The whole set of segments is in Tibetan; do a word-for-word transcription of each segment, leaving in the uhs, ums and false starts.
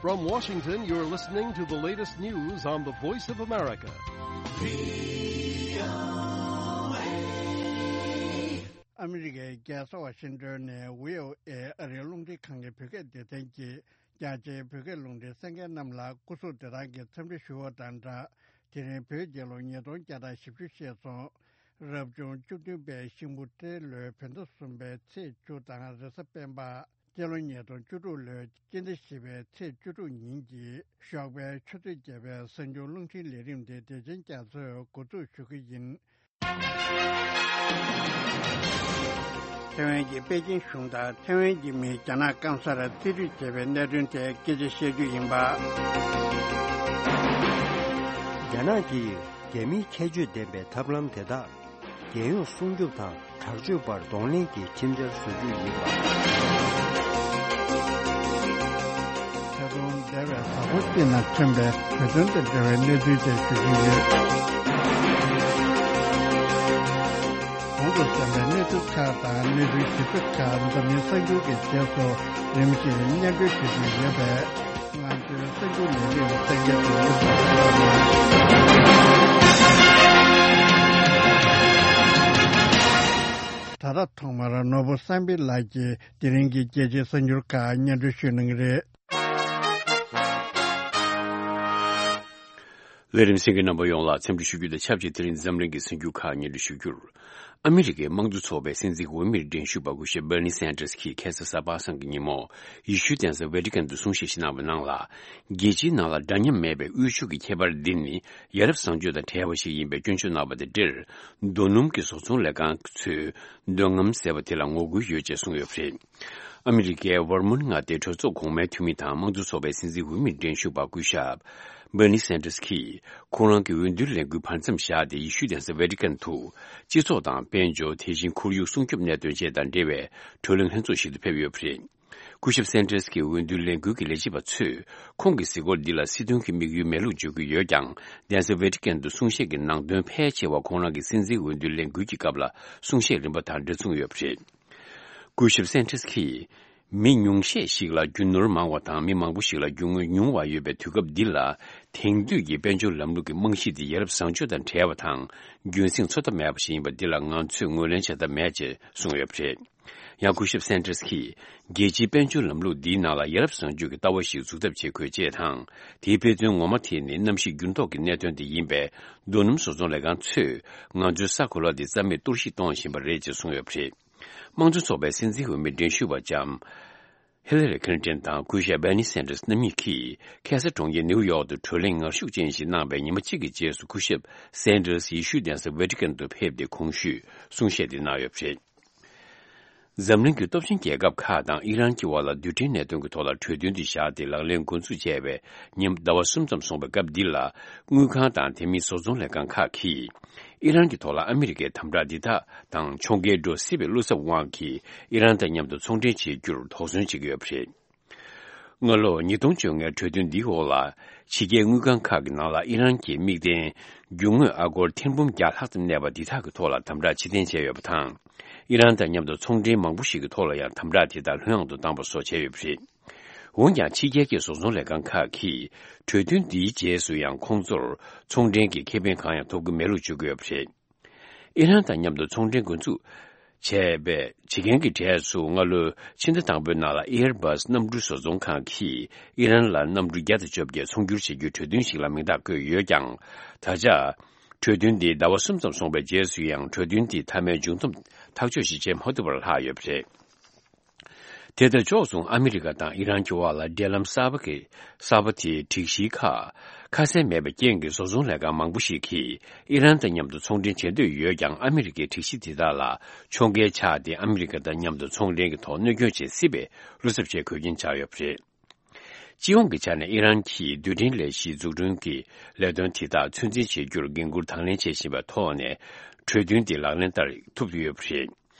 From Washington, you're listening to the latest news on the Voice of America. ཨ་མི་རི་ཀའི་རྒྱལ་ས་ཝ་ཤིང་ཏོན་ནས་བྷི་ཨོ་ཨེ་ཨ་རིའི་རླུང་འཕྲིན་ཁང་གི་བོད་སྐད་སྡེ་ཚན་གྱིས། རྒྱ་ཆེའི་བོད་སྐད་རླུང་འཕྲིན་གསན་མཁན་རྣམས་ལ་སྐུ་གཟུགས་བདེ་ཐང་གི་འཚམས་འདྲི་ཞུ་བ་དང་སྦྲགས། དེ་རིང་བོད་རྒྱལ་ལོ་ཉིས་སྟོང་བརྒྱ་དང་བཞི་བཅུ་ཤེས་སོང་། རབ་བྱུང་བཅུ་བདུན་པའི་ཤིང་བུ་སྤྲེལ་ལོའི་བོད་ཟླ་གསུམ་པའི་ཚེས་བཅུ་དང་རེས་གཟའ་སྤེན་པ། སྤྱི་ལོ་ཉིས་སྟོང་བཅུ་དྲུག་ལོའི་སྤྱི་ཟླ་བཞི་པའི་ཚེས་བཅུ་དྲུག་ཉིན་གྱི་ཞོགས་པའི་ཆུ་ཚོད་བརྒྱད་པའི་གསར་འགྱུར་རླུང་འཕྲིན་ལས་རིམ་དེ་བདེ་ཆེན་རྒྱ་མཚོས་འགོ་འཛུགས་ཞུ་གི་ཡིན། ཐེ་ཝན་གྱི་པེ་ཅིན་གཞུང་དང་ཐེ་ཝན་གྱི་མིས་རྒྱ་ནག་སྐམ་སར་རྩིས་སྤྲོད་བྱས་པའི་གནད་དོན་ཐད་སྐད་ཆ་བཤད་རྒྱུ་ཡིན་པ། རྒྱ་ནག་གིས་རྒྱ་མིའི་ཁྱད་ཆོས་ལྡན་པའི་ཐབས་ལམ་དེ་དག་རྒྱལ་ཡོངས་སྲུང་སྐྱོབ་དང་དྲག་སྤྱོད་པར་གདོང་ལེན་གྱི་ཁྲིམས་འཆར་བཟོ་རྒྱུ་ཡིན་པ། ད་དུང་འདས་པའི་གཟའ་འཁོར་གཅིག་ནང་ཐོན་པའི་བོད་དོན་དང་འབྲེལ་བའི་གནས་ཚུལ་དེ་ཞུ་གི་ཡོད། གོང་དུ་གསན་པའི་གནས་ཚུལ་ཁག་དང་གནས་ཚུལ་ཞིབ་ཕྲ་ཁག་འཛམ་གླིང་གསར་འགྱུར་གྱི་རྗེས་སུ་རིམ་བཞིན་སྙན་སྒྲོན་ཞུ་རྒྱུ་ཡོད་པས། ང་ཚོའི་གསར་འགྱུར་ལས་རིམ་གསན་མཁན་ཚོ་སྙིང་ཐག་པ་ནས། ད་ལྟ་ཐོག་མར་ནོར་བུ་བསམ་འཕེལ་ལགས་ཀྱིས་དེ་རིང་གི་རྒྱལ་སྤྱིའི་གསར་འགྱུར་ཁག་སྙན་སྒྲོན་ཞུ་གནང་གི་རེད། ལས་རིམ་གསན་མཁན་རྣམ་པ་ཡོངས་ལ་འཚམས་འདྲི་ཞུ་རྒྱུ་དང་ཆབས་ཅིག་དེ་རིང་འཛམ་གླིང་གི་གསར་འགྱུར་ཁག་སྙན་སྒྲོན་ཞུ་རྒྱུར། ཨ་མི་རི་ཀའི་དམངས་གཙོ་ཚོགས་པའི་སྲིད་འཛིན་འོས་མིར་འགྲན་ཞུགས་པ་སྐུ་ཞབས་Bernie Sanders་གྱིས་ཁ་སང་གཟའ་པ་སངས་ཀྱི་ཉིན་མོ་ཡེ་ཤུའི་གདན་ས་ཝེ་ཏི་ཀན་དུ་གསུང་བཤད་ཞིག་གནང་བའི་ནང་ལ། རྒྱལ་སྤྱིའི་ནང་ལ་འདྲ་མཉམ་མེད་པའི་དབུལ་ཕྱུག་གི་ཁྱད་པར་འདི་ནི་ཡ་རབས་བཟང་སྤྱོད་དང་བྲལ་བ་ཞིག་ཡིན་པའི་སྐྱོན་བརྗོད་གནང་བ་དང་འབྲེལ། རྡོ་སྣུམ་གྱི་བཟོ་ཚོང་ལས་ཁང་ཚོས་འདོད་རྔམ་ཟེར་བ་དེ་ལ་ངོ་རྒོལ་ཡོད་ཅེས་གསུངས་ཡོད་པ་རེད། ཨ་མི་རི་ཀའི་ཝར་མོན་མངའ་སྡེའི་གྲོས་ཚོགས་གོང་མའི་འཐུས་མི་དང་དམངས་གཙོ་ཚོགས་པའི་སྲིད་འཛིན་འོས་མིར་འགྲན་ཞུགས་པ་སྐུ་ཞབས་Bernie Sanders་གྱིས་ཁོང་རང་གི་འོས་བསྡུའི་ལས་འགུལ་བར་མཚམས་བཞག་སྟེ་ཡེ་ཤུའི་གདན་ས་ཝེ་ཏི་ཀན་དུ་སྤྱི་ཚོགས་དང་དཔལ་འབྱོར། དེ་བཞིན་ཁོར་ཡུག་སྲུང་སྐྱོབ་གནད་དོན་བཅས་དང་འབྲེལ་བའི་གྲོས་གླེང་ལྷན་ཚོགས་ཤིག་ཏུ་ཕེབས་ཡོད་པ་རེད། སྐུ་ཞབས་Sanders་གྱི་འོས་བསྡུའི་ལས་འགུལ་གྱི་ལས་བྱེད་པ་ཚོས་ཁོང་གི་གཟིགས་སྐོར་འདི་ལ་སྲིད་དོན་གྱི་དམིགས་ཡུལ་མེད་ལུགས་བརྗོད་ཀྱི་ཡོད་ཀྱང་། གདན་ས་ཝེ་ཏི་ཀན་དུ་གསུང་བཤད་ཀྱི་ནང་དོན་ཕལ་ཆེ་བ་ཁོང་རང་གི་སྲིད་འཛིན་འོས་བསྡུའི་ལས་འགུལ་གྱི་སྐབས་ལ་གསུང་བཤད་རིམ་པ་དང་འདྲ་མཚུངས་ཡོད་པ་རེད། སྐུ་ཞབས་Sanders་གྱིས། མི་ཉུང་ཤས་ཤིག་ལ་རྒྱུ་ནོར་མང་བ་དང་མི་མང་པོ་ཞིག་ལ་རྒྱུ་དངོས་ཉུང་བ་ཡོད་པའི་དུས་སྐབས་འདི་ལ། དེང་དུས་ཀྱི་དཔལ་འབྱོར་ལམ་ལུགས་ཀྱི་རྨང་གཞི་འདི་ཡ་རབས་བཟང་སྤྱོད་དང་བྲལ་བ་དང་། རྒྱུན་སྲིང་འཚོ་ཐབས་མེད་པ་ཞིག་ཡིན་པ་འདི་ལ་ང་ཚོས་ངོས་ལེན་བྱ་ཐབས་མེད་ཅེས་གསུངས་ཡོད་པ་རེད། ཡང་སྐུ་ཞབས་Sanders་གྱིས། རྒྱལ་སྤྱིའི་དཔལ་འབྱོར་ལམ་ལུགས་འདིའི་ནང་ལ་ཡ་རབས་བཟང་སྤྱོད་ཀྱི་ལྟ་བ་ཞིག་འཛུགས་ཐབས་བྱེད་དགོས་ཅེས་དང་། དེའི་དཔེ་མཚོན་ངོ་མ་དེ་ནི་གནམ་གཤིས་འགྱུར་ལྡོག་གི་གནད་དོན་དེ་ཡིན་པས། རྡོ་སྣུམ་བཟོ་ཚོང་ལས་ཁང་ཚོས་ང་ཚོའི་ས་གོ་ལ་འདི་རྩ་མེད་གཏོར་བཤིག་གཏོང་བཞིན་པ་རེད་ཅེས་གསུངས་ཡོད་པ་རེད། དམངས་གཙོ་ཚོགས་པའི་སྲིད་འཛིན་འོས་མི་འགྲན་ཞུགས་པ་ལྕམ་Hillary Clinton་དང་སྐུ་ཞབས་Bernie Sanders་རྣམ་གཉིས་ཀྱིས་ཁ་ས་གྲོང་ཁྱེར་ནིའུ་ཡོག་ཏུ་བགྲོ་གླེང་ངར་ཤུགས་ཅན་ཞིག་གནང་བའི་ཉི་མ་གཅིག་གི་རྗེས་སུ་སྐུ་ཞབས་Sanders་ཡེ་ཤུའི་གདན་ས་ཝེ་ཏི་ཀན་དུ་ཕེབས་ཏེ་གོང་ཞུས་གསུང་བཤད་དེ་གནང་ཡོད་པ་རེད། འཛམ་གླིང་གི་སྟོབས་ཆེན་རྒྱལ་ཁབ་ཁག་དང་ཨི་རན་གྱི་དབར་ལ་རྡུལ་ཕྲན་གནད་དོན་གྱི་ཐོག་ལ་གྲོས་མཐུན་དེ་བཞག་སྟེ་ལག་ལེན་འགོ་འཛུགས་བྱས་པའི་ཉིན་ཟླ་བ་གསུམ་ཙམ་སོང་བའི་སྐབས་འདི་ལ། དངུལ་ཁང་དང་དེ་མིན་བཟོ་ཚོང་ལས་ཁང་ཁག་གིས། ཨི་རན་གྱི་ཐོག་ལ་ཨ་མི་རི་ཀའི་དམ་དྲག་འདི་དག་དང་ཕྱོགས་འགལ་འགྲོ་སྲིད་པའི་བློ་འཚབ་དབང་གིས་ཨི་རན་དང་མཉམ་དུ་ཚོང་འབྲེལ་བྱེད་རྒྱུར་དོགས་ཟོན་བྱེད་ཀྱི་ཡོད་པ་རེད། སྔ་ལོ་ཉིས་སྟོང་བཅོ་ལྔའི་གྲོས་མཐུན་འདིའི་འོག་ལ། ཕྱི་རྒྱལ་དངུལ་ཁང་ཁག་གི་ནང་ལ་ཨི་རན་གྱི་དམིགས་རྟེན་རྒྱུ་དངོས་ཨ་སྒོར་ཐེར་འབུམ་བརྒྱ་ལྷག་ཙམ་གནས་པ་འདི་དག་གི་ཐོག་ལ་དམ་དྲག་ཕྱིར་འཐེན་བྱས་ཡོད་པ་དང་། ཨི་རན་དང་མཉམ་དུ་ཚོང་འབྲེལ་མང་པོ་ཞིག་གི་ཐོག་ལ་ཡང་དམ་དྲག་དེ་དག་ལྷོད་ཡངས་དུ་བཏང་པ་སོགས་བྱས་ཡོད་པ་རེད། འོན་ཀྱང་ཕྱི་རྒྱལ་གྱི་བཟོ་ཚོང་ལས་ཁང་ཁག་གིས་གྲོས་མཐུན་འདིའི་རྗེས་སུ་ཡང་ཁོང་ཚོར་ཚོང་འབྲེལ་གྱི་ཁེ་ཕན་གང་ཡང་ཐོབ་ཀྱི་མེད་ལུགས་བརྗོད་ཀྱི་ཡོད་པ་རེད། ཨི་རན་དང་མཉམ་དུ་ཚོང་འབྲེལ་འགོ་འཛུགས་བྱས་པའི་བྱེད་མཁན་གྱི་གྲས་སུ་སྔ་ལོའི་ཕྱི་ཟླ་དང་པོའི་ནང་ལ་Airbus་གནམ་གྲུ་བཟོ་ཚོང་ཁང་གིས་ཨི་རན་ལ་གནམ་གྲུ་བརྒྱ་དང་བཅོ་བརྒྱད་ཚོང་སྒྱུར་བྱེད་རྒྱུའི་གྲོས་མཐུན་ཞིག་ལ་མིང་རྟགས་བཀོད་ཡོད་ཀྱང་། ད་ཆ་གྲོས་མཐུན་འདི་ཟླ་བ་གསུམ་ཙམ་སོང་བའི་རྗེས་སུ་ཡང་གྲོས་མཐུན་འདི་མཐའ་མའི་མཇུག་བསྡོམས་ཐག་གཅོད་ཞིག་བྱེད་མ་ཐུབ་པར་ལྷག་ཡོད་པ་རེད། དེ་དང་ཕྱོགས་མཚུངས་ཨ་མི་རི་ཀ་དང་ཨི་རན་གྱི་དབར་ལ་འབྲེལ་ལམ་གསར་པ་གི་གསར་པ་དེའི་སྒྲིག་གཞིའི་ཁག་ཁ་གསལ་མེད་པའི་རྐྱེན་གྱིས་བཟོ་ཚོང་ལས་ཁང་མང་པོ་ཞིག་གིས་ཨི་རན་དང་མཉམ་དུ་ཚོང་འབྲེལ་བྱེད་འདོད་ཡོད་ཀྱང་། ཨ་མི་རི་ཀའི་སྒྲིག་གཞི་དེ་དག་ལ་ཕྱོགས་འགལ་ཆགས་ཏེ། ཨ་མི་རི་ཀ་དང་མཉམ་དུ་ཚོང་འབྲེལ་གྱི་ཐོག་གནོད་སྐྱོན་བྱེད་སྲིད་པའི་བློ་འཚབ་བྱེད་དགོས་རྐྱེན་ཆགས་ཡོད་པ་རེད། སྤྱི་ཡོངས་ཀྱི་ཆ་ནས་ཨི་རན་གྱིས་རྡུལ་ཕྲན་ལས་གཞི་འཛུགས་སྐྲུན་གྱི་ལས་དོན་དེ་དག་ཚོད་འཛིན་བྱེད་རྒྱུར་འགན་འཁུར་དང་ལེན་བྱེད་བཞིན་པའི་ཐོག་ནས། གྲོས་མཐུན་དེ་ལག་ལེན་བསྟར་ཐུབ་ཡོད་པ་རེད།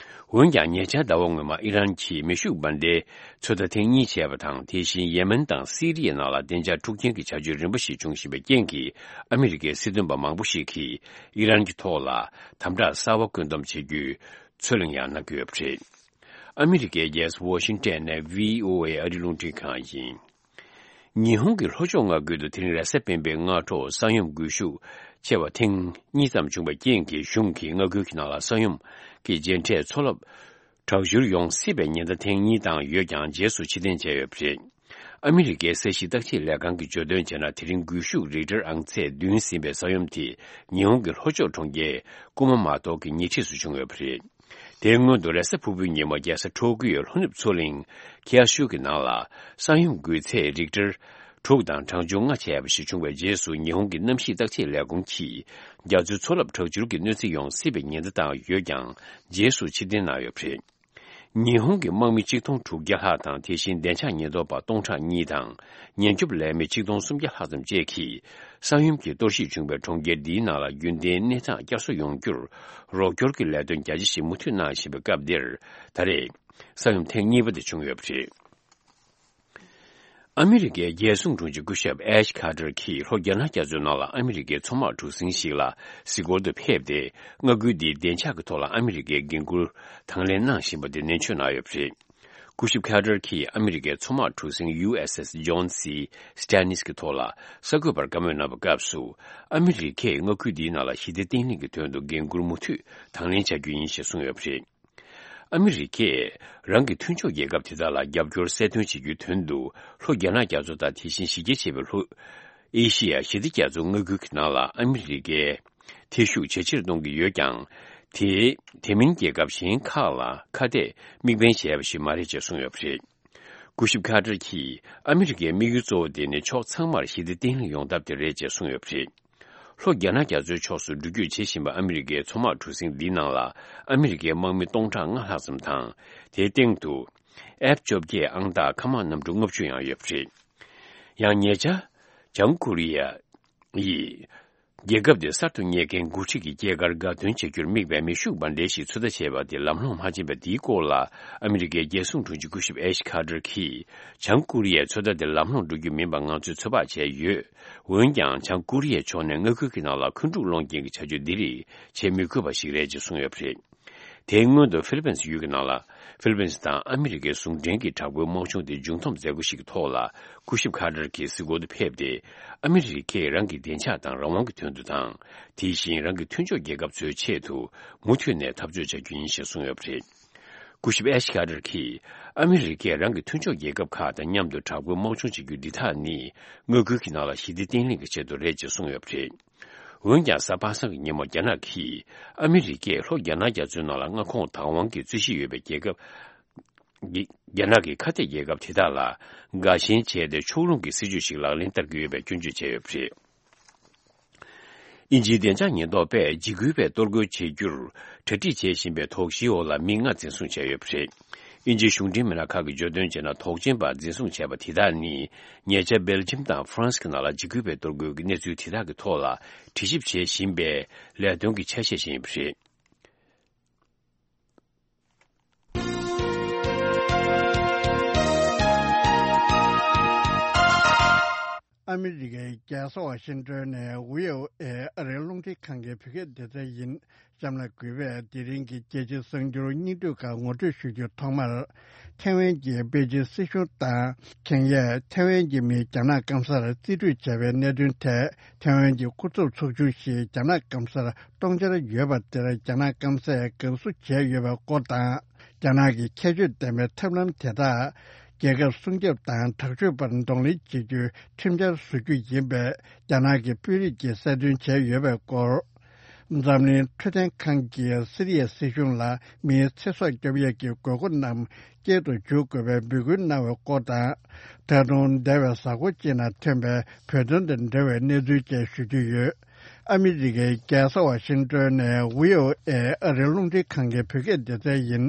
འོན་ཀྱང་། ཉེ་ཆར་ཟླ་བ་སྔོན་མ་ཨི་རན་གྱིས་མེ་ཤུགས་འབར་མདེལ་ཚོད་ལྟ་ཐེངས་གཉིས་བྱས་པ་དང་། དེ་བཞིན་ཡེ་མེན་དང་སི་རི་ཡའི་ནང་ལ་བདེ་འཇགས་འཁྲུག་རྐྱེན་གྱི་བྱ་སྤྱོད་རིམ་པ་ཞིག་འབྱུང་བཞིན་པའི་རྐྱེན་གྱིས། ཨ་མི་རི་ཀའི་སྲིད་དོན་པ་མང་པོ་ཞིག་གིས་ཨི་རན་གྱི་ཐོག་ལ་དམ་དྲག་གསར་པ་བཀོད་འདོམས་བྱེད་རྒྱུའི་རྩོད་གླེང་ཡང་གནང་གི་ཡོད་པ་རེད། ཨ་མི་རི་ཀའི་རྒྱལ་ས་ཝོ་ཤིང་ཏན་ནས་བྷི་ཨོ་ཨེ་ཨ་རིའི་རླུང་འཕྲིན་ཁང་ཡིན། ཉི་ཧོང་གི་ལྷོ་ཕྱོགས་མངའ་ཁུལ་དུ་དེ་རིང་རེས་གཟའ་སྤེན་པའི་སྔ་དྲོ་ས་ཡོམ་འགུལ་ཤུགས་ཆེ་བ་ཐེངས་གཉིས་ཙམ་བྱུང་བའི་རྐྱེན་གྱིས། གཞུང་གིས་མངའ་ཁུལ་གྱི་ནང་ལ་ས་ཡོམ་གྱི་རྗེས་འབྲས་མཚོ་རླབས་དྲག་འཕྱུར་ཡོང་སྲིད་པའི་ཉེན་བརྡ་ཐེངས་གཉིས་བཏང་ཡོད་ཀྱང་། རྗེས་སུ་ཕྱིར་འཐེན་བྱས་ཡོད་པ་རེད། ཨ་མི་རི་ཀའི་ས་གཞི་བརྟག་དཔྱད་ལས་ཁང་གིས་བརྗོད་དོན་བྱས་ན། དེ་རིང་འགུལ་ཤུགས་རིག་ཊར་ཨང་ཚད་བདུན་ཟིན་པའི་ས་ཡོམ་དེས་ཉི་ཧོང་གི་ལྷོ་ཕྱོགས་གྲོང་ཁྱེར་ཀུ་མ་མ་ཏོ་གི་ཉེ་འཁྲིས་སུ་བྱུང་ཡོད་པ་རེད། དེའི་སྔོན་དུ་རེས་གཟའ་ཕུར་བུའི་ཉིན་མོ་རྒྱལ་ས་ཊོ་ཀིའོའི་ལྷོ་ནུབ་མཚོ་གླིང་ཁི་ཨ་ཤུ་གི་ནང་ལ་ས་ཡོམ་འགུལ་ཚད་རིག་ཊར་དྲུག་དང་གྲངས་ཆུང་ལྔ་བྱས་པ་ཞིག་བྱུང་བའི་རྗེས་སུ། ཉི་ཧོང་གི་གནམ་གཤིས་བརྟག་དཔྱད་ལས་ཁུངས་ཀྱིས་རྒྱ་མཚོའི་མཚོ་རླབས་དྲག་འཕྱུར་གྱི་གནོད་འཚེ་ཡོང་སྲིད་པའི་ཉེན་བརྡ་བཏང་ཡོད་ཀྱང་། རྗེས་སུ་ཕྱིར་འཐེན་གནང་ཡོད་པ་རེད། ཉི་ཧོང་གི་དམག་མི་ཆིག་སྟོང་དྲུག་བརྒྱ་ལྷག་དང་། དེ་བཞིན་བདེ་འཇགས་ཉེན་རྟོག་པ་སྟོང་ཕྲག་གཉིས་དང་། ཉེན་སྐྱོབ་ལས་མི་ཆིག་སྟོང་སུམ་བརྒྱ་ལྷག་ཙམ་བཅས་ཀྱིས་ས་ཡོམ་གྱིས་གཏོར་བཤིག་བྱུང་བའི་གྲོང་ཁྱེར་འདིའི་ནང་ལ་རྒྱུན་ལྡན་གནས་སྟངས་བསྐྱར་གསོ་ཡོང་རྒྱུར་རོགས་སྐྱོར་གྱི་ལས་དོན་རྒྱ་ཆེ་ཞིག་མུ་མཐུད་གནང་བཞིན་པའི་སྐབས་འདིར། ད་རེས་ས་ཡོམ་ཐེངས་གཉིས་པ་དེ་བྱུང་ཡོད་པ་རེད། ཨ་མི་རི་ཀའི་རྒྱལ་སྲུང་དྲུང་ཆེ་སྐུ་ཞབས་ཨེཤ་ཁ་ཏར་གྱིས་ལྷོ་རྒྱ་ནག་རྒྱ་མཚོའི་ནང་ལ་ཨ་མི་རི་ཀའི་མཚོ་དམག་གྲུ་གཟིངས་ཤིག་ལ་གཟིགས་སྐོར་དུ་ཕེབས་ཏེ། མངའ་ཁུལ་འདིའི་བདེ་འཇགས་ཀྱི་ཐོག་ལ་ཨ་མི་རི་ཀས་འགན་འཁུར་དང་ལེན་གནང་བཞིན་པ་དེ་ནན་བརྗོད་གནང་ཡོད་པ་རེད། སྐུ་ཞབས་ཁ་ཏར་གྱིས་ཨ་མི་རི་ཀའི་མཚོ་དམག་གྲུ་གཟིངས་ཡུ་ཨེས་ཨེས་ཇོན་སི་སི་ཏན་ནིས་ཀྱི་ཐོག་ལ་གསར་འགོད་པར་བཀའ་མོལ་གནང་བའི་སྐབས་སུ། ཨ་མི་རི་ཀས་མངའ་ཁུལ་འདིའི་ནང་ལ་ཞི་བདེ་བརྟན་ལྷིང་གི་དོན་དུ་འགན་འཁུར་མུ་མཐུད་དང་ལེན་བྱ་རྒྱུ་ཡིན་ཞེས་གསུངས་ཡོད་པ་རེད། ཨ་མི་རི་ཀས་རང་གི་མཐུན་ཕྱོགས་རྒྱལ་ཁབ་དེ་དག་ལ་རྒྱབ་སྐྱོར་གསལ་སྟོན་བྱེད་རྒྱུའི་དོན་དུ། ལྷོ་རྒྱ་ནག་རྒྱ་མཚོ་དང་། དེ་བཞིན་གཞི་རྒྱ་ཆེ་བའི་ལྷོ་ཨེ་ཤི་ཡ་ཞི་བདེ་རྒྱ་མཚོའི་མངའ་ཁུལ་གྱི་ནང་ལ་ཨ་མི་རི་ཀས་ཐེ་ཞུགས་ཇེ་ཆེར་གཏོང་གི་ཡོད་ཀྱང་། དེས་དེ་མིན་རྒྱལ་ཁབ་གཞན་ཁག་ལ་ཁ་གཏད་དམིགས་འབེན་བྱས་པ་ཞིག་མ་རེད་ཅེས་གསུངས་ཡོད་པ་རེད། སྐུ་ཞབས་ཁ་ཏར་གྱིས། ཨ་མི་རི་ཀའི་དམིགས་ཡུལ་གཙོ་བོ་དེ་ནི་ཕྱོགས་ཚང་མར་ཞི་བདེ་བརྟན་ལྷིང་ཡོང་ཐབས་དེ་རེད་ཅེས་གསུངས་ཡོད་པ་རེད། ལྷོ་རྒྱ་ནག་རྒྱ་མཚོའི་ཕྱོགས་སུ་འགྲུལ་སྐྱོད་བྱེད་བཞིན་པ། ཨ་མི་རི་ཀའི་མཚོ་དམག་གྲུ་གཟིངས་འདིའི་ནང་ལ་ཨ་མི་རི་ཀའི་དམག་མི་སྟོང་ཕྲག་ལྔ་ལྷག་ཙམ་དང་། དེའི་སྟེང་དུ་ཨེཕ་བཅོ་བརྒྱད་ཨང་རྟགས་མཁའ་དམག་གནམ་གྲུ་ལྔ་བཅུ་ཡང་ཡོད་པ་རེད། ཡང་ཉེ་ཆར་བྱང་ཀོ་རི་ཡ་ཡིས་རྒྱལ་ཁབ་དེ་གསར་དུ་རྙེད་མཁན་འགོ་ཁྲིད་ཀྱི་སྐྱེས་སྐར་དགའ་སྟོན་བྱ་རྒྱུར་དམིགས་པའི་མེ་ཤུགས་འབར་མདེལ་ཞིག་ཚོད་ལྟ་བྱས་པ་དེ་ལམ་ལྷོང་མ་ཕྱིན་པ་དེའི་སྐོར་ལ། ཨ་མི་རི་ཀའི་རྒྱལ་སྲུང་དྲུང་ཆེ་སྐུ་ཞབས་ཨེཤ་ཁ་ཏར་གྱིས། བྱང་ཀོ་རི་ཡའི་ཚོད་ལྟ་དེ་ལམ་ལྷོང་འགྲོ་རྒྱུ་མིན་པ་ང་ཚོས་ཚོད་དཔག་བྱས་ཡོད། འོན་ཀྱང་། བྱང་ཀོ་རི་ཡའི་ཕྱོགས་ནས་མངའ་ཁུལ་གྱི་ནང་ལ་འཁོན་འཁྲུག་སློང་རྐྱེན་གྱི་བྱ་སྤྱོད་འདི་རིགས་བྱེད་མི་དགོས་པ་ཞིག་རེད་ཅེས་གསུངས་ཡོད་པ་རེད། དེའི་སྔོན་དུ་ཧྥི་ལི་པིན་སི་ཡུལ་གྱི་ནང་ལ། ཧྥི་ལི་པིན་སི་དང་ཨ་མི་རི་ཀའི་ཟུང་འབྲེལ་གྱི་དྲག་པོའི་དམག་སྦྱོང་དེ་མཇུག་བསྡོམས་མཛད་སྒོ་ཞིག་གི་ཐོག་ལ། སྐུ་ཞབས་ཁ་ཏར་གྱིས་གཟིགས་སྐོར་དུ་ཕེབས་ཏེ། ཨ་མི་རི་ཀས་རང་གི་བདེ་འཇགས་དང་རང་དབང་གི་དོན་དུ་དང་། དེ་བཞིན་རང་གི་མཐུན་ཕྱོགས་རྒྱལ་ཁབ་ཚོའི་ཆེད་དུ་མུ་མཐུད་ནས་འཐབ་རྩོད་བྱ་རྒྱུ་ཡིན་ཞེས་གསུངས་ཡོད་པ་རེད། སྐུ་ཞབས་ཨེཤ་ཁ་ཏར་གྱིས། ཨ་མི་རི་ཀས་རང་གི་མཐུན་ཕྱོགས་རྒྱལ་ཁབ་ཁག་དང་མཉམ་དུ་དྲག་པོའི་དམག་སྦྱོང་བྱེད་རྒྱུ་འདི་དག་ནི། མངའ་ཁུལ་གྱི་ནང་ལ་ཞི་བདེ་བརྟན་ལྷིང་གི་ཆེད་དུ་རེད་ཅེས་གསུངས་ཡོད་པ་རེད། འོན་ཀྱང་། གཟའ་པ་སངས་ཀྱི་ཉིན་མོ་རྒྱ་ནག་གིས། ཨ་མི་རི་ཀས་ལྷོ་རྒྱ་ནག་རྒྱ་མཚོའི་ནང་ལ་མངའ་ཁོངས་བདག་དབང་གི་རྩོད་གཞི་ཡོད་པའི་རྒྱལ་ཁབ། རྒྱ་ནག་གི་ཁ་གཏད་རྒྱལ་ཁབ་དེ་དག་ལ་དགའ་ཞེན་བྱས་ཏེ། ཕྱོགས་ལྷུང་གི་སྲིད་ཇུས་ཤིག་ལག་ལེན་བསྟར་གྱི་ཡོད་པའི་སྐྱོན་བརྗོད་བྱས་ཡོད་པ་རེད། དབྱིན་ཇིའི་བདེ་འཇགས་ཉེན་རྟོག་པས་འཇིགས་སྐུལ་བའི་གཏོར་རྒོལ་བྱེད་རྒྱུར་གྲ་སྒྲིག་བྱེད་བཞིན་པའི་དོགས་གཞིའི་འོག་ལ་མི་ལྔ་འཛིན་བཟུང་བྱས་ཡོད་པ་རེད། དབྱིན་ཇིའི་གཞུང་འབྲེལ་མི་སྣ་ཁག་གིས་བརྗོད་དོན་བྱས་ན། དོགས་ཅན་པ་འཛིན་བཟུང་བྱས་པ་དེ་དག་ནི། ཉེ་ཆར་སྦེལ་ཇམ་དང་ཧྥ་རན་སི་གི་ནང་ལ་འཇིགས་སྐུལ་བའི་གཏོར་རྒོལ་གྱི་གནས་ཚུལ་དེ་དག་གི་ཐོག་ལ་དྲི་ཞིབ་བྱེད་བཞིན་པའི་ལས་དོན་གྱི་ཆ་ཤས་ཤིག་ཡིན་པ་རེད། ཨ་མི་རི་ཀའི་རྒྱལ་ས་ཝ་ཤིང་ཏོན་ནས་ཝི་ཨོ་ཨེ་ཨ་རིའི་རླུང་འཕྲིན་ཁང་གི་བོད་སྐད་སྡེ་ཚན་ཡིན། གཤམ་ལ་གུས་པས་དེ་རིང་གི་རྒྱལ་སྤྱིའི་གསར་འགྱུར་སྙིང་བསྡུས་ཁག་ངོ་སྤྲོད་ཞུ་རྒྱུ། ཐོག་མར། ཐའེ་ཝན་གྱི་པེ་ཅིན་སྲིད་གཞུང་དང་། ཁེན་ཡས་ཐའེ་ཝན་གྱི་མིས་རྒྱ་ནག་སྐམ་སར་རྩིས་སྤྲོད་བྱས་པའི་གནད་དོན་ཐད། ཐའེ་ཝན་གྱི་སྐུ་ཚབ་ཚོགས་ཆུང་ཞིག་རྒྱ་ནག་སྐམ་སར་གཏོང་འཆར་ཡོད་པ་དེར། རྒྱ་ནག་སྐམ་སས་དགའ་བསུ་བྱས་ཡོད་པའི་སྐོར་དང་། རྒྱ་ནག་གི་ཁྱད་ཆོས་ལྡན་པའི་ཐབས་ལམ་དེ་དག་རྒྱལ་ཁབ་སྲུང་སྐྱོབ་དང་དྲག་སྤྱོད་པར་གདོང་ལེན་བྱེད་རྒྱུའི་ཁྲིམས་འཆར་བཟོ་རྒྱུ་ཡིན་པའི་རྒྱ་ནག་གི་དཔོན་རིགས་ཀྱིས་གསལ་སྟོན་བྱས་ཡོད་པའི་སྐོར། འཛམ་གླིང་འཕྲོད་བསྟེན་ཁང་གིས་སི་རི་ཡའི་སྲིད་གཞུང་ལ་མིའི་ཚེ་སྲོག་སྐྱོབ་ཡས་ཀྱི་དགོས་མཁོ་རྣམས་སྐྱེལ་དུ་འཇུག་དགོས་པའི་འབོད་སྐུལ་གནང་བའི་སྐོར་དང་། ད་དུང་འདས་པའི་གཟའ་འཁོར་གཅིག་ནང་ཐོན་པའི་བོད་དོན་དང་འབྲེལ་བའི་གནས་ཚུལ་བཅས་ཞུ་རྒྱུ་ཡོད། ཨ་མི་རི་ཀའི་རྒྱལ་ས་ཝ་ཤིང་ཏོན་ནས་ཝི་ཨོ་ཨེ་ཨ་རིའི་རླུང་འཕྲིན་ཁང་གི་བོད་སྐད་སྡེ་ཚན་ཡིན།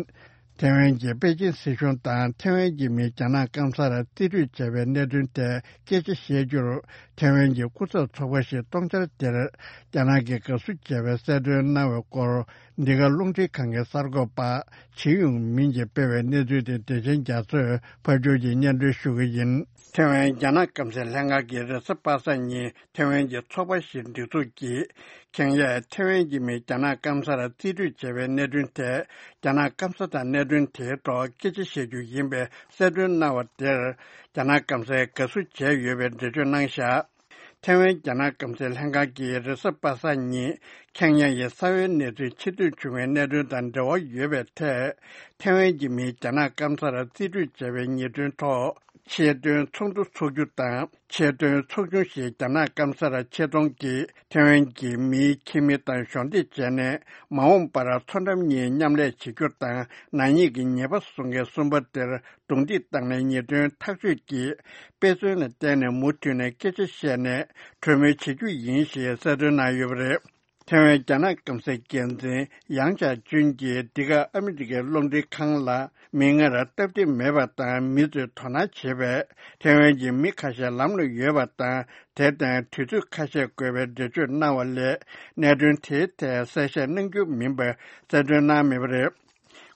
ཐའེ་ཝན་གྱི་པེ་ཅིན་སྲིད་གཞུང་དང་ཐའེ་ཝན་གྱི་མིས་རྒྱ་ནག་སྐམ་སར་རྩིས་སྤྲོད་བྱས་པའི་གནད་དོན་ཐད་སྐད་ཆ་བཤད་རྒྱུར། ཐེ་ཝན་གྱི་སྐུ་ཚབ་ཚོགས་པ་ཞིག་གཏོང་འཆར་དེར་རྒྱ་ནག་གིས་དགའ་བསུ་བྱས་པའི་གསལ་སྟོན་གནང་བའི་སྐོར། འདི་ག་རླུང་འཕྲིན་ཁང་གི་གསར་འགོད་པ་ཆིན་ཡུང་མིན་གྱིས་སྤེལ་བའི་གནས་ཚུལ་དེ་བདེ་ཆེན་རྒྱ་མཚོས་ཕབ་སྒྱུར་གྱིས་སྙན་སྒྲོན་ཞུ་གི་ཡིན། ཐེ་ཝན་རྒྱ་ནག་སྐམ་སའི་ལྷན་ཁང་གིས་རེས་གཟའ་པ་སངས་ཉིན་ཐེ་ཝན་གྱི་ཚོགས་པ་ཞིག་སྒྲིག་འཛུགས་ཀྱིས། ཁེང་ཡས་ཐེ་ཝན་གྱི་མི་རྒྱ་ནག་སྐམ་སར་རྩིས་སྤྲོད་བྱས་པའི་གནད་དོན་ཐད། རྒྱ་ནག་སྐམ་ས་དང་གནད་དོན་དེའི་ཐོག་སྐད་ཆ་བཤད་རྒྱུ་ཡིན་པའི་གསལ་སྟོན་གནང་བ་དེར། རྒྱ་ནག་སྐམ་སས་དགའ་བསུ་བྱས་ཡོད་པའི་འགྲེལ་བརྗོད་གནང་བཞག་ཐེ་ཝན་རྒྱ་ནག་སྐམ་སའི་ལྷན་ཁང་གིས་རེས་གཟའ་པ་སངས་ཉིན་ཁེང་ཡ་ཡི་ས་བོན་གནས་ཚུལ་ཕྱིར་ཐོན་བྱུང་བའི་གནད་དོན་དང་འབྲེལ་བ་ཡོད་པའི་ཐད། ཐེ་ཝན་གྱི་མིས་རྒྱ་ནག་སྐམ་སར་རྩིས་སྤྲོད་བྱས་པའི་ཉེས་དོན་ཐོག་ཆེས་མཐོའི་ཚོགས་འདུ་འཚོགས་རྒྱུ་དང་། ཆེས་མཐོའི་ཚོགས་ཆུང་ཞིག་རྒྱ་ནག་སྐམ་སར་ཆེད་གཏོང་གིས་ཐེ་ཝན་གྱི་མིའི་ཁྱིམ་མི་དང་གཞོགས་འདེགས་བྱས་ནས། མ་འོངས་པར་མཚོ་འགྲམ་གཉིས་མཉམ་ལས་བྱེད་རྒྱུ་དང་། ནག་ཉེས་ཀྱི་ཉེས་པ་བཟུང་མཁན་གསུམ་པ་དེར་རྡུང་རྡེག་བཏང་ནས་ཉེས་དོན་ཐག་གཅོད་ཀྱིས་དཔེ་མཚོན་ལ་བརྟེན་ནས་མུ་མཐུད་ནས་སྐད་ཆ་བཤད་ནས་གྲོས་མོལ་བྱེད་རྒྱུ་ཡིན་ཞེས་གསལ་སྟོན་གནང་ཡོད་པ་རེད། ཐེ་ཝན་རྒྱ་ནག་སྐམ་སའི་འགན་འཛིན་ཡང་ཅཱ་ཅུན་གྱིས་འདི་ག་ཨ་མི་རི་ཀའི་རླུང་འཕྲིན་ཁང་ལ། མིག་སྔར་སྟབས་བདེ་མེད་པ་དང་མི་ཚོས་དོ་སྣང་བྱེད་པས། ཐེ་ཝན་གྱི་མི་ཁ་ཤས་ལམ་ལ་ཡོད་པ་དང་། དེར་བརྟེན་དུས་ཚོད་ཁ་ཤས་འགོར་བའི་འགྲེལ་བརྗོད་གནང་བ་ལས། གནད་དོན་དེའི་ཐད་གསལ་བཤད་གནང་རྒྱུ་མིན་པར་གསལ་སྟོན་གནང་མེད་པ་རེད།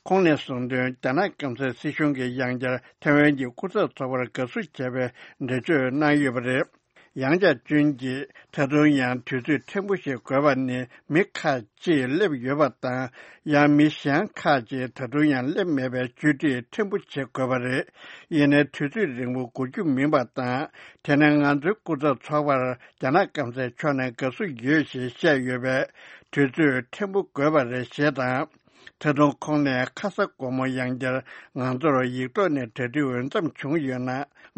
ཁོང་ནས་གསུངས་དོན། རྒྱ་ནག་སྐམ་སའི་སྲིད་གཞུང་གིས་ཡང་བསྐྱར་ཐེ་ཝན་གྱི་སྐུ་ཚབ་ཚོགས་པར་དགའ་བསུ་བྱས་པའི་འགྲེལ་བརྗོད་གནང་ཡོད་པ་རེད། ཡང་ཅཱ་ཅུན་གྱིས། ད་དུང་ཡང་དུས་ཚོད་ཕྲན་བུ་ཞིག་འགོར་བ་ནི། མི་ཁག་ཅིག་སླེབས་ཡོད་པ་དང་། ཡང་མི་གཞན་ཁག་ཅིག་ད་དུང་ཡང་སླེབས་མེད་པའི་བཅོས་སྒྲིག་ཕྲན་བུ་བྱེད་དགོས་པ་རེད། ཡིན་ནའི་དུས་ཚོད་རིང་པོ་འགོར་རྒྱུ་མིན་པ་དང་། དེ་ནས་ང་ཚོའི་སྐུ་ཚབ་ཚོགས་པར་རྒྱ་ནག་སྐམ་སའི་ཕྱོགས་ནས་དགའ་བསུ་ཡོད་ཞེས་བཤད་ཡོད་པས། དུས་ཚོད་ཕྲན་བུ་འགོར་བ་རེད་ཞེས་དང་། ད་དུང་ཁོང་ནས་ཁ་ས་དགོང་མོ་ཡང་བསྐྱར་ང་ཚོར་ཡིག་ཐོག་ནས་གྲ་སྒྲིག་འོས་འཚམ་བྱུང་ཡོད་ན།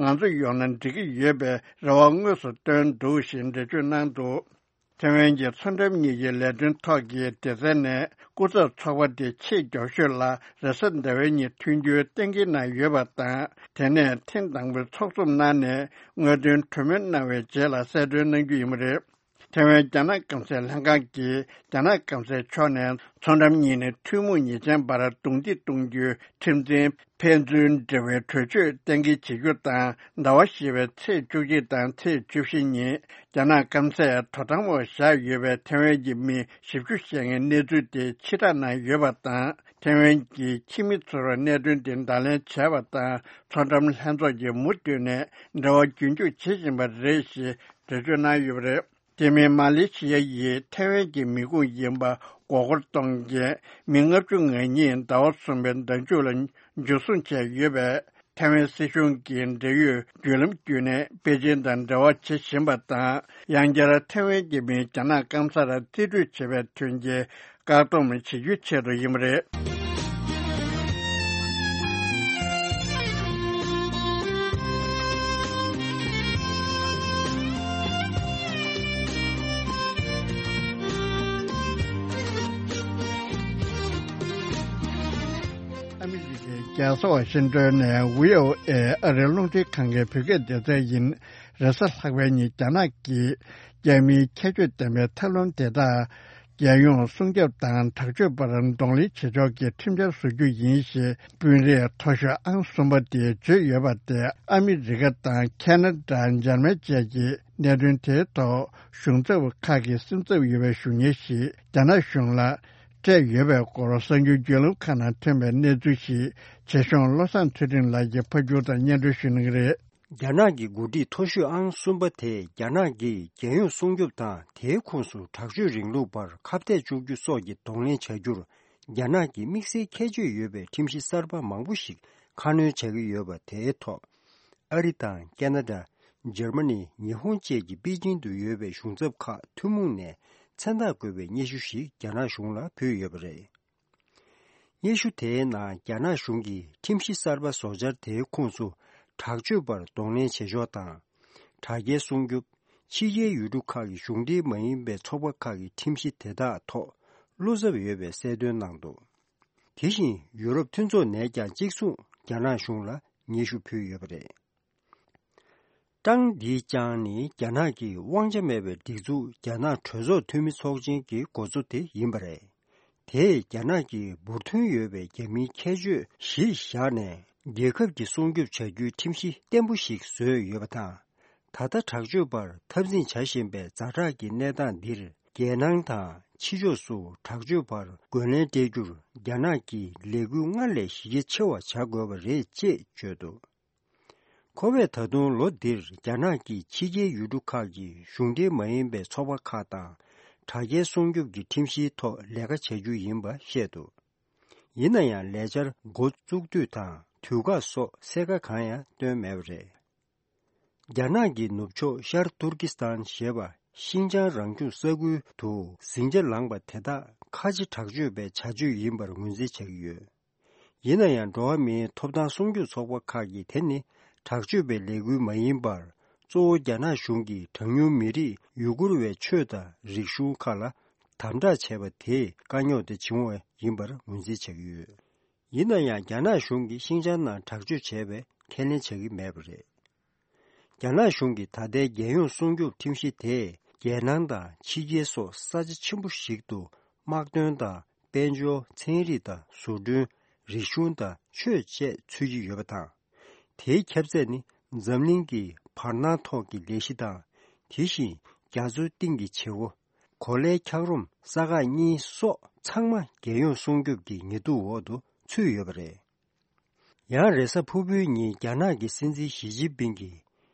ང་ཚོ་ཡོང་ན་འགྲིག་གི་ཡོད་པའི་རེ་བ་དངོས་སུ་བཏོན་འདུག་ཞེས་འགྲེལ་བརྗོད་གནང་འདུག་ཐེ་ཝན་གྱི་མཚོ་འགྲམ་གཉིས་ཀྱི་ལས་དོན་ཐོག་གི་སྡེ་ཚན་ནས་སྐུ་ཚབ་ཚོགས་པ་དེ་ཆེས་མགྱོགས་ཤོས་ལ་རེས་གཟའ་ཟླ་བའི་ཉིན་མཐུན་འགྱུར་གཏན་འཁེལ་གནང་ཡོད་པ་དང་། དེ་ནས་ཐེངས་དང་པོའི་ཚོགས་འཛོམས་གནང་ནས་དངོས་དོན་གྲོས་མོལ་གནང་བའི་རྗེས་ལ་གསལ་སྟོན་གནང་རྒྱུ་ཡིན་པ་རེད། ཐེ་ཝན་རྒྱ་ནག་སྐམ་སའི་ལྷན་ཁང་གིས་རྒྱ་ནག་སྐམ་སའི་ཕྱོགས་ནས་མཚོ་འགྲམ་གཉིས་ནས་ཐུན་མོང་ཉེས་ཅན་བར་རྡུང་རྡེག་གཏོང་རྒྱུའི་ཁྲིམས་འཛིན་ཕན་ཚུན་འབྲེལ་བའི་གྲོས་ཆོད་གཏན་འཁེལ་བྱེད་རྒྱུ་དང་། ཟླ་བ་བཞི་པའི་ཚེས་བཅུ་གཅིག་དང་ཚེས་བཅུ་བཞི་ཉིན་རྒྱ་ནག་སྐམ་སའི་དོ་དམ་འོག་བཞག་ཡོད་པའི་ཐེ་ཝན་གྱི་མི་བཞི་བཅུ་ཞེ་ལྔའི་གནས་ཚུལ་དེ་ཕྱིར་བསྒྲགས་གནང་ཡོད་པ་དང་། ཐེ་ཝན་གྱི་ཁྱིམ་མི་ཚོར་གནད་དོན་དེ་བརྡ་ལན་བྱས་པ་དང་། མཚོ་འགྲམ་ལྷན་ཚོགས་ཀྱིས་མུ་མཐུད་ནས་འབྲེལ་བ་རྒྱུན་འཁྱོངས་བྱེད་བཞིན་པ་རེད་ཞེས་འགྲེལ་བརྗོད་གནང་ཡོད་པ་རེད། དེ་མིན་མ་ལེ་ཤི་ཡ་ཡིས་ཐེ་ཝན་གྱི་མི་ཁུངས་ཡིན་པ་མགོ་སྐོར་གཏོང་མཁན་མི་ལྔ་བཅུ་ང་གཉིས་ཟླ་བ་གསུམ་པའི་ཟླ་མཇུག་ལ་འཇུ་བཟུང་བྱས་ཡོད་པས། ཐེ་ཝན་སྲིད་གཞུང་གིས་འབྲེལ་ཡོད་བརྒྱུད་ལམ་བརྒྱུད་ནས་པེ་ཅིན་དང་འབྲེལ་བ་བྱེད་བཞིན་པ་དང་། ཡང་བསྐྱར་ཐེ་ཝན་གྱི་མིས་རྒྱ་ནག་སྐམ་སར་རྩིས་སྤྲོད་བྱེད་པའི་དོན་རྐྱེན་བཀག་སྡོམ་བྱེད་རྒྱུའི་ཆེད་དུ་ཡིན་པ་རེད། ཨ་མི་རི་ཀའི་རྒྱལ་ས་ཝ་ཤིང་ཏོན་ནས་བྷི་ཨོ་ཨེ་ཨ་རིའི་རླུང་འཕྲིན་ཁང་གི་བོད་སྐད་སྡེ་ཚན་ཡིན། རེས་གཟའ་ལྷག་པའི་ཉིན་རྒྱ་ནག་གིས་རྒྱ་མིའི་ཁྱད་ཆོས་ལྡན་པའི་ཐབས་ལམ་དེ་དག་རྒྱལ་ཡོངས་སྲུང་སྐྱོབ་དང་དྲག་སྤྱོད་པར་གདོང་ལེན་བྱེད་ཕྱོགས་ཀྱི་ཁྲིམས་འཆར་བཟོ་རྒྱུ་ཡིན་ཞེས་དཔོན་རིགས་མཐོ་ཤོས་ཨང་གསུམ་པ་དེས་བརྗོད་ཡོད་པ་དེ། ཨ་མི་རི་ཀ་དང་ཁེ་ན་ཌ། འཇར་མན་བཅས་ཀྱིས་གནད་དོན་དེའི་ཐོག་གཞུང་ཚབ་ཁག་གིས་སེམས་འཚབ་ཡོད་པའི་གཞུང་ཉེས་ཤིག་རྒྱ་ནག་གཞུང་ལ་སྤྲད་ཡོད་པའི་སྐོར་གསར་འགྱུར་བརྒྱུད་ལམ་ཁག་ནང་ཐོན་པའི་གནས་ཚུལ་ཞིག་བྱེད་གཞུང་བློ་བཟང་ཚུལ་ཁྲིམས་ལགས་ཀྱིས་ཕབ་སྒྱུར་དང་སྙན་སྒྲོན་ཞུ་གནང་གི་རེད། རྒྱ་ནག་གི་འགོ་ཁྲིད་མཐོ་ཤོས་ཨང་གསུམ་པ་དེས་རྒྱ་ནག་གིས་རྒྱལ་ཡོངས་སྲུང་སྐྱོབ་དང་དེའི་ཁོངས་སུ་དྲག་སྤྱོད་རིང་ལུགས་པར་ཁ་གཏད་གཅོག་རྒྱུ་སོགས་ཀྱི་གདོང་ལེན་བྱ་རྒྱུར། རྒྱ་ནག་གི་དམིགས་བསལ་ཁྱད་ཆོས་ཡོད་པའི་ཁྲིམས་གཞི་གསར་པ་མང་པོ་ཞིག་ཁ་སྣོན་བྱ་གི་ཡོད་པ་དེའི་ཐོག་ཨ་རི་དང་ཁེ་ན་ཌ། འཇར་མ་ནི། ཉི་ཧོང་བཅས་ཀྱི་པེ་ཅིང་དུ་ཡོད་པའི་གཞུང་ཚབ་ཁག་ཐུན་མོང་ནས་མཚན་རྟགས་བཀོད་པའི་སྙན་ཞུ་ཞིག་རྒྱ་ནག་གཞུང་ལ་ཕུལ་ཡོད་པ་རེད། སྙན་ཞུ་དེའི་ནང་རྒྱ་ནག་གཞུང་གིས་ཁྲིམས་གཞི་གསར་པ་བཟོ་འཆར་དེའི་ཁོངས་སུ་དྲག་སྤྱོད་པར་གདོང་ལེན་བྱེད་ཕྱོགས་དང་། དྲ་རྒྱའི་སྲུང་སྐྱོབ། ཕྱི་རྒྱལ་ཡུལ་གྲུ་ཁག་གི་གཞུང་འབྲེལ་མ་ཡིན་པའི་ཚོགས་པ་ཁག་གི་ཁྲིམས་གཞི་དེ་དག་ཐོག་བློ་འཚབ་ཡོད་པའི་གསལ་སྟོན་གནང་འདུག་དེ་བཞིན་ཡུ་རོབ་མཐུན་ཚོགས་ནས་ཀྱང་གཅིག་མཚུངས་རྒྱ་ནག་གཞུང་ལ་སྙན་ཞུ་ཕུལ་ཡོད་པ་རེད། ཀྲང་ལྡི་ཅང་ནི་རྒྱ་ནག་གི་དབང་ཆ་མེད་པའི་སྒྲིག་འཛུགས་རྒྱ་ནག་གྲོས་ཚོགས་འཐུས་མི་ཚོགས་ཆེན་གྱི་འགོ་གཙོ་དེ་ཡིན་པ་རེད། དེས་རྒྱ་ནག་གི་འབུར་ཐོན་ཡོད་པའི་རྒྱ་མིའི་ཁྱད་ཆོས་གཞིར་བཞག་ནས་རྒྱལ་ཁབ་ཀྱི་སྲུང་སྐྱོབ་བྱ་རྒྱུའི་ཁྲིམས་གཞི་བརྟན་པོ་ཞིག་བཟོས་ཡོད་པ་དང་། ད་ལྟ་དྲག་སྤྱོད་པར་འཐབ་འཛིང་བྱ་བཞིན་པའི་ཛ་དྲག་གི་གནས་སྟངས་འདིར། རྒྱལ་ནང་དང་ཕྱི་ཕྱོགས་སུ་དྲག་སྤྱོད་པར་རྒོལ་ལན་སྤྲད་རྒྱུར་རྒྱ་ནག་གིས་ལས་འགུལ་སྔར་ལས་གཞི་རྒྱ་ཆེ་བ་བྱ་དགོས་པ་རེད་ཅེས་བརྗོད་འདུག་ཁོ་བས་ད་དུང་ལོ་འདིར་རྒྱ་ནག་གིས་ཕྱི་རྒྱལ་ཡུལ་གྲུ་ཁག་གི་གཞུང་འབྲེལ་མ་ཡིན་པའི་ཚོགས་པ་ཁག་དང་དྲ་རྒྱའི་སྲུང་སྐྱོབ་ཀྱི་ཁྲིམས་གཞིའི་ཐོག་ལས་ཀ་བྱ་རྒྱུ་ཡིན་པ་བཤད་འདུག་ཡིན་ན་ཡང་ལས་འཆར་འགོ་བཙུགས་དུས་དང་དུས་བཀག་སོགས་གསལ་ཁ་གང་ཡང་བཏོན་མེད་པ་རེད། རྒྱ་ནག་གི་ནུབ་ཕྱོགས་ཤར་ཏུར་ཀི་སི་ཐན་ཞེས་པ་ཤིན་ཅང་རང་སྐྱོང་ས་ཁུལ་དུ་ཟིང་ཆ་ལངས་པ་དེ་དག་ཁ་ཆེ་དྲག་སྤྱོད་པའི་བྱ་སྤྱོད་ཡིན་པར་ངོས་འཛིན་བྱ་གི་ཡོད། ཡིན་ན་ཡང་འགྲོ་བ་མིའི་ཐོབ་ཐང་སྲུང་སྐྱོབ་ཚོགས་པ་ཁག་གིས་དེ་ནི་དྲག་སྤྱོད་པའི་ལས་འགུལ་མ་ཡིན་པར། གཙོ་བོ་རྒྱ་ནག་གཞུང་གིས་གྲངས་ཉུང་མི་རིགས་ཡུ་གུར་བའི་ཆོས་དང་རིག་གཞུང་ཁག་ལ་དམ་དྲག་བྱས་པ་དེས་དཀའ་རྙོག་དེ་བྱུང་བ་ཡིན་པར་ངོས་འཛིན་བྱ་གི་ཡོད། ཡིན་ན་ཡང་རྒྱ་ནག་གཞུང་གིས་ཤིན་ཅང་ནང་དྲག་སྤྱོད་བྱས་པའི་ཁས་ལེན་བྱ་གི་མེད་པ་རེད། རྒྱ་ནག་གཞུང་གིས་ད་ལྟའི་རྒྱལ་ཡོངས་སྲུང་སྐྱོབ་ཁྲིམས་གཞི་དེས་རྒྱལ་ནང་དང་ཕྱི་རྒྱལ་སོགས་ས་ཆ་ཆེན་པོ་ཞིག་ཏུ་དམག་དོན་དང་དཔལ་འབྱོར། ཚན་རིག་དང་བཟོ་སྐྲུན། རིག་གཞུང་དང་ཆོས་བཅས་ཚུད་ཀྱི་ཡོད་པ་དང་། དེའི་ཁྱབ་ཚད་ནི་འཛམ་གླིང་གི་བར་སྣང་ཐོག་གི་ལས་གཞི་དང་། དེ་བཞིན་རྒྱ་མཚོའི་གཏིང་གི་བྱེད་སྒོ། གོ་ལའི་འཁྱགས་རོམ་ས་ཁག་གཉིས་སོགས་ཚང་མ་རྒྱལ་ཡོངས་སྲུང་སྐྱོབ་ཀྱི་ཉེས་འདུག་འོག་ཏུ་ཚུད་ཡོད་པ་རེད། ཡང་རེས་གཟའ་ཕུར་བུའི་ཉིན་རྒྱ་ནག་གི་སྲིད་འཛིན་ཞི་ཅིན་ཕིང་གིས།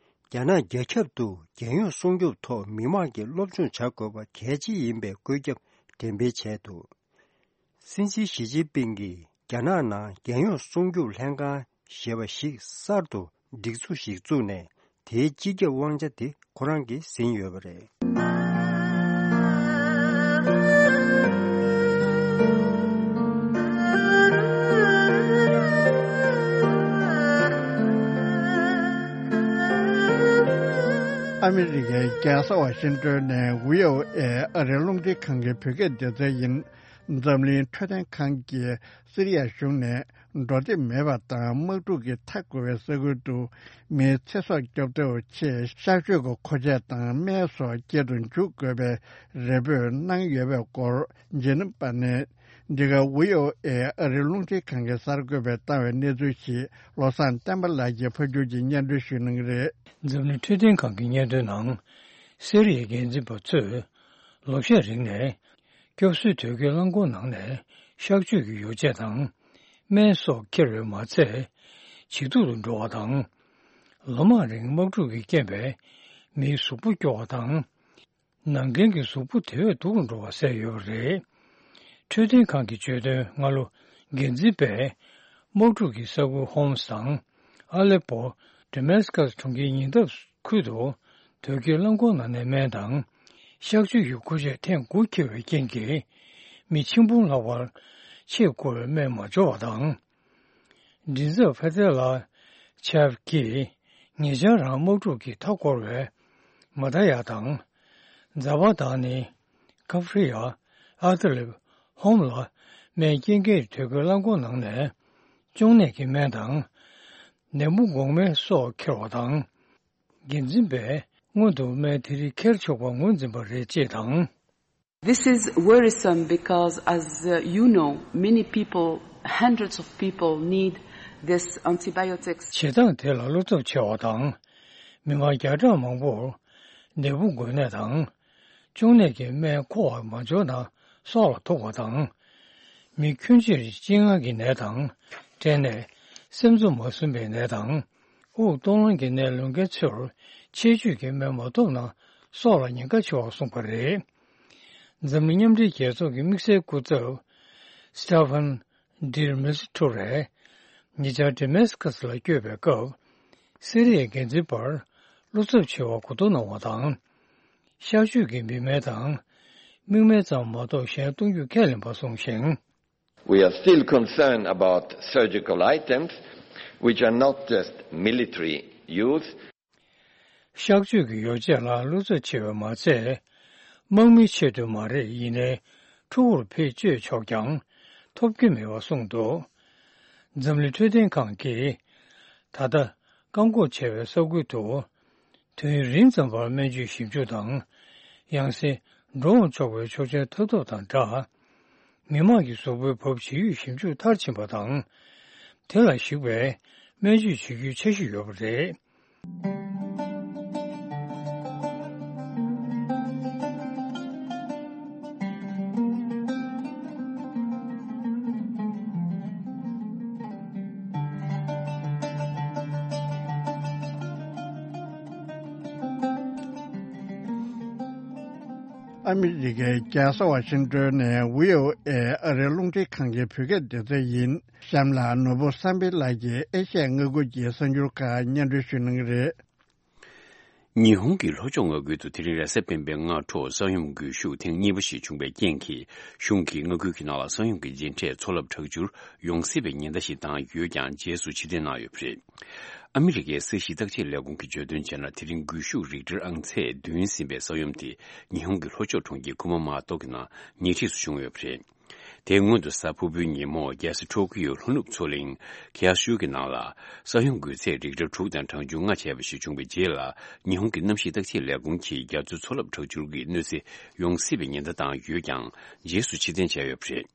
རྒྱ་ནག་རྒྱ་ཁྱབ་ཏུ་རྒྱལ་ཡོངས་སྲུང་སྐྱོབ་ཐོག་མི་དམངས་ཀྱིས་སློབ་སྦྱོང་བྱ་དགོས་པ་གལ་ཆེ་ཡིན་པའི་བཀོད་ཁྱབ་འགྲེམས་སྤེལ་བྱས་འདུག་སྲིད་འཛིན་ཞི་ཅིན་ཕིང་གིས་རྒྱ་ནག་ནང་རྒྱལ་ཡོངས་སྲུང་སྐྱོབ་ལྷན་ཁང་ཞེས་པ་ཞིག་གསར་དུ་སྒྲིག་འཛུགས་ཤིག་བཙུགས་ནས། དེའི་སྤྱི་ཁྱབ་དབང་ཆ་དེ་ཁོ་རང་གིས་ཟིན་ཡོད་པ་རེད། ཨ་མི་རི་ཀའི་རྒྱལ་ས་ཝ་ཤིང་ཏོན་ནས་ཝི་ཨོ་ཨེ་ཨ་རིའི་རླུང་འཕྲིན་ཁང་གི་བོད་སྐད་སྡེ་ཚན་ཡིན། འཛམ་གླིང་འཕྲོད་བསྟེན་ཁང་གིས་སི་རི་ཡ་གཞུང་ནས་འགྲོ་འདོད་མེད་པ་དང་། དམག་འཁྲུག་གིས་མཐའ་བསྐོར་བའི་ས་ཁུལ་དུ་མིའི་ཚེ་སྲོག་སྐྱོབ་ཐབས་ཆེད་གཤགས་བཅོས་ཀྱི་མཁོ་ཆས་དང་སྨན་སོགས་སྐྱེལ་དུ་འཇུག་དགོས་པའི་རེ་འབོད་གནང་ཡོད་པའི་སྐོར། ཇི་ནི་པ་ནས་འདི་ག་ཝི་ཨོ་ཨེ་ཨ་རིའི་རླུང་འཕྲིན་ཁང་གིས་གསར་འགོད་པས་བཏང་བའི་གནས་ཚུལ་ཞིག་བློ་བཟང་བསྟན་པ་ལགས་ཀྱིས་ཕབ་སྒྱུར་གྱིས་སྙན་སྒྲོན་ཞུ་གནང་གི་རེད། འཛམ་གླིང་འཕྲོད་བསྟེན་ཁང་གི་སྙན་ཐོའི་ནང་། སི་རི་ཡའི་འགན་འཛིན་པ་ཚོས་ལོ་ཤས་རིང་ནས། སྐྱོབ་གསོའི་དོས་སྐྱེལ་རླངས་འཁོར་ནང་ནས་གཤགས་བཅོས་ཀྱི་ཡོ་བྱད་དང་། སྨན་སོགས་འཁྱེར་བས་མ་ཚད། ཇེ་སྡུག་ཏུ་འགྲོ་བ་དང་། ལོ་མང་རིང་དམག་འཁྲུག་གི་རྐྱེན་པས་མིའི་གཟུགས་པོ་སྐྱོ་བ་དང་། ནང་འཁོན་གྱི་གཟུགས་པོ་དེ་བས་སྡུག་རུ་འགྲོ་བ་གསལ་ཡོད་པ་རེད། འཕྲོད་བསྟེན་ཁང་གིས་བརྗོད་དོན་སྔ་ལོ། འགན་འཛིན་པས། དམག་འཁྲུག་གི་ས་ཁུལ་ཧོམ་སི་དང་། ཨ་ལེ་པོ། ཌེ་མེ་སི་ཀ་སི་གྲོང་ཁྱེར་ཉེ་འདབས་ཁུལ་དུ། དོས་སྐྱེལ་རླངས་འཁོར་ནང་ནས་སྨན་དང་། གཤགས་བཅོས་ཀྱི་མཁོ་ཆས་ཐེངས་དགུ་འཁྱེར་བའི་རྐྱེན་གྱིས། མི་ཆིག་འབུམ་ལྷག་པར། ཆེས་མཁོ་བའི་སྨན་མ་འབྱོར་བ་དང་། མགྲིན་ཚབ་ཕེ་ཏེ་ལ་ཆབ་ཀྱིས་ཉེ་ཆར་རང་དམག་འཁྲུག་གིས་མཐའ་བསྐོར་བའི་མ་ད་ཡ་དང་། ཛ་བ་དང་ནི་ཀ་ཧྥི་རི་ཡ། ཨ་ཏི་ལིབ། ཧོམ་ལ་སྨན་སྐྱེལ་མཁན་དོས་སྐྱེལ་རླངས་འཁོར་ནང་ནས་གཅོང་ནད་ཀྱི་སྨན་དང་། ནད་འབུ་འགོག་སྨན་སོགས་འཁྱེར་བ་དང་། འགན་འཛིན་པས་སྔོན་དུ་སྨན་དེ་རིགས་འཁྱེར་ཆོག་པ་ངོས་འཛིན་པ་རེད་ཅེས་དང་། This is worrisome because, as uh, you know, many people, hundreds of people need this antibiotics. བྱེད་སྟངས་དེ་ལ་བློ་འཚབ་ཆེ་བ་དང་། མི་མང་བརྒྱ་ཕྲག་མང་པོར་ནད་འབུ་འགོས་ནད་དང་། གཅོང་ནད་ཀྱི་སྨན་མཁོ་བ་མ་འབྱོར་ན་སྲོག་ལ་ཐུག་པ་དང་། མི་ཁྱོན་ཆེར་གཅིན་སྔ་གི་ནད་དང་། སྐྲན་ནད། སེམས་ཚོར་མ་བཟུང་བའི་ནད་དང་། དབུགས་གཏོང་ལམ་གྱི་ནད་ལོན་མཁན་ཚོར་ཆེད་བཅོས་ཀྱི་སྨན་མ་ཐོབ་ན་སྲོག་ལ་ཉེན་ཁ་ཆེ་བར་གསུངས་པ་རེད། འཛམ་གླིང་མཉམ་འབྲེལ་རྒྱལ་ཚོགས་ཀྱི་དམིགས་བསལ་སྐུ་ཚབ་Staffan de Mistura ཉེ་ཆར་ཌེ་མེ་སི་ཀ་སི་ལ་བསྐྱོད་པའི་སྐབས། སི་རི་ཡའི་འགན་འཛིན་པར་བློ་འཚབ་ཆེ་བ་གོ་བསྡུར་གནང་བ་དང་། གཤགས་བཅོས་ཀྱི་འབུལ་སྨན་དང་། མིག་སྨན་ཙམ་མ་གཏོགས་གཞན་གཏོང་རྒྱུ་ཁས་ལེན་པ་གསུངས་ཤིང་། We are still concerned about surgical items, which are not just military use. གཤགས་བཅོས་ཀྱི་ཡོ་བྱད་ལ་བློ་འཚབ་ཆེ་བས་མ་ཚད། དམག་མིའི་ཆེད་དུ་མ་རེད། ཡིན་ནའི་ཕྲུ་གུར་བེད་སྤྱོད་ཆོག་ཀྱང་ཐོབ་ཀྱི་མེད་པ་གསུངས་འདུག་འཛམ་གླིང་འཕྲོད་བསྟེན་ཁང་གིས་ད་ལྟ་བཀག་འགོག་བྱས་པའི་ས་ཁུལ་དུ། དུས་ཡུན་རིང་ཙམ་བར་སྨན་བཅོས་ཞིབ་འཇུག་དང་། ཡང་སེ་འགྲོ་འོང་ཆོག་པའི་ཆོག་མཆན་ཐོབ་ཐབས་དང་སྦྲགས། མི་དམངས་ཀྱི་གཟུགས་པོའི་བབ་ཇི་ཡོད་ཞིབ་འཇུག་མཐར་ཕྱིན་པ་དང་། དེ་ལ་གཞིགས་པའི་སྨན་བཅོས་བྱེད་རྒྱུའི་འཆར་གཞི་ཡོད་པ་རེད། ཨ་མི་རི་ཀའི་རྒྱལ་ས་ཝ་ཤིང་ཏོན་ནས་བྷི་ཨོ་ཨེ་ཨ་རིའི་རླུང་འཕྲིན་ཁང་གི་བོད་སྐད་སྡེ་ཚན་ཡིན། གཤམ་ལ་ནོར་བུ་བསམ་འཕེལ་ལགས་ཀྱིས་ཨེ་ཤ་ཡ་མངའ་ཁུལ་གྱི་གསར་འགྱུར་ཁག་སྙན་སྒྲོན་ཞུ་གནང་གི་རེད། ཉི་ཧོང་གི་ལྷོ་ཕྱོགས་མངའ་ཁུལ་དུ་དེ་རིང་རེས་གཟའ་སྤེན་པའི་སྔ་དྲོ་ས་ཡོམ་འགུལ་ཤུགས་ཐེངས་གཉིས་པ་ཞིག་བྱུང་བའི་རྐྱེན་གྱིས། གཞུང་གིས་མངའ་ཁུལ་གྱི་ནང་ལ་ས་ཡོམ་གྱི་རྗེས་འབྲས་ཚོ་རླབས་དྲག་སྦྱོར་ཡོང་སྲིད་པའི་ཉེན་བརྡ་ཞིག་བཏང་ཡོད་ཀྱང་། རྗེས་སུ་ཕྱིར་འཐེན་གནང་ཡོད་པ་རེད། ཨ་མི་རི་ཀའི་ས་གཞི་བརྟག་དཔྱད་ལས་ཁུངས་ཀྱིས་བརྗོད་དོན་བྱས་ན། དེ་རིང་འགུལ་ཤུགས་རིག་ཊར་ཨང་ཚད་བདུན་ཟིན་པའི་ས་ཡོམ་དེ་ཉི་ཧོང་གི་ལྷོ་ཕྱོགས་གྲོང་ཁྱེར་ཁུ་མ་མ་ཏོ་གི་ནང་ཉེ་འཁྲིས་སུ་བྱུང་ཡོད་པ་རེད། དེའི་སྔོན་དུ་གཟའ་ཕུར་བུའི་ཉིན་མོ། རྒྱལ་ས་ཊོ་ཀི་ཡོ་ལྷོ་ནུབ་མཚོ་གླིང་ཁི་ཡ་ཤུ་གི་ནང་ལ་ས་ཡོམ་འགུལ་ཚད་རིག་ཊར་དྲུག་དང་གྲངས་ཆུང་ལྔ་བྱས་པ་ཞིག་བྱུང་བའི་རྗེས་ལ། ཉི་ཧོང་གི་གནམ་གཤིས་བརྟག་དཔྱད་ལས་ཁུངས་ཀྱིས་རྒྱ་མཚོའི་མཚོ་རླབས་དྲག་སྦྱོར་གྱི་གནོད་འཚེ་ཡོང་སྲིད་པའི་ཉེན་བརྡ་བཏང་ཡོད་ཀྱང་། རྗེས་སུ་ཕྱིར་འཐེན་བྱས་ཡོད་པ་རེད།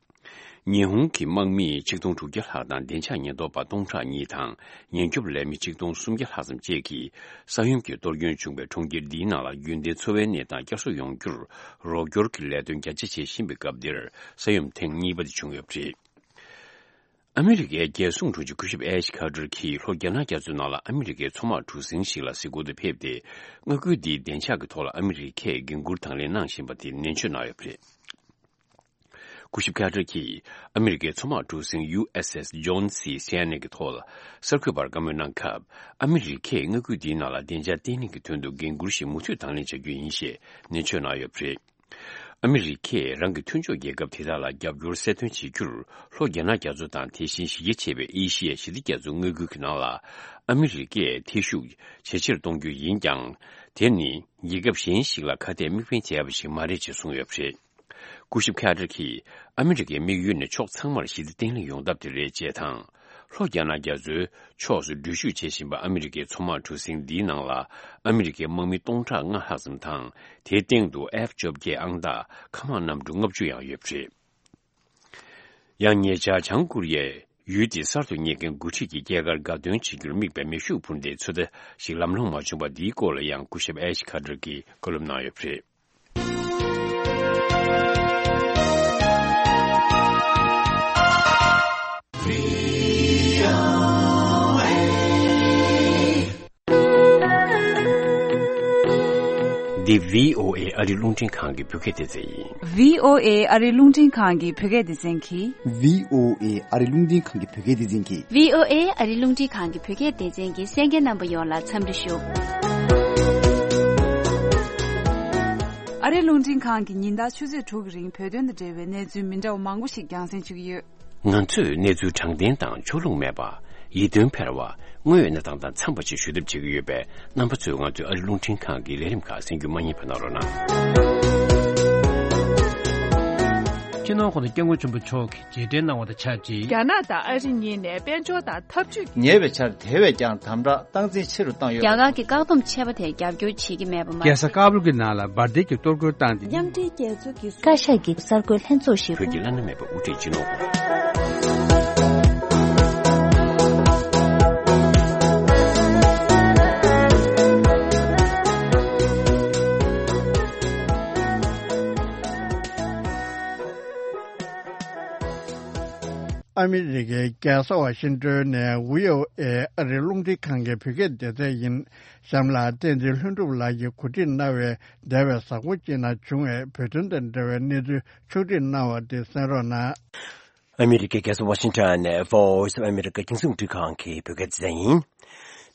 ཉི་ཧོང་གི་དམག་མི་ཆིག་སྟོང་དྲུག་བརྒྱ་ལྷག་དང་། བདེ་འཇགས་ཉེན་རྟོག་པ་སྟོང་ཕྲག་གཉིས་དང་། ཉེན་སྐྱོབ་ལས་མི་ཆིག་སྟོང་སུམ་བརྒྱ་ལྷག་ཙམ་བཅས་ཀྱིས། ས་ཡོམ་གྱིས་གཏོར་སྐྱོན་བྱུང་བའི་གྲོང་ཁྱེར་འདིའི་ནང་ལ་རྒྱུན་ལྡན་འཚོ་བའི་གནས་སྟངས་བསྐྱར་གསོ་ཡོང་རྒྱུར་རོགས་སྐྱོར་གྱི་ལས་དོན་རྒྱ་ཆེ་བྱེད་བཞིན་པའི་སྐབས་འདིར། ས་ཡོམ་ཐེངས་གཉིས་པ་དེ་བྱུང་ཡོད་པ་རེད། ཨ་མི་རི་ཀའི་རྒྱལ་སྲུང་དྲུང་ཆེ་སྐུ་ཞབས་ཨེ་ཤ་ཁ་ཏར་གྱིས། ལྷོ་རྒྱ་ནག་རྒྱ་མཚོའི་ནང་ལ་ཨ་མི་རི་ཀའི་མཚོ་དམག་གྲུ་གཟིངས་ཤིག་ལ་གཟིགས་སྐོར་དུ་ཕེབས་ཏེ། མངའ་ཁུལ་འདིའི་བདེ་འཇགས་ཀྱི་ཐོག་ལ་ཨ་མི་རི་ཀས་འགན་འཁུར་དང་ལེན་གནང་བཞིན་པ་དེ་ནན་བརྗོད་གནང་ཡོད་པ་རེད། སྐུ་ཞབས་ཁ་ཏར་གྱིས་ཨ་མི་རི་ཀའི་མཚོ་དམག་གྲུ་གཟིངས་ཡུ་ཨེས་ཨེས་ཇོན་སི་སི་ཨེན་ཨེ་གི་ཐོག་ལ་གསར་འགོད་པར་བཀའ་མོལ་གནང་སྐབས། ཨ་མི་རི་ཀས་མངའ་ཁུལ་འདིའི་ནང་ལ་བདེ་འཇགས་བརྟན་ལྷིང་གི་དོན་དུ་འགན་འཁུར་བཞིན་མུ་མཐུད་དང་ལེན་བྱ་རྒྱུ་ཡིན་ཞེས་ནན་བརྗོད་གནང་ཡོད་པ་རེད། ཨ་མི་རི་ཀས་རང་གི་མཐུན་ཕྱོགས་རྒྱལ་ཁབ་དེ་དག་ལ་རྒྱབ་སྐྱོར་གསལ་སྟོན་བྱེད་རྒྱུར། ལྷོ་རྒྱ་ནག་རྒྱ་མཚོ་དང་། དེ་བཞིན་གཞི་རྒྱ་ཆེ་བའི་ཨེ་ཤི་ཡའི་ཞི་བདེ་རྒྱ་མཚོའི་མངའ་ཁུལ་གྱི་ནང་ལ་ཨ་མི་རི་ཀས་ཐེ་ཞུགས་ཇེ་ཆེར་གཏོང་རྒྱུ་ཡིན་ཀྱང་། དེ་ནི་རྒྱལ་ཁབ་གཞན་ཞིག་ལ་ཁ་གཏད་དམིགས་འབེན་བྱས་པ་ཞིག་མ་རེད་ཅེས་གསུངས་ཡོད་པ་རེད། སྐུ་ཞབས་ཁ་ཏར་གྱིས། ཨ་མི་རི་ཀའི་དམིགས་ཡུལ་ནི་ཕྱོགས་ཚང་མར་ཞི་བདེ་བརྟན་ལྷིང་ཡོང་ཐབས་དེ་རེད་ཅེས་དང་། ལྷོ་རྒྱ་ནག་རྒྱ་མཚོའི་ཕྱོགས་སུ་འགྲུལ་བཞུད་བྱེད་བཞིན་པ་ཨ་མི་རི་ཀའི་མཚོ་དམག་གྲུ་གཟིངས་འདིའི་ནང་ལ་ཨ་མི་རི་ཀའི་དམག་མི་སྟོང་ཕྲག་ལྔ་ལྷག་ཙམ་དང་། དེའི་སྟེང་དུ་ཨེཕ་བཅོ་བརྒྱད་ཨང་རྟགས་མཁའ་དམག་གནམ་གྲུ་ལྔ་བཅུ་ཡང་ཡོད་པ་རེད། ཡང་ཉེ་ཆར་བྱང་ཀོ་རི་ཡས་ཡུལ་དེའི་གསར་དུ་རྙེད་མཁན་འགོ་ཁྲིད་ཀྱི་སྐྱེས་སྐར་དགའ་སྟོན་བྱེད་རྒྱུར་དམིགས་པའི་མེ་ཤུགས་འཕུར་མདེལ་ཚོད་ལྟ་ཞིག་ལམ་ལྷོང་མ་བྱུང་བ་འདིའི་སྐོར་ལ་ཡང་སྐུ་ཞབས་ཨེ་ཤ་ཁ་ཏར་གྱིས་བཀའ་སློབ་གནང་ཡོད་པ་རེད། འདི་བྷི་ཨོ་ཨེ་ཨ་རི་རླུང་འཕྲིན་ཁང་གི་བོད་སྐད་སྡེ་ཚན་ཡིན། བྷི་ཨོ་ཨེ་ཨ་རི་རླུང་འཕྲིན་ཁང་གི་བོད་སྐད་སྡེ་ཚན་གྱིས། བྷི་ཨོ་ཨེ་ཨ་རི་རླུང་འཕྲིན་ཁང་གི་བོད་སྐད་སྡེ་ཚན་གྱིས། བྷི་ཨོ་ཨེ་ཨ་རི་རླུང་འཕྲིན་ཁང་གི་བོད་སྐད་སྡེ་ཚན་གྱིས་གསན་མཁན་རྣམ་པ་ཡོངས་ལ་འཚམས་འདྲི་ཞུ། ཨ་རི་རླུང་འཕྲིན་ཁང་གིས་ཉིན་ལྟར་ཆུ་ཚོད་དྲུག་གི་རིང་བོད་དོན་དང་འབྲེལ་བའི་གནས་ཚུལ་མི་འདྲ་བ་མང་པོ་ཞིག་རྒྱང་སྲིང་ཞུ་གི་ཡོད། ང་ཚོས་གནས་ཚུལ་དྲང་བདེན་དང་ཕྱོགས་ལྷུང་མེད་པ། ཡིད་རྟོན་འཕེར་བ། དངོས་ཡོད་གནས་སྟངས་དང་འཚམས་པ་ཞིག་ཞུ་ཐབས་བྱེད་ཀྱི་ཡོད་པས། རྣམ་པ་ཚོས་ང་ཚོའི་ཨ་རི་རླུང་འཕྲིན་ཁང་གི་ལས་རིམ་ཁག་གསན་རྒྱུ་མ་བསྙེལ་བ་གནང་རོགས་གནང་། སྤྱི་ནོར་༸གོང་ས་༸སྐྱབས་མགོན་ཆེན་པོ་མཆོག་གིས་རྗེས་དྲན་གནང་བ་དང་ཆབས་ཅིག་རྒྱ་ནག་དང་ཨ་རི་གཉིས་ནས་དཔལ་འབྱོར་དང་འཐབ་ཇུས། ཉེ་བའི་ཆར་དེ་བས་ཀྱང་དམ་དྲག་སྟངས་འཛིན་ཆེ་རུ་བཏང་ཡོད། རྒྱ་གར་གྱི་བཀག་སྡོམ་ཆད་པ་དེར་རྒྱབ་སྐྱོར་བྱེད་ཀྱི་མེད་པ་མ་ཟད། རྒྱལ་ས་ཀ་བུལ་གྱི་ནང་ལ་འབར་མདེལ་གྱི་གཏོར་རྒོལ་བཏང་སྟེ། མཉམ་འབྲེལ་རྒྱལ་ཚོགས་ཀྱི་བཀའ་ཤག་གི་གསར་འགོད་ལྷན་ཚོགས་ཤིག་བོད་ཀྱི་བླ་ན་མེད་པ་དབུ་ཁྲིད་སྤྱི་ནོར། ཨ་མི་རི་ཀའི་རྒྱལ་ས་ཝ་ཤིང་ཏོན་ནས་བྷི་ཨོ་ཨེ་ཨ་རིའི་རླུང་འཕྲིན་ཁང་གི་བོད་སྐད་སྡེ་ཚན་ཡིན། གཤམ་ལ་བསྟན་འཛིན་ལྷུན་གྲུབ་ལགས་ཀྱིས་གོ་སྒྲིག་གནང་བའི་འདས་པའི་གཟའ་འཁོར་གཅིག་ནང་བྱུང་བའི་བོད་དོན་དང་འབྲེལ་བའི་གནས་ཚུལ་ཕྱོགས་སྒྲིག་གནང་བ་དེ་གསན་རོགས་གནང་། ཨ་མི་རི་ཀའི་རྒྱལ་ས་ཝ་ཤིང་ཊོན་ནས་Voice of America་རྒྱང་སྲིང་རླུང་འཕྲིན་ཁང་གི་བོད་སྐད་སྡེ་ཚན་ཡིན།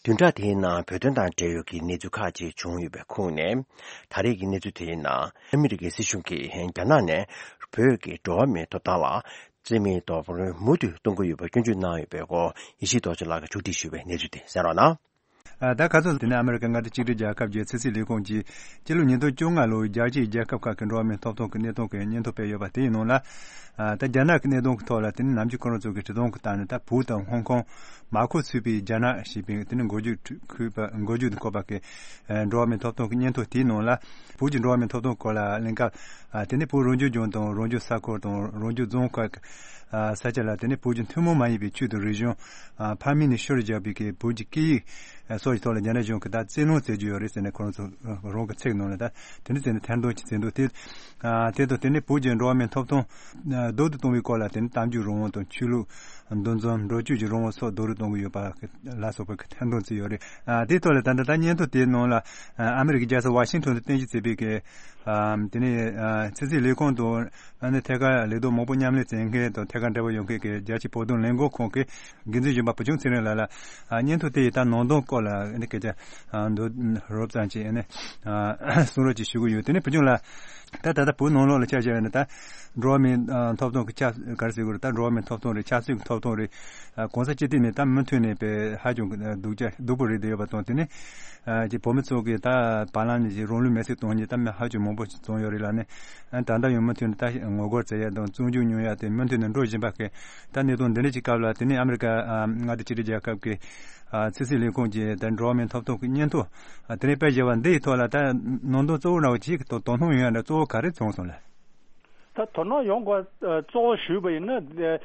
བདུན་ཕྲག་དེའི་ནང་བོད་དོན་དང་འབྲེལ་ཡོད་ཀྱི་གནས་ཚུལ་ཁག་ཅིག་བྱུང་ཡོད་པའི་ཁོངས་ནས། ད་རེས་ཀྱི་གནས་ཚུལ་དེའི་ནང་ཨ་མི་རི་ཀའི་སྲིད་གཞུང་གིས་རྒྱ་ནག་ནས་བོད་ཀྱི་འགྲོ་བ་མིའི་ཐོབ་ཐང་ལ་བརྩི་མེད་རྡོག་རོལ་མུ་མཐུད་གཏོང་གི་ཡོད་པར་སྐྱོན་བརྗོད་གནང་ཡོད་པའི་སྐོར། ཡེ་ཤེས་རྡོ་རྗེ་ལགས་ཀྱིས་ཕྱོགས་སྒྲིག་ཞུས་པའི་གནས་ཚུལ་དེ་གསན་རོགས་གནང་། ཨ། ད་ག་ཚོད་དེ་ནས་ཨ་མེ་རི་ཀ་མངའ་སྡེ་གཅིག་སྒྲིལ་རྒྱལ་ཁབ་ཀྱི་ཕྱི་སྲིད་ལས་ཁུངས་ཀྱིས་སྤྱི་ལོ་ཉིས་སྟོང་བཅོ་ལྔ་ལོའི་རྒྱལ་སྤྱིའི་རྒྱལ་ཁབ་ཁག་གི་འགྲོ་བ་མིའི་ཐོབ་ཐང་གི་གནད་དོན་གྱི་སྙན་ཐོ་སྤེལ་ཡོད་པ་དེའི་ནང་ལ། ཨ། ད་རྒྱ་ནག་གི་གནད་དོན་གྱི་ཐོག་ལ་དེ་ནི་ནམ་རྒྱུན་ཁོ་རང་ཚོ་གི་བྲིས་རྫོང་གི་སྟེང་ནས། ད་བོད་དང་ཧོང་ཀོང་མར་ཁུ་ཚུད་པའི་རྒྱ་ནག་ཞེས་པའི་དེ་ནི་འགོ་བརྗོད་འཁོད་པ། འགོ་བརྗོད་དང་བཀོད་པ་གི་འགྲོ་བ་མིའི་ཐོབ་ཐང་གི་སྙན་ཐོ་དེའི་ནང་ལ། བོད་ཀྱི་འགྲོ་བ་མིའི་ཐོབ་ཐང་སྐོར་ལ་གླེང་སྐབས། ཨ། དེ་ནི་བོད་རང་སྐྱོང་ལྗོངས་དང་རང་སྐྱོང་ས་ཁུལ་དང་རང་སྐྱོང་རྫོང་ཁག་གི། ཨ། ས་ཆ་ལ་དེ་ནི་བོད་ཀྱི་ཐུན་མོང་མ་ཡིན་པའི་ཆོས་དང་རིག་གཞུང་། ཨ། ཕ་མེས་ནས་ཤོར་བཞག་པའི་གི་བོད་ཀྱི་སྐད་ཡིག་ཨ། སོགས་ཀྱི་ཐོག་ལ་རྒྱ་ནག་གཞུང་གིས་ད་བཙན་གནོན་མཛད་ཀྱི་ཡོད་རེད་ཟེར་ནས་ཁོ་རང་ཚོ་རང་གི་ཚིག་ནང་ལ་ད་དེ་འདྲ་ཟེར་ནས་ཐེར་འདོན་གྱིས་མཛད་འདུག་སྟེ། ཨ། དེ་དང་དེ་ནི་བོད་ཀྱི་འགྲོ་བ་མིའི་ཐོབ་ཐང་ཨ། རྡོག་ཏུ་གཏོང་བའི་སྐོར་ལ་དེ་ནི་གཏམ་རྒྱུད་རང་དབང་དང་ཆོས་ལུགས་ འདུ་འཛོམས་འགྲོ་སྐྱོད་ཀྱི་རོགས་དངུལ་སོགས་བསྡུ་རུབ་གཏོང་གི་ཡོད་པ་ལ་སོགས་པའི་ཐེར་འདོན་བརྩིས་ཡོད་རེད། ཨ། དེའི་ཐོག་ལ་ད་ལྟ་ད་སྙན་ཐོ་དེའི་ནང་ལ། ཨ། ཨ་མི་རི་ཀའི་རྒྱལ་ས་ཝ་ཤིང་ཊོན་དུ་རྟེན་གཞི་བྱས་པའི་གི། ཨ། དེ་ནས། ཨ། ཕྱི་སྲིད་ལས་ཁུངས་དང་། ཨ་ནི་ཐད་ཀར་ལས་དོན་མང་པོ་མཉམ་ལས་བྱེད་མཁན་དང་ཐད་ཀར་འབྲེལ་བ་ཡོད་མཁན་གྱི་རྒྱལ་སྤྱིའི་བོད་དོན་ལས་འགུལ་ཁང་གི་འགན་འཛིན་གཞོན་པ་བུ་ཆུང་ཚེ་རིང་ལགས་ལ། ཨ། སྙན་ཐོ་དེ་ཡི་ད་ནང་དོན་སྐོར་ལ་ཨ་ནི་སྐད་ཆ། ཨ། འདི་རོབ་ཙམ་ཅིག་ཨ་ནི། ཨ། གསུང་རོགས་ཅིག་ཞུ་གི་ཡོད། དེ་ནས་བུ་ཆུང་ལགས། ད་ད་ལྟ་བོད་ནང་ལོགས་ལ་ཆ་བཞག་པ་ཡིན་ན། ད་འགྲོ་བ་མིའི། ཨ། ཐོབ་ཐང་གི་ཆབ། ག་རེ་ཟེར་དགོས་རེད། ད་འགྲོ་བ་མིའི་ཐོབ་ཐང་རེད། ཆབ་སྲིད་ཀྱི་ཐོབ་ཐང་རེད། ཨ། གོང་ས་སྤྱི་འཐུས་ནས་ད་མུ་མཐུད་ནས་པའི་ཧ་ཅང་གི་སྡུག་ཅག་སྡུག་པོ་རེད་བསྡད་ཡོད་པ་དང་། དེ་ནས། ཨ། ཀྱི་བོད་མི་ཚོ་གིས་ད་བར་ལམ་ནས་ཀྱི་རང་ལུས་མེར་སྲེག་གཏོང་མཁན་ད་མི་ཧ་ཅང་མང་པོ་བྱུང་ཡོད་རེད་ལ། ནི། ཨ། ད་ལྟ་ཡང་མུ་མཐུད་ནས་ད་ངོ་རྒོལ་བྱེད་ཡ་དང་བཙོན་འཇུག་མྱོང་ཡ་དེ་མུ་མཐུད་ནས་འགྲོ་བཞིན་པ་གི་ད་གནད་དོན་འདི་འདྲ་ཅིག་སྐབས་ལ། དེ་ནས་ཨ་མི་རི་ཀ། ཨ། མངའ་སྡེ་གཅིག་སྒྲིལ་རྒྱལ་ཁབ་ཀྱི། ཨ། ཕྱི་སྲིད་ལས་ཁུངས་ཀྱི་ད་འགྲོ་བ་མིའི་ཐོབ་ཐང་གི་སྙན་ཐོ། ཨ། དེ་ནས་དཔེ་བཞག་པ་འདིའི་ཐོག་ལ་ད་ནང་དོན་གཙོ་བོ་འདྲ་བོ་ཅིག་དོ་དོ་སྣང་ཡོང་ཡ་འདྲ་གཙོ་བོ་ག་རེ་བྱུང་སོང་ལ། ད་དོ་སྣང་ཡོང་དགོས། ཨ། གཙོ་བོ་ཞུས་པ་ཡིན་ན། ཨ།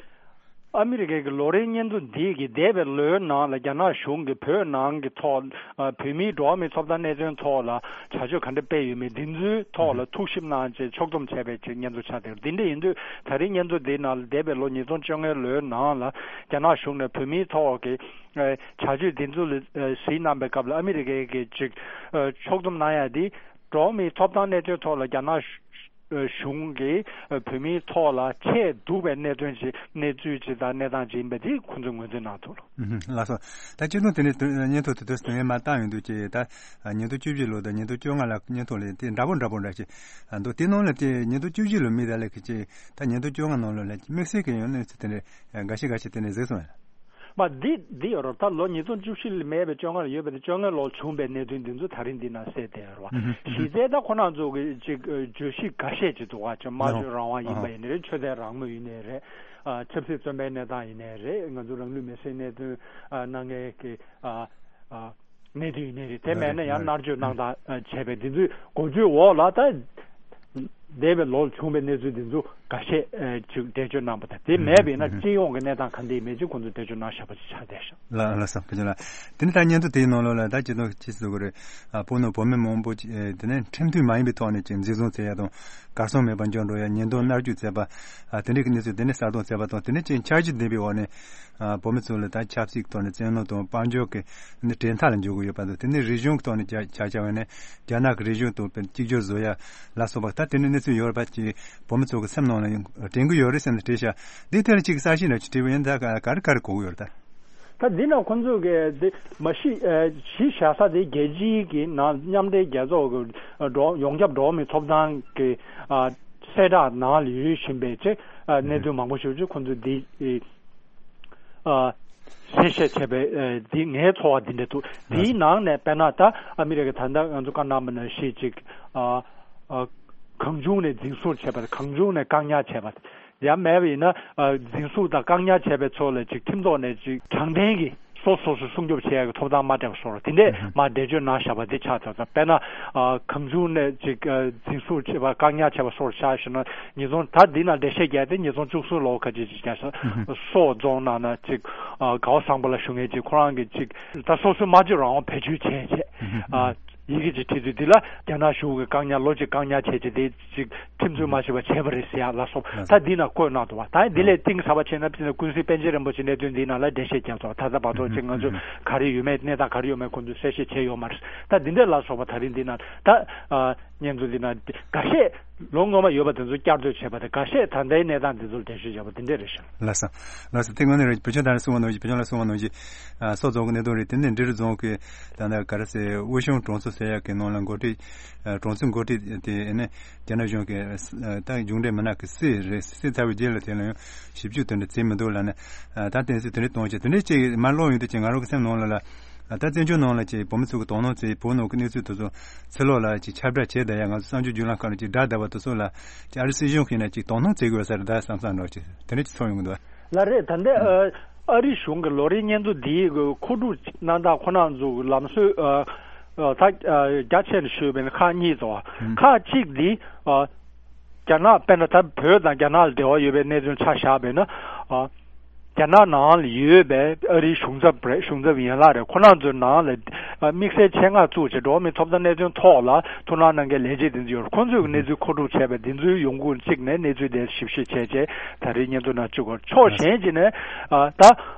ཨ་མི་རི་ཀའི་གི་ལོ་རེའི་སྙན་ཐོ་འདི་གི་འདས་པའི་ལོའི་ནང་ལ་རྒྱ་ནག་གཞུང་གིས་བོད་ནང་གི་ཐོག། ཨ། བོད་མིའི་འགྲོ་བ་མིའི་ཐོབ་ཐང་གནད་དོན་ཐོག་ལ་བྱ་སྤྱོད་ག་འདྲ་སྤེལ་ཡོད་མེད་འདི་ཚོའི་ཐོག་ལ་ཐུགས་ཞིབ་གནང་བྱས་ཕྱོགས་བསྡོམས་བྱས་པའི་ཅིག་སྙན་ཐོ་ཆགས་བསྡད་ཡོད། འདི་འདྲ་ཡིན་དུས་ད་རེས་སྙན་ཐོ་འདིའི་ནང་ལ་འདས་པའི་ལོ་ཉིས་སྟོང་བཅོ་ལྔའི་ལོའི་ནང་ལ་རྒྱ་ནག་གཞུང་ནས་བོད་མིའི་ཐོག་གི། ཨ། བྱ་སྤྱོད་འདི་ཚོ་ལ། ཨ། གཟིགས་གནང་པའི་སྐབས་ལ་ཨ་མི་རི་ཀའི་གི་ཅིག། ཨ། ཕྱོགས་བསྡོམས་གནང་ཡ་འདི་འགྲོ་བ་མིའི་ཐོབ་ཐང་གནད་དོན་ཐོག་ལ་རྒྱ་ནག་གཞུང་གིས་བོད་མིའི་ཐོག་ལ་ཆེས་སྡུག་པའི་གནད་དོན་ཅིག་གནས་ཚུལ་ཅིག་དང་གནས་སྟངས་ཅིག་ཡིན་པ་དེ་ཁོང་ཚོས་ངོས་འཛིན་གནང་ཐུབ་ལ། ཨུ་ཧུམ། ལགས་སོ། ད་སྤྱིར་བཏང་དེ་ནས་དུ་སྙན་ཐོ་དེ་དུས་སུ་ངས་མར་བཏང་ཡོང་དུས་ཀྱི་ད་ཉིས་སྟོང་བཅུ་བཞི་ལོ་དང་ཉིས་སྟོང་བཅོ་ལྔ་ལ་སྙན་ཐོ་ལས་དེ་འདྲ་པོ་འདྲ་པོ་འདྲ་ཞིག་འདུག། དེ་ནང་ལ་དེ་ཉིས་སྟོང་བཅུ་བཞི་ལོ་མི་ད་ལས་ཀྱི་ད་ཉིས་སྟོང་བཅོ་ལྔ་ནང་ལོ་ལ་དམིགས་བསལ་གྱི་ཡང་གནས་ཚུལ་དེ་འདྲ་འགའ་ཞིག་འགའ་ཞིག་དེ་ནས་གཟིགས་སོང་ཡ། མ་འདི་འདི་ཡོད་རེད། ད་ལོ་ཉིས་སྟོང་བཅུ་བཞི་ལ་མེད་པའི་བཅོ་ལྔ་ལ་ཡོད་པ་དེ་བཅོ་ལྔ་ལོར་བྱུང་བའི་གནད་དོན་འདི་ཚོ་ད་རིང་འདི་ན་གསལ་བསྡད་ཡོད་རེད་བ། ཨུ་ཧུམ། གཞི་རྩའི་ད་ཁོ་རང་ཚོ་གི་ཅིག་བརྗོད་གཞི་འགའ་ཤས་ཅིག་འདུག་བ། ཅིག་སྨྲ་བརྗོད་རང་དབང་ཡིན་པ་ཡིན་ནའི་རེད། ཆོས་དད་རང་མོས་ཡིན་ནའི་རེད། ཨ། ཆབ་སྲིད་བཙོན་པའི་གནས་སྟངས་ཡིན་ནའི་རེད། ང་ཚོ་རང་ལུས་མེར་སྲེག་གནད་དོན། ཨ། གནང་མཁན་གྱི། ཨ། ཨ། གནད་དོན་ཡིན་ནའི་རེད། དེ་མེད་ན་ཡང་མནར་གཅོད་གནང་སྟངས་བྱས་པའི་འདི་ཚོའི་འགོ་བརྗོད་འོག་ལ་ད་འདས་པའི་ལོར་བྱུང་བའི་གནས་ཚུལ་འདི་ཚོ་འགའ་ཤས་ཅིག་འགྲེལ་བརྗོད་གནང་པ་དང་། དེ་མེད་པ་ཡིན་ན་སྤྱི་ཡོངས་ཀྱི་གནས་སྟངས་ག་འདྲ་ཡིན་མིན་ཅིག་ཁོང་ཚོས་འགྲེལ་བརྗོད་གནང་བཞག་པ་ཅིག་ཆགས་བསྡད་ཤག། ལགས་ལགས་སོ། ཁྱེད་ཚོ་ལ། དེ་ནི་ད་སྙན་ཐོ་དེའི་ནང་ལོགས་ལ་ད་སྤྱི་དོན་ཅི་ཟེར་དགོས་རེད། ཨ། བོད་ནང་བོད་མི་མང་པོ་ཅིག། ཨེ། དེ་ནས་ཁྲིམས་མཐུན་མ་ཡིན་པའི་ཐོག་ནས་ཅིག་འཛིན་བཟུང་བྱས་ཡ་དང་། གར་སོང་མེད་པར་འགྱུར་འགྲོ་ཡ། ཉེས་རྡུང་མནར་གཅོད་བྱས་པ། ཨ། དེ་འདྲའི་གནས་ཚུལ་དེ་ནས་གསར་གཏོད་བྱས་པ་དང་། དེ་ནས་ཅིག་འཆར་གཞི་ལྡན་པའི་འོག་ནས། ཨ། བོད་མི་ཚོ་ལ་ད་ཆབ་སྲིད་ཀྱི་ཐོག་ནས་བཙན་གནོན་དང་དཔལ་འབྱོར་གྱི་ནི་བྲེལ་མཐའ་ལ་འཇུག་གི་ཡོད་པ་དང་། དེ་ནས་རིག་གཞུང་གི་ཐོག་ནས་ཆ་བཞག་པ་ཡིན་ན་རྒྱ་ནག་གི་རིག་གཞུང་དང་གཅིག་གྱུར་བཟོ་ཡ་ལ་སོགས་པ། ད་དེ་ནས་གནས་ཚུལ་ཡོད་པ་ཅིག་བོད་མི་ཚོ་གི་སེམས་ནང་ལ་དྲན་གྱི་ཡོད་རེད་བསམ་ནས་བྲིས་ཤག། འདི་ཐད་ལ་ཅིག་གསར་ཤོག་འདྲ་ཅིག་བྲིས་པ་ཡིན་ན་ད་ག་རེ་ག་རེ་གོ་གི་ཡོད་རེད་ད། ད་འདི་ན་ཁོང་ཚོས་གི་འདི་མ་གཞི། ཨ། གཞི་བཞག་ས་དེ་རྒྱལ་སྤྱིའི་གི་ནང་མཉམ་འབྲེལ་རྒྱལ་ཚོགས་གི་འགྲོ་ཡོངས་ཁྱབ་འགྲོ་བ་མིའི་ཐོབ་ཐང་གི། ཨ། གསལ་བསྒྲགས་ནང་ལ་ཡོད་བཞིན་པའི་ཅིག། ཨ། གནད་དོན་མང་པོ་ཞིག་ཅིག་ཁོང་ཚོས་འདི། ཨ། གསལ་བཤད་བྱས་པའི། ཨ། འདི་ངའི་ཚོར་བ་འདི་འདྲ་འདུག། འདིའི་ནང་ནས་དཔེར་ན་ད་ཨ་མི་རི་ཀ་ད་ལྟ་ང་ཚོ་བཀའ་གནང་བ་ནང་བཞིན་ཅིག། ཨ། ཨ། གང་བྱུང་ནས་འཛིན་བཟུང་བྱས་པ་དང་། གང་བྱུང་ནས་བཀག་ཉར་བྱས་པ། ཡང་མེད་པ་ཡིན་ན། ཨ། འཛིན་བཟུང་དང་བཀག་ཉར་བྱས་པའི་ཚོ་ལ་ཅིག་ཁྲིམས་ཐོག་ནས་ཅིག་དྲང་བདེན་གྱི་སོ་སོ་སོ་སྲུང་སྐྱོབ་བྱེད་ཡག་གི་ཐོབ་ཐང་མ་སྤྲད་པ་སོགས་དེ་འདྲས་མར་འགྲེལ་བརྗོད་གནང་བཞག་པ་འདི་ཆགས་ཚར་ཙང་། དཔེར་ན། ཨ། གང་བྱུང་ནས་ཅིག། ཨ། འཛིན་བཟུང་བྱས་པ་བཀག་ཉར་བྱས་པ་སོགས་ཆ་བཞག་ན། ཉིས་སྟོང་། ད་འདི་ན་འགྲེལ་བཤད་བརྒྱབ་སྟེ་ཉིས་སྟོང་བཅུ་གསུམ་ལོ་ཁ་ཅིག་ཅིག་བརྒྱབ་ས། སོག་རྫོང་ནང་ན་ཅིག། ཨ། དགའ་བ་བཟང་པོ་ལ་བཞུགས་མཁན་ཅིག་ཁོ་རང་གིས་ཅིག་ད་སོ་སོའི་སྨྲ་བརྗོད་རང་དབང་བེད་སྤྱོད་བྱས་བྱས། ཨ། ཡི་གེ་ཅིག་བྲིས་དུས་འདི་ལ་རྒྱ་ནག་གཞུང་གིས་བཀག་ཉར། ལོ་གཅིག་བཀག་ཉར་བྱས་བྱས། དེ་ཅིག་ཁྲིམས་བརྩི་མ་བྱས་པ་བྱས་པ་རེད་ཟེར་ཡག་ལ་སོགས། ད་འདི་ན་བཀོད་གནང་འདུག་བ། ད་འདི་ལས་གཏིང་ཟབ་པ་བྱས་ན། དཔེར་ན་ཀུན་གཟིགས་པཎ་ཆེན་རིན་པོ་ཆེ་གནད་དོན་འདིའི་ནང་ལ་འགྲེལ་བཤད་བརྒྱབ་ཚར་བ། ད་ལྟ་བར་དུ་ཅིག་ང་ཚོས་ག་རེ་ཡོད་མེད། གནས་སྟངས་ག་རེ་ཡོད་མེད་ཁོང་ཚོས་གསལ་བཤད་བྱས་ཡོད་མ་རེད། ད་འདི་འདྲ་ལ་སོགས་པ་ད་རིང་འདི་ན་ད། ཨ། སྙན་ཐོ་འདི་ན་འགའ་ཤས་ལོ་སྔོན་མ་ཡོད་པ་དེ་ཚོ་བསྐྱར་ཟློས་བྱས་པ་དང་། འགའ་ཤས་ད་ལྟའི་གནས་སྟངས་འདི་ཚོར་འགྲེལ་བཤད་བརྒྱབ་པ་འདི་འདྲ་རེད་ཤག། ལགས་སོ། ལགས་སོ། དེ་སྔོན་ནས་རེད། བུ་ཆུང་དང་གསུངས་པ་ནང་བཞིན། བུ་ཆུང་ལ་གསུངས་པ་ནང་བཞིན། ཨ། སོག་རྫོང་གི་གནད་དོན་རེད། དེ་ནས་འབྲི་རུ་རྫོང་གི་ད་ལྟ་ག་རེ་ཟེར། དབུས་གཞུང་གྲོང་ཚོ་ཟེར་ཡག་གི་ནང་ལ་འགོ་ཁྲིད། ཨ། གྲོང་ཚོའི་འགོ་ཁྲིད་དེ་ནས་རྒྱ་ནག་གཞུང་གི། ཨ། ད་གཞུང་འབྲེལ་མི་སྣ་གི་སྲིད་རེད། སྲིད་ཚར་བའི་རྗེས་ལ་དེ་ལ་ཡང་ཞིབ་འཇུག་དེ་འདྲ་བྱས་མི་འདུག་ལབ་ནས། ཨ། ད་གཏན་ཚིགས་དེ་འདྲ་གཏོང་བྱས། དེ་འདྲ་ཅིག་མར་ཀློག་ཡོང་དུས་ཀྱི་ང་རང་གི་སེམས་ནང་ལ་ལ། ཨ། ད་བཙན་བྱོལ་ནང་ལ་ཅིག་བོད་མི་ཚོ་གི་དོ་སྣང་བྱས། བོད་ནང་གི་གནས་ཚུལ་དེ་ཚོ་ཕྱི་ལོགས་ལ་ཅིག་ཁྱབ་བསྒྲགས་བྱས་བསྡད་ཡ། ང་ཚོ་གསར་འགྱུར་བརྒྱུད་ལམ་ཁག་ནང་ཅིག་བསྒྲགས་བསྡད་པ་དེ་ཚོ་ལ་ཅིག་ཨ་རིའི་སྲིད་གཞུང་གིས་ན་ཅིག་དོ་སྣང་བྱེད་དགོས་ས་རེད་ད་བསམ་བསམ་འདྲ་བོ་ཅིག་དེ་འདྲ་ཅིག་ཚོར་ཡོང་གི་འདུག། ལགས་རེད། ད་ལྟ། ཨ། ཨ་རི་གཞུང་གི་ལོ་རེའི་སྙན་ཐོ་འདིའི་གི་མཁོ་སྒྲུབ་གནང་སྟངས་ཁོ་རང་ཚོ་གི་ལམ་སྲོལ། ཨ། ཨ། ད། ཨ། རྒྱ་ཆེ་ནས་ཞུས་པ་ཡིན་ན་ཁག་གཉིས་འདུག། ཨ། ཁག་གཅིག་འདི། ཨ། རྒྱ་ནག། དཔེར་ན་ད་བོད་དང་རྒྱ་ནག་ལ་འབྲེལ་བ་ཡོད་པའི་གནད་དོན་ཆ་བཞག་པ་ཡིན་ན། ཨ། རྒྱ་ནག་ནང་ལ་ཡོད་པའི་ཨ་རིའི་གཞུང་ཚབ་རེད། གཞུང་ཚབ་ཡན་ལག་རེད། ཁོ་རང་ཚོའི་ནང་ལ་ཨ་དམིགས་བསལ་ཆེད་མངགས་བཙུགས་བྱས་འགྲོ་བ་མིའི་ཐོབ་ཐང་གནད་དོན་ཐོག་ལ་ཐུགས་སྣང་གནང་མཁན་ལས་བྱེད་དེ་ཚོ་ཡོད་རེད། ཁོ་ཚོས་གནས་ཚུལ་མཁོ་སྒྲུབ་བྱས་པ་དེ་ཚོའི་ཡོང་ཁུངས་གཅིག་ནས་གནས་ཚུལ་དེ་ཞིབ་བཤེར་བྱས་རྗེས་ད་རེས་སྙན་ཐོ་ནང་བཅུག་གོ། ཕྱོགས་གཞན་གཅིག་ནས་ཨ་ད་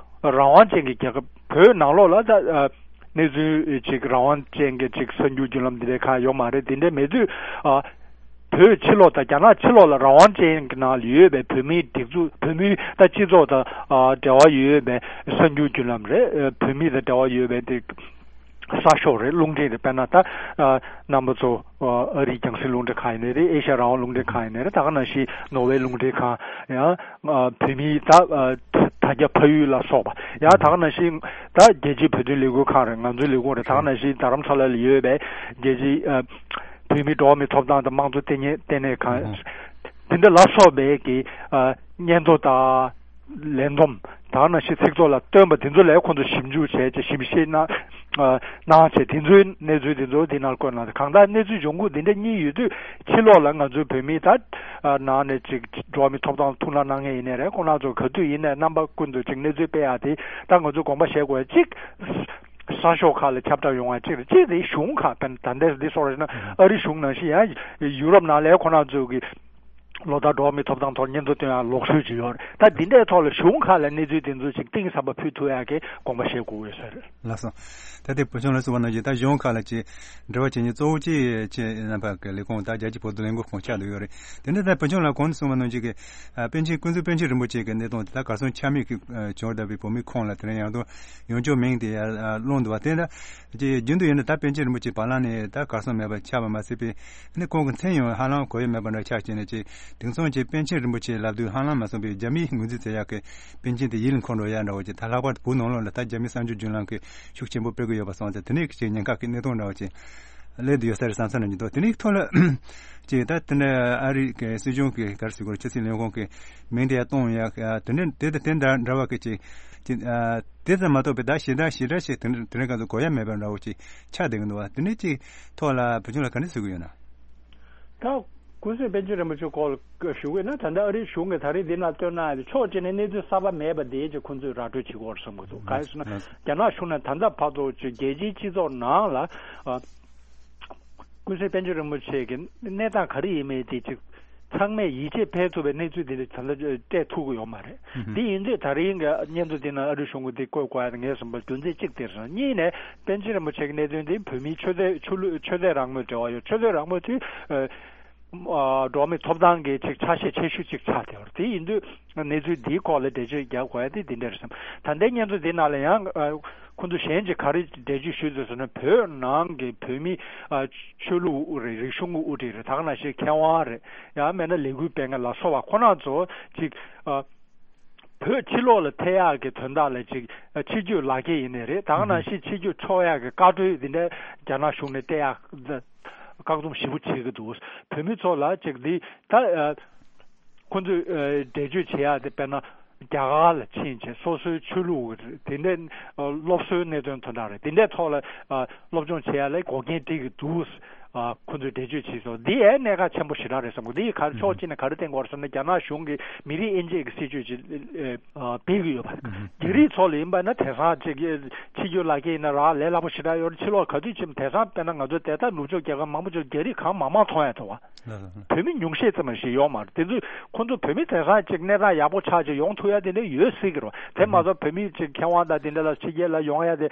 རང་དབང་ཅན་གྱི་རྒྱལ་ཁབ་བོད་ནང་ལོགས་ལ་ད་ཨ་གནས་ཚུལ་ཅིག་རང་དབང་ཅན་གྱི་ཅིག་གསར་འགྱུར་བརྒྱུད་ལམ་འདི་འདྲའི་གང་ཡོད་མ་རེད། དེ་འདྲ་མེད་དུས་ཨ་བོད་ཕྱི་ལོགས་དང་རྒྱ་ནག་ཕྱི་ལོགས་ལ་རང་དབང་ཅན་གྱི་ནང་ལ་ཡོད་པའི་བོད་མིའི་སྒྲིག་འཛུགས། བོད་མིའི་ད་སྤྱི་ཚོགས་དང་ཨ་འབྲེལ་བ་ཡོད་པའི་གསར་འགྱུར་བརྒྱུད་ལམ་རེད། ཨ་བོད་མི་དང་འབྲེལ་བ་ཡོད་པའི་དེ་གསར་ཤོག་རེད། རླུང་འཕྲིན་རེད། དཔེར་ན་ད་ཨ་རྣམ་པ་ཚོ་ཨ་ཨ་རིའི་རྒྱང་སྲིང་རླུང་འཕྲིན་ཁང་ཡིན་ནའི་རེད། ཨེ་ཤ་རང་དབང་རླུང་འཕྲིན་ཁང་ཡིན་ནའི་རེད། ད་ག་ནང་བཞིན་ནོར་ཝེ་རླུང་འཕྲིན་ཁང་ཡང་ཨ་བོད་མིའི་ད་ཨ་དྲ་རྒྱ་ཕ་ཡུལ་ལ་སོགས་པ། ཡང་ད་ག་ནང་བཞིན་ད་རྒྱལ་སྤྱིའི་བོད་དོན་ལས་འགུལ་ཁང་རེད། ང་ཚོའི་ལས་ཁུངས་རེད། ད་ག་ནང་བཞིན་རྡ་རམ་ས་ལ་ལ་ཡོད་པའི་རྒྱལ་སྤྱིའི་ཨ་བོད་མིའི་འགྲོ་བ་མིའི་ཐོབ་ཐང་དང་དམངས་གཙོ་ལྟེ་གནས་ལྟེ་གནས་ཁང་། ཨ་འདི་འདྲ་ལ་སོགས་པའི་གི་ཨ་སྙན་ཐོ་དང་ལས་བསྡོམས། ད་ག་ནང་བཞིན་ཚིག་ཐོ་ལ་བཏོན་པ་དེ་ཚོ་ལ་ཁོང་ཚོ་ཞིབ་འཇུག་བྱས་རྗེས་ཞིབ་བཤེར་གནང་ཨ་གནང་བྱས་དེ་ཚོའི་གནས་ཚུལ་དེ་ཚོ་དེ་ནང་བཀོད་གནང་། གང་ལྟར་གནས་ཚུལ་འབྱུང་ཁུངས་དེ་འདྲ་གཉིས་ཡོད་དུས་ཕྱི་ལོགས་ལ་ང་ཚོའི་བོད་མིའི་ད་ཨ་ནང་ནས་ཅིག་འགྲོ་བ་མིའི་ཐོབ་ཐང་ཐུགས་སྣང་གནང་མཁན་ཡིན་ནའི་རེད། ཁོང་རྣམ་ཚོ་ག་དུས་ཡིན་ནའི་རྣམ་པ་ཀུན་ཏུ་ཅིག་གནས་ཚུལ་སྤེལ་ཡག་དེ་ད་ང་ཚོས་དགོངས་པ་བཞེས་དགོས་ཡ་གཅིག་གསར་ཤོག་ཁག་ལ་ཁྱབ་བསྒྲགས་ཡོང་བ་གཅིག་རེད། གཅིག་དེ་གཞུང་ཁག་དཔེར་ན་ད་ལྟའི་འདི་སོགས་རེད་ན་ཨ་རིའི་གཞུང་ནང་བཞིན་ཡང་ཡུ་རོབ་ནང་ལའི་ཁོ་རང་ཚོའི་གི་ལོ་ལྟར་འགྲོ་བ་མིའི་ཐོབ་ཐང་ཐོག་སྙན་ཐོ་བཏོན་ཡག་ལུགས་སྲོལ་ཅིག་ཡོད་རེད། ད་འདི་འདྲའི་ཐོག་ལ་གཞུང་ཁག་ལ་གནས་ཚུལ་དེ་ཚོ་ཅིག་གཏིང་ཟབ་པ་ཕུལ་ཐུབ་ཡག་གི་དགོངས་པ་བཞེས་དགོས་ཀྱི་ཡོད་ས་རེད། ལགས་སོ། ད་ལྟའི་བུ་ཆུང་ལགས་གསུངས་པ་ནང་བཞིན་ད་གཞུང་ཁག་ལ་ཅིག་འབྲེལ་བ་བྱེད་མཁན་གཙོ་བོ་ཅིག་ཅིག་རྣམ་པ་གི་ལས་ཁུངས་ད་རྒྱལ་སྤྱིའི་བོད་དོན་ལས་འགུལ་ཁང་ཆགས་བསྡད་ཡོད་རེད། དེ་འདྲ་ད་བུ་ཆུང་ལགས་གོང་དུ་གསུངས་པ་ནང་བཞིན་གི་ཨ་པཎ་ཆེན་ཀུན་གཟིགས་པཎ་ཆེན་རིན་པོ་ཆེ་གི་གནས་སྟངས་དེ་ད་གར་སོང་ཆ་མེད་ཀྱི་ཨ་བྱུང་བ་ལྟ་བུའི་བོད་མིའི་ཁོངས་ལ་དེ་རིང་ཡང་དུ་ཡོངས་སྐྱོར་མིང་དེ་ཡར་ཨ་བླངས་འདུག་བ། དེ་ད་ཅིག་རྒྱུན་དུ་ཡིན་ན་ད་པཎ་ཆེན་རིན་པོ་ཆེ་བར་ལམ་ནས་ད་གར་སོང་མེད་པ་ཆགས་པ་མ་ཟད་པའི་ནི་ཁོང་གི་མཚན་ཡང་ཧ་ལམ་གོ་ཡ་མེད་པ་འདྲ་ཆགས་བྱས་ནས་ཅིག་དེང་སང་ཅིག་པཎ་ཆེན་རིན་པོ་ཆེ་ལབ་དུས་ཧ་ལམ་མ་སོང་པའི་རྒྱ་མིས་ངོས་འཛིན་བྱེད་ཡག་གི་པཎ་ཆེན་དེ་ཡིད་ལ་འཁོར་འགྲོ་ཡ་འདྲ་བོ་ཅིག་ད་ལྷག་པར་དུ་བོད་ནང་ལོགས་ལ་ད་རྒྱ་མིའི་གསར་འགྱུར་བརྒྱུད་ལམ་གྱི་ཤུགས་ཆེན་པོ་སྤེལ་གྱི་ཡོད་པ་སོང་ཙང་དེ་ནས་ཅིག་ཉེན་ཁ་གི་གནས་སྟངས་འདྲ་བོ་ཅིག་སླེབས་བསྡད་ཡོད་ས་རེད་བསམ་ས་ནང་བཞིན་འདུག་དེ་ནས་ཐོག་ལ་ཅིག་ད་དེ་འདྲ་ཨ་རི་གི་སྲིད་གཞུང་གི་ག་རེ་ཟེར་དགོས་རེད། ཕྱི་སྲིད་ལས་ཁུངས་ཀྱི་མིང་དེ་ཡར་གཏོང་ཡ་དེ་འདྲ་དེ་དང་དེ་འདྲ་འདྲ་བ་གི་ཅིག་ཅིག་ཨ་དེ་ཙམ་མ་གཏོགས་པའི་ད་ཞེ་དྲག་ཞེ་དྲག་ཞིག་དེ་འདྲ་དེ་འདྲ་ག་ཚོད་གོ་ཡ་མེད་པ་འདྲ་བོ་ཅིག་ཆགས་བསྡད་ཀྱི་འདུག་བ། དེ་འདྲ་ཅིག་ཐོག་ལ་བུ་ཆུང་ལ་ག་འདྲ་ཟེར་གྱི་ཡོད་ན། ད་ཀུན་གཟིགས་པཎ་ཆེན་རིན་པོ་ཆེ་སྐོར་ལ་ཞུ་དགོས་ན་ད་ལྟ་ཨ་རིའི་གཞུང་གིས་ད་རེས་འདི་ནང་བཏོན་གནང་ཡ་དེ་ཕྱོགས་གཅིག་ནས་གནས་ཚུལ་གསར་པ་མེད་པ་དེ་ཅིག་ཁོང་ཚོས་ར་སྤྲོད་བྱེད་ཀྱི་ཡོད་རེད་བསམ་གྱི་འདུག་གང་ཡིན་ཟེར་ན་རྒྱ་ནག་གཞུང་ནས་ད་ལྟ་བར་དུ་ཅིག་རྒྱལ་སྤྱིའི་སྤྱི་ཚོགས་ནང་ལ་ཨ་ཀུན་གཟིགས་པཎ་ཆེན་རིན་པོ་ཆེ་གི་གནས་སྟངས་ག་རེ་ཡིན་མིན་དེ་ཅིག་ཚང་མས་ཡིད་ཆེས་འཕེར་ཐུབ་པའི་གནས་ཚུལ་དེ་འདྲ་ད་ལྟ་སྤྲད་ཐུབ་ཀྱི་ཡོད་མ་རེད། དེ་ཡིན་དུས་ད་རིང་གི་སྙན་ཐོ་དེ་ནང་ཨ་རིའི་གཞུང་གིས་དེ་བཀོད་དགོས་ཡ་དེ་ངས་བསམ་པར་རྒྱུ་མཚན་གཅིག་དེ་རེད། གཉིས་ནས་པཎ་ཆེན་རིན་པོ་ཆེ་གི་གནད་དོན་དེ་བོད་མིའི་ཆོས་དད་ཆོས་ལུགས་ཆོས་དད་རང་མོས་འབྲེལ་བ་ཡོད། ཆོས་དད་རང་མོས་དེ་ཨ་འགྲོ་བ་མིའི་ཐོབ་ཐང་གི་ཅིག་ཆ་ཤས་ཆེ་ཤོས་ཅིག་ཆགས་བསྡད་པ་རེད། དེ་ཡིན་དུས་གནས་ཚུལ་འདིའི་སྐོར་ལ་འགྲེལ་བརྗོད་རྒྱག་དགོས་ཡ་དེ་འདི་འདྲ་རེད་བསམ། ད་ལྟའི་སྙན་ཐོ་འདི་ནང་ལ་ཡང་ཨ་ཁོང་ཚོ་གཞན་གྱིས་ག་རེ་འགྲེལ་བརྗོད་ཞུས་འདུག་ཟེར་ན་བོད་ནང་གི་བོད་མི་ཨ་ཆོས་ལུགས་དབུ་རེད། རིག་གཞུང་གི་དབུ་ཁྲིད་རེད། ད་ག་ནང་བཞིན་མཁས་དབང་རེད། ཡང་མིན་ན་ལས་འགུལ་སྤེལ་མཁན་ལ་སོགས་པ་ཁོ་རང་ཚོ་ཅིག་ཨ་བོད་ཕྱི་ལོགས་ལ་ཐེ་ཡག་གི་དོན་དག་ལ་ཅིག་ཨ་ཕྱི་སྐྱོད་ལག་འཁྱེར་ཡིན་ནའི་རེད། ད་ག་ནང་བཞིན་ཕྱི་སྐྱོད་ཆོག་ཡག་གི་བཀའ་འཁྲོལ་འདི་འདྲ་རྒྱ་ནག་གཞུང་ནས་སྤྲད་ཡག་བཀག་སྡོམ་ཞེ་པོ་བྱེད་ཀྱི་འདུག་བོད་མི་ཚོ་ལ་ཅིག་འདི་ད་ཨ་ཁོང་ཚོས་ཨ་འགྲེལ་བརྗོད་བྱེད་ཡག་དེ་དཔེར་ན་རྒྱ་གར་ལ་ཕྱིན་བྱས་སོ་སོའི་ཆོས་ལུགས་དེ་འདྲའི་ཨ་སློབ་གསོའི་གནད་དོན་དོན་དག་རེད། དེ་འདྲའི་ཐོག་ལ་ཨ་སློབ་སྦྱོང་བྱེད་ཡག་ལ་འགོག་རྐྱེན་སྤྲད་ཀྱི་འདུག་ཨ་ཁོང་ཚོས་འགྲེལ་བརྗོད་བྱས་སོང་། འདི་ཨེ་གནད་འགག་ཆེན་པོ་ཞེ་དྲག་རེད་བསམ་གི། འདི་ག་ཕྱོགས་གཅིག་ནས་ག་རེ་བསྟན་དགོས་རེད་ཟེར་ན་རྒྱ་ནག་གཞུང་གིས་མི་རིགས་དབྱེ་འབྱེད་ཀྱི་སྲིད་བྱུས་ཅིག་ཨ་སྤེལ་གྱི་ཡོད་པ་རེད། རྒྱ་རིགས་ཚོ་ལ་ཡིན་པ་ན་དེང་སང་ཅིག་ཕྱི་སྐྱོད་ལག་འཁྱེར་ཡིན་ན་རག་ལས་སླ་པོ་ཞེ་དྲག་ཡོད་རེད། ཕྱི་ལོགས་ག་དུས་ཕྱིན་དེང་སང་དཔེར་ན་ང་ཚོ་དེ་ལྟར་ནུབ་ཕྱོགས་རྒྱལ་ཁབ་མང་པོ་ཅིག་རྒྱ་རིགས་གང་མང་མང་མཐོང་ཡ་འདུག་བ། བོད་མི་ཉུང་ཤས་ཙམ་ཞིག་ཡོད་མ་རེད། དེ་ཚོས་ཁོང་ཚོ་བོད་མི་དེང་སང་ཅིག་གནས་སྟངས་ཡག་པོ་ཆགས་ཅིག་ཡོང་ཐུབ་ཡ་དེ་འདྲ་ཡོད་སྲིད་ཀྱི་རེད། དེ་མ་གཏོགས་བོད་མི་ཅིག་མཁས་དབང་དང་དེ་འདྲ་ལ་ཕྱི་རྒྱལ་ལ་ཡོང་ཡ་དེ་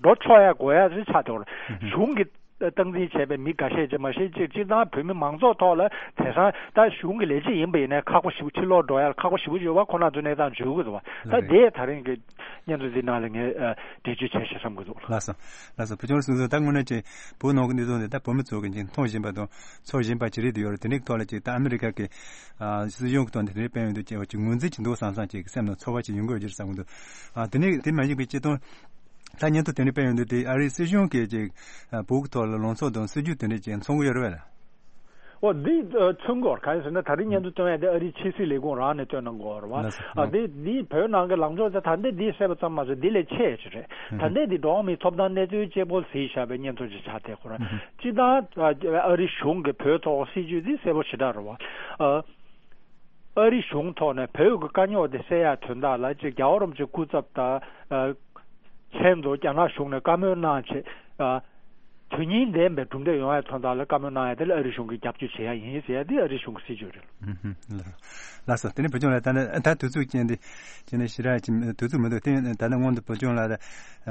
འགྲོ་ཆོག་ཡ་དགོས་ཡ་རེད་ཆགས་འགྲོ་རེད། གཞུང་གིས་སྟངས་འཛིན་བྱས་པའི་མི་འགའ་ཤས་ཅིག་མ་གཞི་ཅིག་སྤྱིར་བཏང་བོད་མི་མང་ཚོགས་ཐོག་ལ་དེང་སང་ད་གཞུང་གི་ལས་བྱེད་ཡིན་པ་ཡིན་ནའི་ཁག་པོ་ཞེ་པོ་ཕྱིར་ལོག་འགྲོ་ཡ་ཁག་པོ་ཞེ་པོ་ཡོད་པ་ཁོ་ན་ཚོའི་གནས་སྟངས་བརྗོད་ཀྱི་འདུག་བ། ད་དེ་ད་རིང་གི་སྙན་ཐོ་འདི་ནང་ལ་ངས་ཨ་འགྲེལ་བརྗོད་བྱས་ཤིག་བསམ་གྱི་འདུག་ལགས་སོ། ལགས་སོ། བུ་ཆུང་གསུངས་སོང་། ད་དངོས་གནས་ཅིག་བོད་ནང་གི་གནས་ཚུལ་འདི་ད་བོད་མི་ཚོ་གི་ཅིག་མཐོང་བཞིན་པ་དང་ཚོར་བཞིན་པ་ཅིག་རེད་འདུག་ཡོད་རེད། དེ་འདྲའི་ཐོག་ལ་ཅིག་ད་ཨ་མི་རི་ཀ་གི་ཨ་སྲིད་གཞུང་གི་ཐོག་ནས་དེ་འདྲའི་སྤེལ་ཡོང་དུས་ཅིག་ཅིག་ངོས་འཛིན་ཅིག་འདུག་བསམ་བསམ་ཅིག་སེམས་ནང་ཚོར་བ་ཅིག་ཡོང་གི་ཡོད་ཀྱི་རེད་བསམ་གྱི་འདུག་ཨ་དེ་ནས་དེ་མ་ཡིན་པའི་སྤྱིར་བཏང་ད་སྙན་ཐོ་དེ་འདྲའི་སྤེལ་ཡོང་དུས་དེ་ཨ་རིའི་སྲིད་གཞུང་གི་ཅིག་ཨ་བོད་ཀྱི་ཐོག་ལ་ལངས་ཕྱོགས་དང་སྲིད་ཇུས་དེ་འདྲའི་ཅིག་མཚོན་གྱི་ཡོད་རེད་བས་ལ། འོ་འདི་ཨ་མཚོན་གྱི་ཡོད་རེད། གང་ཡིན་ཟེར་ན་ད་རིང་སྙན་ཐོ་བཏོན་ཡ་དེ་ཨ་རིའི་ཕྱི་སྲིད་ལས་ཁུངས་རང་ནས་བཏོན་གནང་གི་ཡོད་རེད་བ། ལགས་སོ། ཨ་འདི་འདི་བོད་ནང་གི་ལངས་ཕྱོགས་དེ་ད་ལྟ་འདི་གསལ་པོ་ཙམ་མ་ཟད་འདི་ལས་ཆེ་ཞིག་རེད། ད་ལྟ་འདི་འགྲོ་བ་མིའི་ཐོབ་ཐང་གནས་ཚུལ་དཔྱད་དཔོག་ཟེར་བཞག་པའི་སྙན་ཐོ་ཅིག་ཆགས་བསྡད་ཡོད་རེད། སྤྱིར་བཏང་ཨ་ཨ་རིའི་གཞུང་གི་བོད་ཐོག་སྲིད་ཇུས་འདི་གསལ་པོ་ཞེ་དྲག་རེད་བ། ཨ། ཨ་རི་གཞུང་ཐོག་ནས་བོད་ཀྱི་དཀའ་རྙོག་དེ་སེལ་ཡག་དོན་དག་ལ་ཅིག་རྒྱལ་བ་རིན་པོ་ཆེ་སྐུ་ཚབ་དང་། ལྷན་དུ་རྒྱ་ནག་གཞུང་ནས་བཀའ་མོལ་གནང་བྱས། དོན་སྙིང་ལྡན་པའི་གྲུབ་འབྲས་ཡོང་ཡག་དོན་དག་ལ་བཀའ་མོལ་གནང་ཡག་དེ་ལ་ཨ་རི་གཞུང་གིས་རྒྱབ་སྐྱོར་བྱེད་ཡག་ཡིན་ཟེར་ཡག་དེ་ཨ་རི་གཞུང་གི་སྲིད་བྱུས་རེད། ལགས་སོ། དེ་ནས་བུ་ཆུང་ལགས། ད་ནི་ད་དུས་ཚོད་ཀྱིས་འདི་ཅི་ནས་ཞེ་དྲག་ཅིག་དུས་ཚོད་མི་འདུག་དེ་ད་ལྟ་སྔོན་དུ་བུ་ཆུང་ལགས་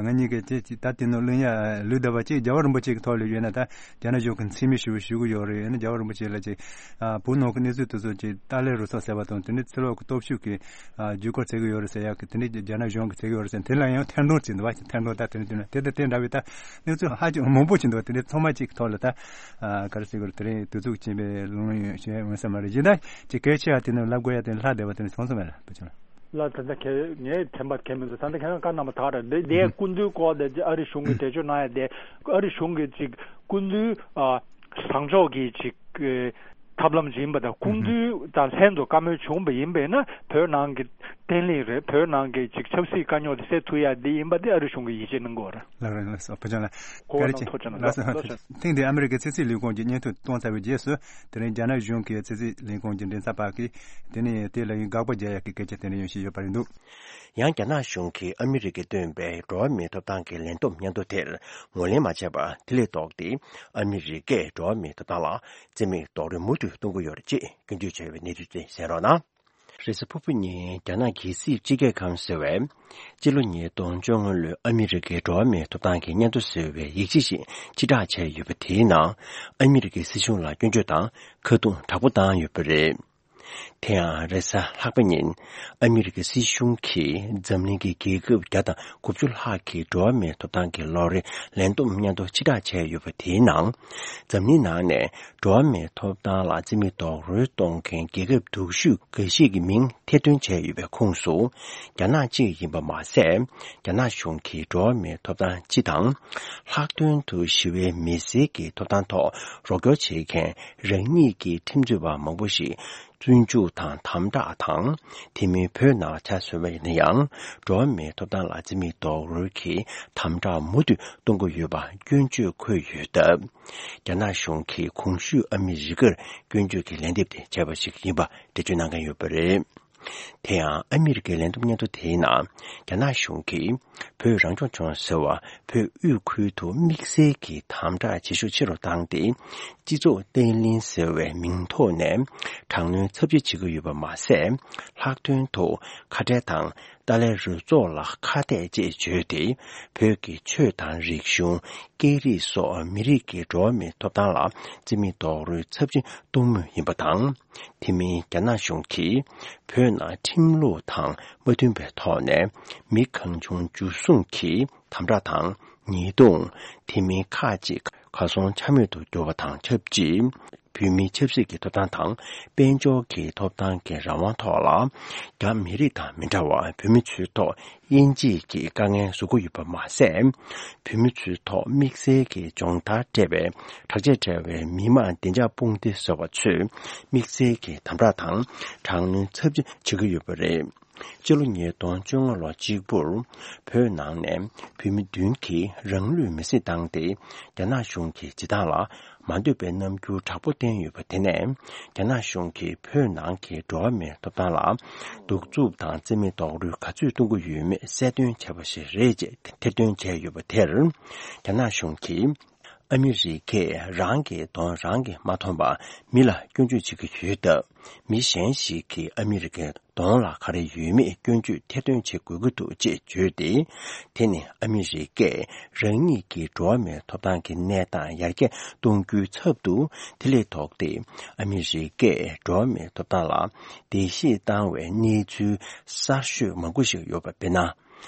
ང་གཉིས་ཀྱིས་ཅིག་ཅིག་ད་དེ་ནང་གླེང་ཡག་ལུས་བསྡད་པ་ཅིག་རྒྱལ་བ་རིན་པོ་ཆེ་གི་ཐོག་ལ་ཡོད་ན། ད་རྒྱ་ནག་གཞུང་གི་མཚན་སྨད་ཞུ་ཞུ་གི་ཡོད་རེད། ཡིན་ན་རྒྱལ་བ་རིན་པོ་ཆེ་ལ་ཅིག་བོད་ནང་གི་གནས་ཚུལ་དེ་ཚོ་ཅིག་ཏཱ་ལའི་རུ་ཚོགས་ཟེར་བ་དང་། དེ་ནས་ཕྱི་ལོགས་ཀྱི་སྟོབས་ཤུགས་ཀྱིས་ཨ་བརྒྱུད་སྐུར་བྱེད་ཀྱི་ཡོད་རེད་ཟེར་ཡག་གི། དེ་ནས་རྒྱ་ནག་གཞུང་གིས་བྱེད་ཀྱི་ཡོད་རེད་ཟེར། དེ་ལ་ཡང་ཐེར་འདོན་བྱེད་འདུག་བ། ཐེར་འདོན་ད་དེ་ནས་དེ་ནས་དེ་དང་དེ་འདྲ་བའི་ད་གནས་ཚུལ་ཧ་ཅང་མང་པོ་ཞིག་འདུག་དེ་འདྲའི་ཚང་མ་གཅིག་གི་ཐོག་ལ་ད་ཨ་ག་རེ་ཟེར་དགོས་རེད། དེ་རིང་དུས་ཚོད་ཀྱིས་རྐྱེན་པས་ལུང་ཡོད་ཞེས་འོས་ས་མ་རེད། ཡིན་ད་ཅིག་གལ་ཆེ་བ་དེ་ནི་ལབ་དགོས་ཡ་དེ་ལྷག་བསྡད་པ་དེ་ནི་སོང་ས་མེད་ལ། བུ་ཆུང་ལགས། ད་ལྟ་ཁྱེད་ངས་དྲན་པ་གལ་མི་འདུག་ད་ལྟ་ཁྱེད་རང་བཀའ་གནང་བ་དག་རེད། འདི་འདི་སྐུ་མདུན་སྐོར་དེ་ཨ་རི་གཞུང་གིས་འགྲེལ་བརྗོད་གནང་ཡ་དེ། ཨ་རི་གཞུང་གིས་ཅིག་སྐུ་མདུན་ཨ་བཟང་ཕྱོགས་ཀྱི་ཅིག་ཨེ་ཐབས་ལམ་ཅིག་ཡིན་པ་དང་། སྐུ་མདུན་དང་ལྷན་དུ་བཀའ་མོལ་བྱུང་བ་ཡིན་པས་ན། བོད་ནང་གི་བརྟན་ལྷིང་རེད། བོད་ནང་གི་ཅིག་ཆབ་སྲིད་དཀའ་རྙོག་དེ་སེལ་ཐུབ་ཡ་འདི་ཡིན་པ་དེ་ཨ་རི་གཞུང་གིས་ཡིད་ཆེས་གནང་གི་ཡོད་རེད། ལགས་རེད། ལགས་སོ། བུ་ཆུང་ལགས། གོ་བ་གལ་ཆེ། ནང་ཐུགས་རྗེ་གནང་། ལགས་སོ། ལགས་སོ། ཐེངས་འདིའི་ཨ་མི་རི་ཀའི་ཕྱི་སྲིད་ལས་ཁུངས་ཀྱི་སྙན་ཐོ་གཏོང་ཚར་བའི་རྗེས་སུ། དེ་རིང་རྒྱ་ནག་གཞུང་གི་ཕྱི་སྲིད་ལས་ཁུངས་ཀྱི་མགྲིན་ཚབ་པ་གིས་དེ་ནས་དེ་ལ་ཡང་དགག་པ་རྒྱག་ཡག་གི་སྐད་ཆ་དེ་འདྲ་ཡང་ཞིག་ཡོད་པ་རེད་འདུག་ཡང་རྒྱ་ནག་གཞུང་གིས་ཨ་མི་རི་ཀས་བཏོན་པའི་འགྲོ་བ་མིའི་ཐོབ་ཐང་གི་ལན་འདེབས་སྙན་ཐོ་དེར་ངོས་ལེན་མ་བྱས་པ། དེ་ལས་ལྡོག་སྟེ་ཨ་མི་རི་ཀས་འགྲོ་བ་མིའི་ཐོབ་ཐང་ལ་བརྩི་མེད་རྡོག་རོལ་མུ་མཐུད་གཏོང་གི་ཡོད་རེད་ཅེས་སྐྱོན་བརྗོད་བྱས་པའི་གནས་ཚུལ་དེ་གསན་རོགས་གནང་། རེས་གཟའ་ཕུར་བུ་ཉིན་རྒྱ་ནག་གི་སྲིད་སྤྱི་སྐད་ཁང་ཟེར་བས། སྤྱི་ལོ་ཉིས་སྟོང་བཅོ་ལྔ་ལོའི་ཨ་མི་རི་ཀའི་འགྲོ་བ་མིའི་ཐོབ་ཐང་གི་སྙན་ཐོ་ཟེར་བའི་ཡིག་ཆ་ཞིག་ཕྱིར་བསྒྲགས་བྱས་ཡོད་པ། དེའི་ནང་ཨ་མི་རི་ཀའི་སྲིད་གཞུང་ལ་སྐྱོན་བརྗོད་དང་ཁ་རྡུང་དྲག་པོ་བཏང་ཡོད་པ་རེད། དེ་ཡང་རེས་གཟའ་ལྷག་པ་ཉིན་ཨ་མི་རི་ཀའི་སྲིད་གཞུང་གིས་འཛམ་གླིང་གི་རྒྱལ་ཁབ་བརྒྱ་དང་དགུ་བཅུ་ལྷག་གི་འགྲོ་བ་མིའི་ཐོབ་ཐང་གི་ལོ་རེའི་ལན་འདེབས་སྙན་ཐོ་ཕྱིར་བསྒྲགས་བྱས་ཡོད་པ། དེའི་ནང་འཛམ་གླིང་ནང་ནས་འགྲོ་བ་མིའི་ཐོབ་ཐང་ལ་བརྩི་མེད་རྡོག་རོལ་གཏོང་མཁན་རྒྱལ་ཁབ་སྡུག་ཤོས་འགའ་ཤས་ཀྱི་མིང་ཐེར་འདོན་བྱས་ཡོད་པའི་ཁོངས་སུ་རྒྱ་ནག་གཅིག་ཡིན་པ་མ་ཟད། རྒྱ་ནག་གཞུང་གིས་འགྲོ་བ་མིའི་ཐོབ་ཐང་སྤྱི་དང་། ལྷག་དོན་དུ་ཞི་བའི་མི་སེར་གྱི་ཐོབ་ཐང་ཐོག་རོགས་སྐྱོར་བྱེད་མཁན་རང་ཉིད་ཀྱི་ཁྲིམས་རྩོད་པ་མང་པོ་ཞིག་བཙོན་འཇུག་དང་དམ་དྲག་དང་། དེ་མིན་བོད་ནང་ཆ་མཚོན་པ་ཡིན་ན་ཡང་འགྲོ་བ་མིའི་ཐོབ་ཐང་ལ་བརྩི་མེད་རྡོག་རོལ་གྱིས་དམ་དྲག་མུ་མཐུད་གཏོང་གི་ཡོད་པ་སྐྱོན་བརྗོད་འཁོད་ཡོད་སྟབས། རྒྱ་ནག་གཞུང་གིས་གོང་ཞུས་ཨ་མི་རི་ཀར་སྐྱོན་བརྗོད་ཀྱི་ལན་འདེབས་དེ་བྱས་པ་ཞིག་ཡིན་པ་འགྲེལ་བརྗོད་གནང་མཁན་ཡོད་པ་རེད། དེ་ཡང་ཨ་མི་རི་ཀའི་ལན་འདེབས་སྙན་ཐོ་དེའི་ནང་རྒྱ་ནག་གཞུང་གིས་བོད་རང་སྐྱོང་ལྗོངས་ཟེར་བ་བོད་དབུས་ཁུལ་དུ་དམིགས་བསལ་གྱི་དམ་དྲག་བྱེད་ཤུགས་ཆེ་རུ་བཏང་སྟེ། སྤྱི་ཚོགས་བརྟན་ལྷིང་ཟེར་བའི་མིང་ཐོག་ནས་དྲག་གནོན་ཚབས་ཆེ་བྱེད་ཀྱི་ཡོད་པ་མ་ཟད། ལྷག་དོན་དུ་ཁ་བྲལ་དང་ཏཱ་ལའི་རུ་ཚོགས་ལ་ཁ་གཏད་ཅེས་བརྗོད་དེ། བོད་ཀྱི་ཆོས་དང་རིག་གཞུང་། སྐད་རིགས་སོགས་མི་རིགས་ཀྱི་འགྲོ་བ་མིའི་ཐོབ་ཐང་ལ་བརྩི་མེད་རྡོག་རོལ་ཚབས་ཆེན་གཏོང་མུས་ཡིན་པ་དང་། དེ་མིན་རྒྱ་ནག་གཞུང་གིས་བོད་ནང་ཁྲིམས་ལུགས་དང་མ་མཐུན་པའི་ཐོག་ནས་མི་གང་བྱུང་འཇུ་བཟུང་གིས་དམ་དྲག་དང་ཉེས་རྡུང་། དེ་མིན་ཁག་ཅིག་གར་སོང་ཆ་མེད་དུ་གྱུར་བ་དང་ཆབས་ཅིག་བོད་མིའི་ཆབ་སྲིད་ཀྱི་ཐོབ་ཐང་དང་དཔལ་འབྱོར་གྱི་ཐོབ་ཐང་གི་རང་དབང་ཐོག་ལ། རྒྱ་མི་རིགས་དང་མི་འདྲ་བར་བོད་མི་ཚོའི་ཐོག་དབྱེ་འབྱེད་ཀྱི་དཀའ་ངལ་བཟོ་གི་ཡོད་པ་མ་ཟད། བོད་མི་ཚོའི་ཐོག་དམིགས་བསལ་གྱི་སྦྱོང་བརྡར་སྤྲད་པའི་དྲག་ཆས་སྤྲས་པའི་མི་དམངས་བདེ་འཇགས་དཔུང་སྡེ་ཟེར་བ་ཚོས་དམིགས་བསལ་གྱི་དམ་དྲག་དང་དྲག་གནོན་ཚབས་ཆེ་བྱེད་ཀྱི་ཡོད་པ་རེད། སྤྱི་ལོ་ཉིས་སྟོང་བཅོ་ལྔ་ལོ་གཅིག་པུར་བོད་ནང་ནས་བོད་མི་བདུན་གྱིས་རང་ལུས་མེར་སྲེག་བཏང་སྟེ། རྒྱ་ནག་གཞུང་གི་བྱེད་སྟངས་ལ་མ་འདོད་པའི་རྣམ་འགྱུར་དྲག་པོ་བསྟན་ཡོད་པ། དེ་ནས་རྒྱ་ནག་གཞུང་གིས་བོད་ནང་གི་འགྲོ་བ་མིའི་ཐོབ་ཐང་ལ་གདུག་རྩུབ་དང་བརྩི་མེད་རྡོག་རོལ་ག་ཚོད་གཏོང་གི་ཡོད་མེད་གསལ་སྟོན་བྱས་པ་ཞིག་རེད་ཅེས་ཐེར་འདོན་བྱས་ཡོད་པ་དེར། རྒྱ་ནག་གཞུང་གིས། ཨ་མི་རི་ཀས་རང་གི་གདོང་རང་གིས་མ་མཐོང་བར་མི་ལ་སྐྱོན་བརྗོད་བྱེད་ཀྱི་ཡོད་སྟབས། མི་གཞན་ཞིག་གིས་ཨ་མི་རི་ཀའི་གདོང་ལ་ག་རེ་ཡོད་མེད་སྐྱོན་བརྗོད་ཐེར་འདོན་བྱེད་དགོས་ཀྱི་འདུག་ཅེས་བརྗོད་དེ། དེ་ནི་ཨ་མི་རི་ཀས་རང་ཉིད་ཀྱི་འགྲོ་བ་མིའི་ཐོབ་ཐང་གི་གནས་སྟངས་ཡར་རྒྱས་གཏོང་རྒྱུའི་ཚབ་ཏུ། དེ་ལས་ལྡོག་སྟེ། ཨ་མི་རི་ཀས་འགྲོ་བ་མིའི་ཐོབ་ཐང་ལ་བརྡལ་བཤིག་བཏང་བའི་གནས་ཚུལ་གསར་ཤོས་མང་པོ་ཞིག་ཡོད་པ། དཔེར་ན།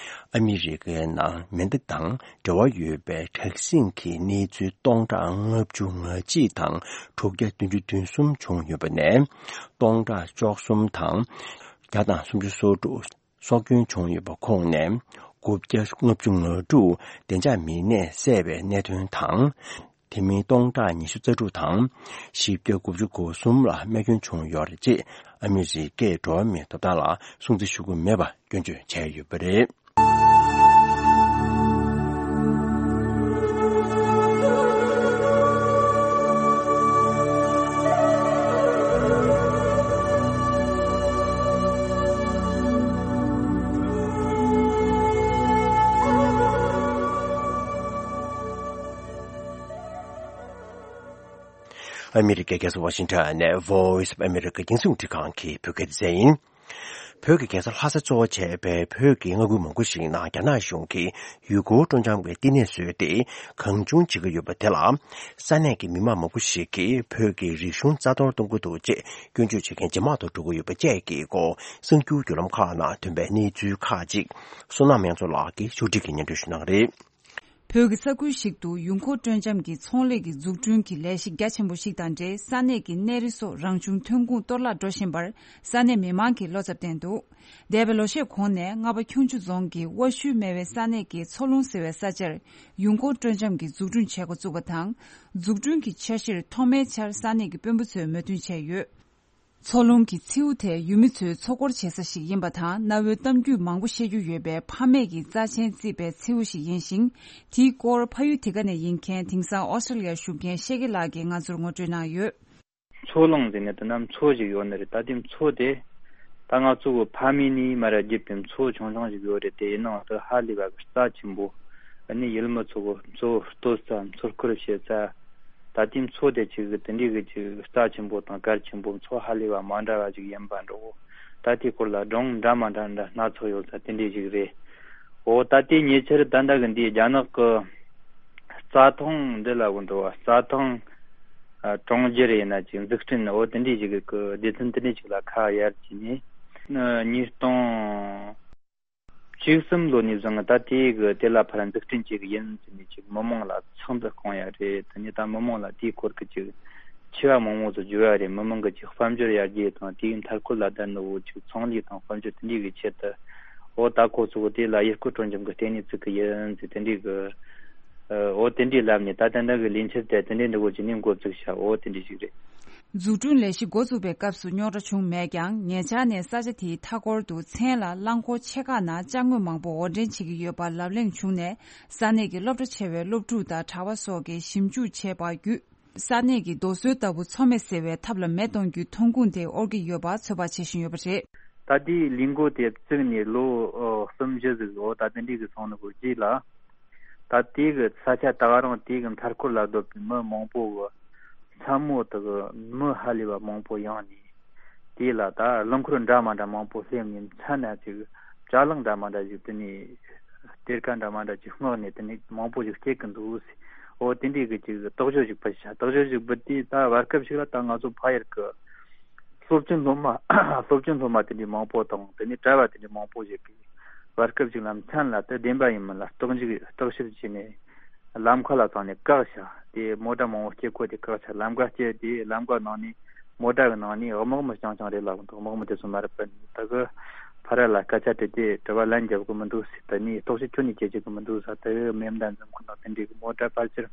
ཨ་མི་རི་ཀའི་ནང་མེ་མདའ་དང་འབྲེལ་བ་ཡོད་པའི་དྲག་ཟིང་གི་གནས་ཚུལ་སྟོང་ཕྲག་ལྔ་བཅུ་ང་གཅིག་དང་དྲུག་བརྒྱ་བདུན་ཅུ་དོན་གསུམ་བྱུང་ཡོད་པ་ནས། སྟོང་ཕྲག་བཅུ་གསུམ་དང་བརྒྱ་དང་སུམ་ཅུ་སོ་དྲུག་སྲོག་སྐྱོན་བྱུང་ཡོད་པ་ཁོངས་ནས། དགུ་བརྒྱ་ལྔ་བཅུ་ང་དྲུག་བདེ་འཇགས་མི་སྣས་བསད་པའི་གནད་དོན་དང་། དེ་མིན་སྟོང་ཕྲག་ཉི་ཤུ་རྩ་དྲུག་དང་བཞི་བརྒྱ་དགུ་བཅུ་གོ་གསུམ་ལ་རྨས་སྐྱོན་བྱུང་ཡོད་རེད་ཅེས་ཨ་མི་རི་ཀས་འགྲོ་བ་མིའི་ཐོབ་ཐང་ལ་སྲུང་བརྩི་ཞུ་གི་མེད་པ་སྐྱོན་བརྗོད་བྱས་ཡོད་པ་རེད། ཨ་མི་རི་ཀའི་རྒྱལ་ས་ཝ་ཤིང་ཊོན་ནས་Voice of America་རྒྱང་སྲིང་རླུང་འཕྲིན་ཁང་གི་བོད་སྐད་སྡེ་ཚན་ཡིན། བོད་ཀྱི་རྒྱལ་ས་ལྷ་ས་གཙོ་བོ་བྱས་པའི་བོད་ཀྱི་མངའ་ཁུལ་མང་པོ་ཞིག་ནང་རྒྱ་ནག་གཞུང་གིས་ཡུལ་སྐོར་སྤྲོ་འཆམ་གྱི་བསྟི་གནས་བཟོས་ཏེ་གང་བྱུང་བྱེད་ཀྱི་ཡོད་པ་དེ་ལ། ས་གནས་ཀྱི་མི་མང་མང་པོ་ཞིག་གིས་བོད་ཀྱི་རིག་གཞུང་རྩ་གཏོར་གཏོང་གི་འདུག་ཅེས་སྐྱོན་བརྗོད་བྱེད་མཁན་ཇེ་མང་དུ་འགྲོ་གི་ཡོད་པ་བཅས་ཀྱི་སྐོར་གསར་འགྱུར་བརྒྱུད་ལམ་ཁག་ནང་ཐོན་པའི་གནས་ཚུལ་ཁག་ཅིག་བསོད་ནམས་དབྱངས་མཚོ་ལགས་ཀྱིས་ཕྱོགས་སྒྲིག་གིས་སྙན་སྒྲོན་ཞུ་གནང་གི་རེད། བོད་ཀྱི་ས་ཁུལ་ཞིག་ཏུ་ཡུལ་སྐོར་སྤྲོ་འཆམ་གྱི་ཚོང་ལས་ཀྱི་འཛུགས་སྐྲུན་གྱི་ལས་གཞི་རྒྱ་ཆེན་པོ་ཞིག་དང་འབྲེལ་ས་གནས་ཀྱི་གནས་རི་སོགས་རང་བྱུང་ཐོན་ཁུངས་གཏོར་བརླག་འགྲོ་བཞིན་པར་ས་གནས་མི་མང་གིས་བློ་འཚབ་བསྟན་འདུག་འདས་པའི་ལོ་ཤས་གོང་ནས་རྔ་པ་ཁྱུང་མཆུ་རྫོང་གི་དབའ་ཤུལ་སྨད་པའི་ས་གནས་ཀྱི་མཚོ་ལུང་ཟེར་བའི་ས་ཆར་ཡུལ་སྐོར་སྤྲོ་འཆམ་གྱི་འཛུགས་སྐྲུན་བྱེད་འགོ་བཙུགས་པ་དང་། འཛུགས་སྐྲུན་གྱི་འཆར་གཞིར་ཐོག་མའི་ཆར་ས་གནས་ཀྱི་དཔོན་པོ་ཚོས་མོས་མཐུན་བྱས་ཡོད། མཚོ་ལུང་གི་མཚེའུ་དེ་ཡུལ་མི་ཚོའི་མཚོ་སྐོར་བྱེད་ས་ཞིག་ཡིན་པ་དང་། གནའ་བོའི་གཏམ་རྒྱུད་མང་པོ་བཤད་རྒྱུ་ཡོད་པའི་ཕ་མེས་ཀྱི་རྩ་ཆེན་བརྩིས་པའི་མཚེའུ་ཞིག་ཡིན་ཞིང་། དེའི་སྐོར་ཕ་ཡུལ་དེ་ག་ནས་ཡིན་མཁན་དེང་སང་ཨོ་སི་ཀྲི་ལི་ཡར་བཞུགས་མཁན་ཤེ་གེ་ལགས་ཀྱིས་ང་ཚོར་ངོ་སྤྲོད་གནང་ཡོད། མཚོ་ལུང་ཟེར་ནས་དེ་ན་མཚོ་ཞིག་ཡོད་ནི་རེད། ད་དེ་མཚོ་དེ་ད་ང་ཚོ་གི་ཕ་མེས་ནས་མར་བརྒྱུད་པའི་མཚོ་ཆུང་ཆུང་ཞིག་ཡོད་རེད། དེ་ཡིན་ནའང་དེ་ཧ་ལས་པ་གི་རྩ་ཆེན་པོ། ཨ་ནི་ཡུལ་མི་ཚོ་གི་མཚོ་གཏོད་ས། མཚོ་སྐོར་བྱེད་ས། ད་ལྟའི་མཚོ་དེ་ཅིག་གི་དེ་འདྲའི་གི་ཅིག་རྩ་ཆེན་པོ་དང་གལ་ཆེན་པོ། མཚོ་ཧ་ལས་པ་མ་འདྲ་བ་ཅིག་ཡིན་པ་འདྲ་བོ། ད་དེའི་སྐོར་ལ་སྒྲུང་འདྲ་མ་འདྲ་འདྲ་སྣ་ཚོགས་ཡོད་ས་དེ་འདྲའི་ཞིག་རེད། འོ་ད་ལྟའི་ཉེ་ཆར་ད་ལྟ་གི་འདིའི་རྒྱ་ནག་གི་རྩྭ་ཐང་འདི་ལ་གོ་འགྲོ་བ། རྩྭ་ཐང་ཨ་གྲོང་ཁྱེར་ཡིན་ན་ཅིག་འཛུགས་སྐྲུན། འོ་དེ་འདྲའི་ཞིག་གི་སྡེ་ཚན་དེ་འདྲའི་ཞིག་ལ་ཁ་གཡར་གྱིས་ནས། ཉིས་སྟོང་བཅུ་གསུམ་ལོ་ནས་བཟུང་ད་དེའི་གི་དེ་ལ་ཕར་འཛུགས་སྐྲུན་བྱེད་གི་ཡིན་ཟེར་ནས་ཅིག་མི་མང་ལ་ཚགས་འདུ་བསྐོང་ཡ་རེད། དེ་ནས་ད་མི་མང་ལ་དེའི་སྐོར་གི་ཅིག་ཆེ་བ་མང་བོ་ཟིག་བརྗོད་ཡ་རེད། མི་མང་གི་ཅིག་དཔལ་འབྱོར་ཡར་རྒྱས་དང་དེའི་མཐའ་སྐོར་ལ་བསྡད་ནོ་བོ་ཅིག་ཚོང་ལས་དང་དཔལ་འབྱོར་དེ་འདྲའི་གི་ཆེད་དུ། འོ་ད་ཁོ་ཚོ་གི་དེ་ལ་ཡུལ་སྐོར་སྤྲོ་འཆམ་གི་ལྟེ་གནས་བཙུགས་གི་ཡིན་ཟེར་དེ་འདྲའི་གི། འོ་དེ་འདྲའི་ལབ་ནས་ད་ད་ལྟ་གི་ལས་འཆར་དེ་དེ་འདྲའི་འདུག་གོ་ཅི་ནས་འགོ་བཙུགས་ཤག་འོ་དེ་འདྲའི་ཞིག་རེད། འཛུགས་སྐྲུན་ལས་གཞི་འགོ་བཙུགས་པའི་སྐབས་སུ་རྙོག་དྲ་བྱུང་མེད་ཀྱང་། ཉེ་ཆར་ནས་ས་ཆ་དེའི་མཐའ་འཁོར་དུ་མཚན་ལ་རླངས་འཁོར་ཆེ་ཁག་ནང་ཅ་དངོས་མང་པོ་དབོར་འདྲེན་བྱེད་ཀྱི་ཡོད་པ་ལབ་གླེང་བྱུང་ནས། ས་གནས་ཀྱི་སློབ་གྲྭ་ཆེ་བའི་སློབ་ཕྲུག་དང་གྲྭ་བ་སོགས་ཀྱིས་ཞིབ་འཇུག་བྱས་པ་བརྒྱུད། ས་གནས་ཀྱི་རྡོ་སོལ་ལྟ་བུ་མཚོ་མེ་སེལ་བའི་ཐབས་ལ་མེ་གཏོང་རྒྱུའི་ཐོན་ཁུངས་དེ་དབོར་གྱི་ཡོད་པ་ཚོད་དཔག་བྱེད་བཞིན་ཡོད་པ་རེད། ད་ལྟའི་ལས་འགུལ་དེ་བཙུགས་ནས་ལོ་ཨོ་གསུམ་བཞི་ཟིག་འོ་ད་དེ་འདྲའི་གི་སོང་ནི་གོ་རྗེས་ལ། ད་དེ་གི་ས་ཆ་ད་ག་རང་དེ་གི་མཐའ་སྐོར་ལ་སྡོད་པའི་མི་མང་པོ་གི་མཚན་མོ་དེ་གི་མི་ཧ་ལས་པ་མང་པོ་ཡོང་ནས། དེ་ལ་ད་རླངས་འཁོར་འདྲ་མ་འདྲ་མང་པོ་སླེབས་ནས་མཚན་ན་ཅིག་ཅ་ལག་འདྲ་མ་འདྲ་ཞིག་དེ་ནས་གཏེར་ཁ་འདྲ་མ་འདྲ་ཅིག་བསྔགས་ནས་དེ་ནས་མང་པོ་ཞིག་སྐྱེལ་གི་འདུག་ཟེར། འོ་དེ་འདྲའི་གི་ཅིག་རྟོག་ཞིབ་ཞིག་ཕུལ་ཤག་རྟོག་ཞིབ་ཞིག་ཕུལ་དུས་ད་བར་སྐབས་ཤིག་ལ་ད་ང་ཚོ་ཕ་ཡུལ་གི་སློབ་ཆེན་སློབ་མ་སློབ་ཆེན་སློབ་མ་དེ་འདྲའི་མང་པོ་དང་དེ་ནས་གྲྭ་བ་དེ་འདྲའི་མང་པོ་ཞིག་གིས་བར་སྐབས་ཤིག་ལ་མཚན་ལ་དེ་བདེན་པ་ཡིན་མིན་ལ་རྟོག་ཞིབ་རྟོག་ཞིབ་བྱས་ནས། ལམ་ཁ་ལ་བཏང་ནས་བཀག་བཞག་དེ་མོ་ཊ་མང་བོ་སྐྱེལ་གོ་དེ་བཀག་བཞག་ལམ་ཁ་བཅད་དེ་ལམ་ཁ་ནང་ནས་མོ་ཊ་གི་ནང་ནས་དམག་མི་རྐྱང་རྐྱང་རེད་ལབ་འདུག་དམག་མི་དེ་ཚོ་མར་ཕུད་ནས་ད་གི་ཕ་ར་ལ་སྐད་ཆ་དྲིས་ཏེ་དྲི་བ་ལན་རྒྱབ་གི་མི་འདུག་ཟེར། ད་ནི་རྟོག་ཞིབ་ཁྱོན་ནས་བྱེད་ཀྱི་མི་འདུག་ཟེར། ད་གི་མེ་མདའ་འཛིན་ཁུལ་དང་དེ་འདྲའི་གི་མོ་ཊ་ཕལ་ཆེར་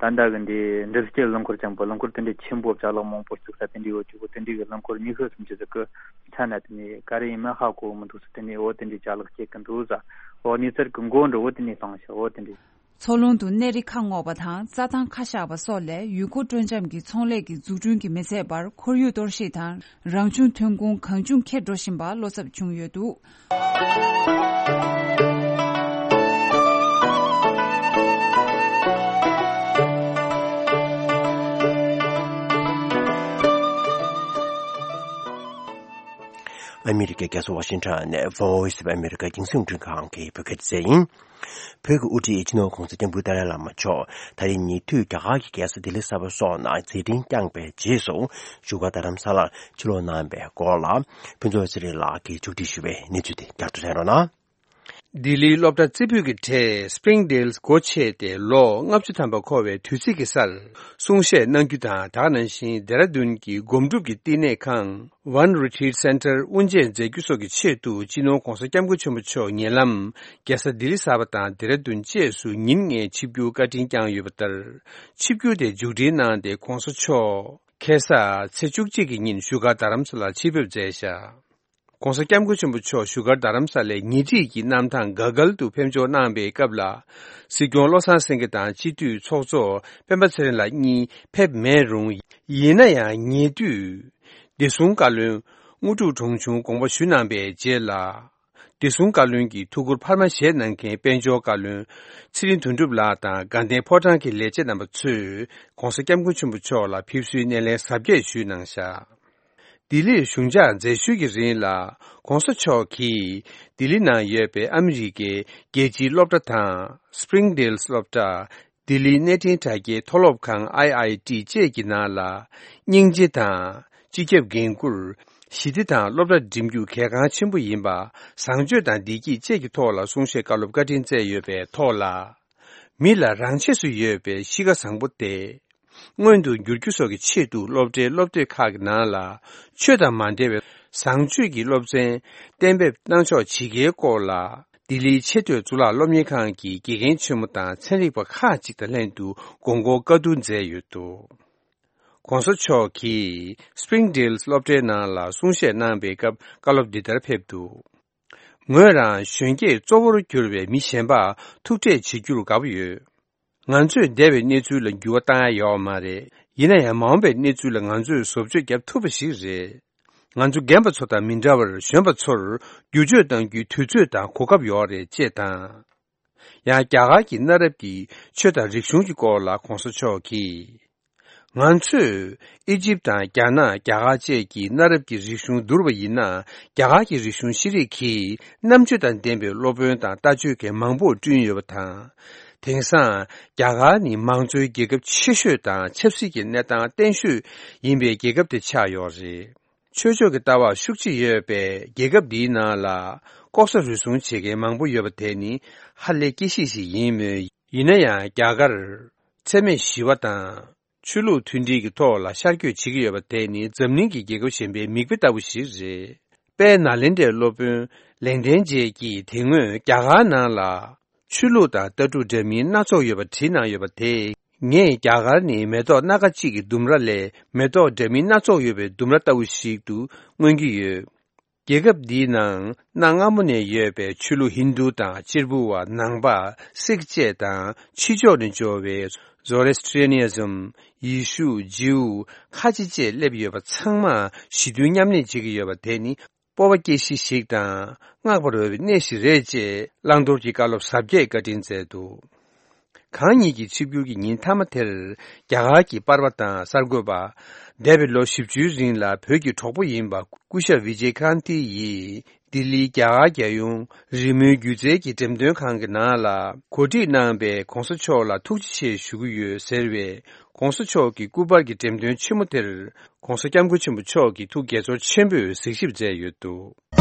ད་ལྟ་གི་འདི་འགྲུལ་སྐྱེལ་རླངས་འཁོར་རྐྱང་པོ་རླངས་འཁོར་དེ་འདྲའི་ཆེན་པོ་ཅ་ལག་མང་པོ་བཙུགས་ས་དེ་འདྲའི་ཡོད་ཀྱི་གོ་དེ་འདྲའི་གི་རླངས་འཁོར་ཉི་ཤུ་སུམ་ཅུ་ཟིག་གི་ཆ་ན་དེ་ནས་ག་རེ་ཡིན་མིན་ཧ་གོ་གི་མི་འདུག་ཟེར། དེ་ནས་འོ་དེ་འདྲའི་ཅ་ལག་སྐྱེལ་གི་འདུག་ཟེར། འོ་གནས་ཚུལ་གི་མགོ་འགྲོ་འོ་དེ་ནས་བཏང་ཤག་འོ་དེ་འདྲའི། མཚོ་ལུང་དུ་གནས་རི་ཁ་སྔོག་པ་དང་རྩྭ་ཐང་ཁ་བཤགས་པ་སོགས་ལས་ཡུལ་སྐོར་སྤྲོ་འཆམ་གྱི་ཚོང་ལས་ཀྱི་འཛུགས་སྐྲུན་གྱིས་མི་ཚད་པར་ཁོར་ཡུག་གཏོར་བཤིག་དང་རང་བྱུང་ཐོན་ཁུངས་གང་བྱུང་ཁྱེར་འགྲོ་བཞིན་པ་བློ་འཚབ་བྱུང་ཡོད་འདུག་ཨ་མི་རི་ཀའི་རྒྱལ་ས་ཝ་ཤིང་ཊོན་ནས་Voice of America་རྒྱང་སྲིང་རླུང་འཕྲིན་ཁང་གི་བོད་སྐད་སྡེ་ཚན་ཡིན། བོད་ཀྱི་དབུ་ཁྲིད་སྤྱི་ནོར་༸གོང་ས་༸སྐྱབས་མགོན་ཏཱ་ལའི་བླ་མ་མཆོག་ད་རེས་ཉེ་དུས་རྒྱ་གར་གྱི་རྒྱལ་ས་ལྡི་ལི་གསར་པ་སོགས་ནང་མཛད་འཕྲིན་བསྐྱངས་པའི་རྗེས་སུ་བཞུགས་སྒར་རྡ་རམ་ས་ལར་ཕྱིར་ལོག་གནང་བའི་སྐོར་ལ་ཕུན་ཚོགས་ཚེ་རིང་ལགས་ཀྱིས་ཕྱོགས་སྒྲིག་ཞུས་པའི་གནས་ཚུལ་དེ་བསྐྱར་དུ་གསན་རོགས་གནང་། ལྡི་ལིའི་སློབ་གྲྭ་རྩེ་ཕུད་ཀྱི་གྲས་Springdale་སྒོ་ཕྱེ་སྟེ་ལོ་ལྔ་བཅུ་ཐམ་པ་འཁོར་བའི་དུས་ཚིགས་ཀྱི་སར་གསུང་བཤད་གནང་རྒྱུ་དང་། དེ་ག་ནང་བཞིན་ལྡེ་ར་ལྡུན་གྱི་སྒོམ་སྒྲུབ་ཀྱི་བསྟི་གནས་ཁང་One Retreat Center་དབུ་འབྱེད་མཛད་རྒྱུ་སོགས་ཀྱི་ཆེད་དུ་སྤྱི་ནོར་༸གོང་ས་༸སྐྱབས་མགོན་ཆེན་པོ་མཆོག་ཉེ་ལམ་རྒྱལ་ས་ལྡི་ལི་གསར་པ་དང་ལྡེ་ར་ལྡུན་བཅས་སུ་ཉིན་ལྔའི་ཆིབས་བསྒྱུར་བཀའ་དྲིན་བསྐྱངས་ཡོད་པ་ལྟར། ཆིབས་བསྒྱུར་དེ་མཇུག་སྒྲིལ་གནང་སྟེ་༸གོང་ས་མཆོག་ཁ་སང་ཚེས་བཅུ་གཅིག་གི་ཉིན་བཞུགས་སྒར་རྡ་རམ་ས་ལར་ཆེད་ཕེབས་མཛད་བཞག ༸གོང་ས་༸སྐྱབས་མགོན་ཆེན་པོ་མཆོག་བཞུགས་སྒར་རྡ་རམ་ས་ལའི་ཉེ་འཁྲིས་ཀྱི་གནམ་ཐང་ག་གལ་དུ་ཕེབས་འབྱོར་གནང་བའི་སྐབས་ལ། སྲིད་སྐྱོང་བློ་བཟང་སེང་གེ་དང་སྤྱི་འཐུས་ཚོགས་གཙོ་སྤེན་པ་ཚེ་རིང་ལགས་གཉིས་ཕེབས་མེད་རུང་། ཡིན་ན་ཡང་ཉེ་དུས་བདེ་སྲུང་བཀའ་བློན་དངོས་གྲུབ་གྲོང་ཆུང་དགོངས་པ་ཞུ་གནང་བའི་རྗེས་ལ། བདེ་སྲུང་བཀའ་བློན་གྱི་ཐུགས་ཁུར་འཕར་མ་བཞེས་གནང་མཁན་དཔལ་འབྱོར་བཀའ་བློན་ཚེ་རིང་དོན་གྲུབ་ལགས་དང་དགའ་ལྡན་ཕོ་བྲང་གི་ལས་བྱེད་རྣམ་པ་ཚོས་༸གོང་ས་༸སྐྱབས་མགོན་ཆེན་པོ་མཆོག་ལ་ཕེབས་བསུའི་སྣེ་ལེན་གཟབ་རྒྱས་ཞུས་གནང་བཞག་ལྡི་ལིར་གཞུང་འཇགས་མཛད་ཞུ་གི་རིང་ལ་༸གོང་ས་མཆོག་གིས་ལྡི་ལི་ནང་ཡོད་པའི་ཨ་མི་རི་ཀའི་རྒྱལ་སྤྱིའི་སློབ་གྲྭ་དང་Springdale སློབ་གྲྭ། ལྡི་ལིའི་གནས་འཕྲིན་དྲ་རྒྱའི་མཐོ་སློབ་ཁང་ཨའི་ཨའི་ཊི་བཅས་ཀྱི་ནང་ལ་སྙིང་རྗེ་དང་སྤྱི་ཁྱབ་འགན་འཁུར། ཞི་བདེ་དང་སློབ་གྲྭ་འགྲིམ་རྒྱུ་གལ་འགངས་ཆེན་པོ་ཡིན་པ་བཟང་སྤྱོད་དང་བདེ་སྐྱིད་བཅས་ཀྱི་ཐོག་ལ་གསུང་བཤད་བཀའ་སློབ་བཀའ་དྲིན་སྩལ་ཡོད་པའི་ཐོག་ལ། མི་ལ་རང་ཆས་སུ་ཡོད་པའི་གཤིས་ཀ་བཟང་པོ་དེ་མངོན་དུ་འགྱུར་རྒྱུ་སོགས་ཀྱི་ཆེད་དུ་སློབ་གྲྭའི་སློབ་དེབ་ཁག་གི་ནང་ལ་ཆོས་དང་མ་འབྲེལ་བའི་བཟང་སྤྱོད་ཀྱི་སློབ་ཚན་གཏན་འབེབས་གནང་ཕྱོགས་ཇི་དགེའི་སྐོར་ལ། ལྡི་ལིའི་ཆེས་མཐོའི་གཙུག་ལག་སློབ་གཉེར་ཁང་གི་དགེ་རྒན་ཆེན་མོ་དང་ཚན་རིག་པ་ཁག་ཅིག་དང་ལྷན་དུ་དགོངས་སྐོར་བཀའ་བསྡུར་མཛད་ཡོད་འདུག ༸གོང་ས་མཆོག་གིས་Springdale སློབ་གྲྭའི་ནང་ལ་གསུང་བཤད་གནང་བའི་སྐབས་བཀའ་སློབ་འདི་ལྟར་ཕེབས་འདུག་ངོས་རང་གཞོན་སྐྱེས་གཙོ་བོར་གྱུར་བའི་མི་གཞན་པ་ཐུག་འཕྲད་བྱེད་རྒྱུར་དགའ་པོ་ཡོད། ང་ཚོས་འདས་པའི་གནས་ཚུལ་ལ་འགྱུར་བ་བཏང་ཡ་ཡོད་མ་རེད། ཡིན་ན་ཡང་མ་འོངས་པའི་གནས་ཚུལ་ལ་ང་ཚོས་བཟོ་བཅོས་བརྒྱབ་ཐུབ་པ་ཞིག་རེད། ང་ཚོ་རྒན་པ་ཚོ་དང་མི་འདྲ་བར་གཞོན་པ་ཚོར་བསྒྱུར་བཅོས་གཏང་རྒྱུའི་དུས་ཚོད་དང་གོ་སྐབས་ཡོད་རེད་ཅེས་དང་། ཡང་རྒྱ་གར་གྱི་གནའ་རབས་ཀྱི་ཆོས་དང་རིག་གཞུང་གི་སྐོར་ལ་༸གོང་ས་མཆོག་གིས། ང་ཚོས་ཨི་ཇིབ་དང་རྒྱ་ནག་རྒྱ་གར་བཅས་ཀྱི་གནའ་རབས་ཀྱི་རིག་གཞུང་བསྡུར་བ་ཡིན་ན། རྒྱ་གར་གྱི་རིག་གཞུང་ཤེས་རིག་གིས་རྣམ་དཔྱོད་དང་ལྡན་པའི་སློབ་དཔོན་དང་ལྟ་སྤྱོད་མཁན་མང་པོ་བསྐྲུན་ཡོད་པ་དང་། དེང་སང་རྒྱ་གར་ནི་མང་གཙོའི་རྒྱལ་ཁབ་ཆེ་ཤོས་དང་ཆབ་སྲིད་ཀྱི་གནས་སྟངས་བརྟན་ཤོས་ཡིན་པའི་རྒྱལ་ཁབ་དེ་ཆགས་ཡོད་རེད། ཆོས་ཕྱོགས་ཀྱི་ལྟ་བ་ཤུགས་ཆེ་ཡོད་པའི་རྒྱལ་ཁབ་འདིའི་ནང་ལ་ལྐོག་ཟ་རུལ་སུངས་བྱེད་མཁན་མང་པོ་ཡོད་པ་དེ་ནི་ཧ་ལས་སྐྱེ་གཞི་ཞིག་ཡིན་མོད། ཡིན་ན་ཡང་རྒྱ་གར་འཚེ་མེད་ཞི་བ་དང་ཆོས་ལུགས་མཐུན་སྒྲིལ་གྱི་ཐོག་ལ་ཤར་བསྐྱོད་བྱེད་ཀྱི་ཡོད་པ་དེ་ནི་འཛམ་གླིང་གི་རྒྱལ་ཁབ་གཞན་པའི་མིག་དཔེ་ལྟ་བུ་ཞིག་རེད། དཔལ་ནཱ་ལེནྡྲའི་སློབ་དཔོན་ལེགས་ལྡན་རྒྱས་ཀྱིས་དེ་སྔོན་རྒྱ་གར་ནང་ལ། ཆོས་ལུགས་དང་ལྟ་གྲུབ་འདྲ་མིན་སྣ་ཚོགས་ཡོད་པ་བྲིས་གནང་ཡོད་པ་དེས། ངས་རྒྱ་གར་ནི་མེ་ཏོག་སྣ་ཁ་གཅིག་གི་ལྡུམ་ར་ལས་མེ་ཏོག་འདྲ་མིན་སྣ་ཚོགས་ཡོད་པའི་ལྡུམ་ར་ལྟ་བུ་ཞིག་ཏུ་མངོན་གྱི་ཡོད། རྒྱལ་ཁབ་འདིའི་ནང་གནའ་སྔ་མོ་ནས་ཡོད་པའི་ཆོས་ལུགས་ཧིན་རྡུ་དང་གཅེར་བུ་བ་ནང་པ་སིག་བཅས་དང་ཕྱི་ཕྱོགས་ནས་འབྱོར་བའི་Zoroastrianism ཡེ་ཤུ་ཇིའུ་ཁ་ཆེ་བཅས་སླེབས་ཡོད་པ་ཚང་མ་ཞི་མཐུན་མཉམ་གནས་བྱེད་ཀྱི་ཡོད་པ་དེ་ནི། སྤོབས་པ་སྐྱེ་གཞི་ཞིག་དང་བསྔགས་པར་འོས་པའི་གནས་ཤིག་རེད་ཅེས་བླང་དོར་གྱི་བཀའ་སློབ་ཟབ་རྒྱས་བཀའ་དྲིན་སྩལ་འདུག་གང་ཉིད་ཀྱི་ཆིབས་བསྒྱུར་གྱི་ཉིན་མཐའ་མ་དེར་རྒྱ་གར་གྱི་པར་པ་དང་གསར་འགོད་པ། འདས་པའི་ལོ་བཞི་བཅུའི་རིང་ལ་བོད་ཀྱི་གྲོགས་པོ་ཡིན་པ་སྐུ་ཞབས་བི་ཇེ་ཀཱན་ཏི་ཡིས་ལྡི་ལིའི་རྒྱ་གར་རྒྱལ་ཡོངས་རི་མོའི་སྒྱུ་རྩལ་གྱི་འགྲེམས་སྟོན་ཁང་གི་ནང་ལ་གོ་སྒྲིག་གནང་པའི་༸གོང་ས་མཆོག་ལ་ཐུགས་རྗེ་ཆེ་ཞུ་གི་ཡོད་ཟེར་བའི་༸གོང་ས་མཆོག་གི་སྐུ་པར་གྱི་འགྲེམས་སྟོན་ཆེན་མོ་དེར། ༸གོང་ས་༸སྐྱབས་མགོན་ཆེན་པོ་མཆོག་གིས་ཐུགས་དགྱེས་ཚོར་ཆེན་པོས་གཟིགས་ཞིབ་མཛད་ཡོད་འདུག་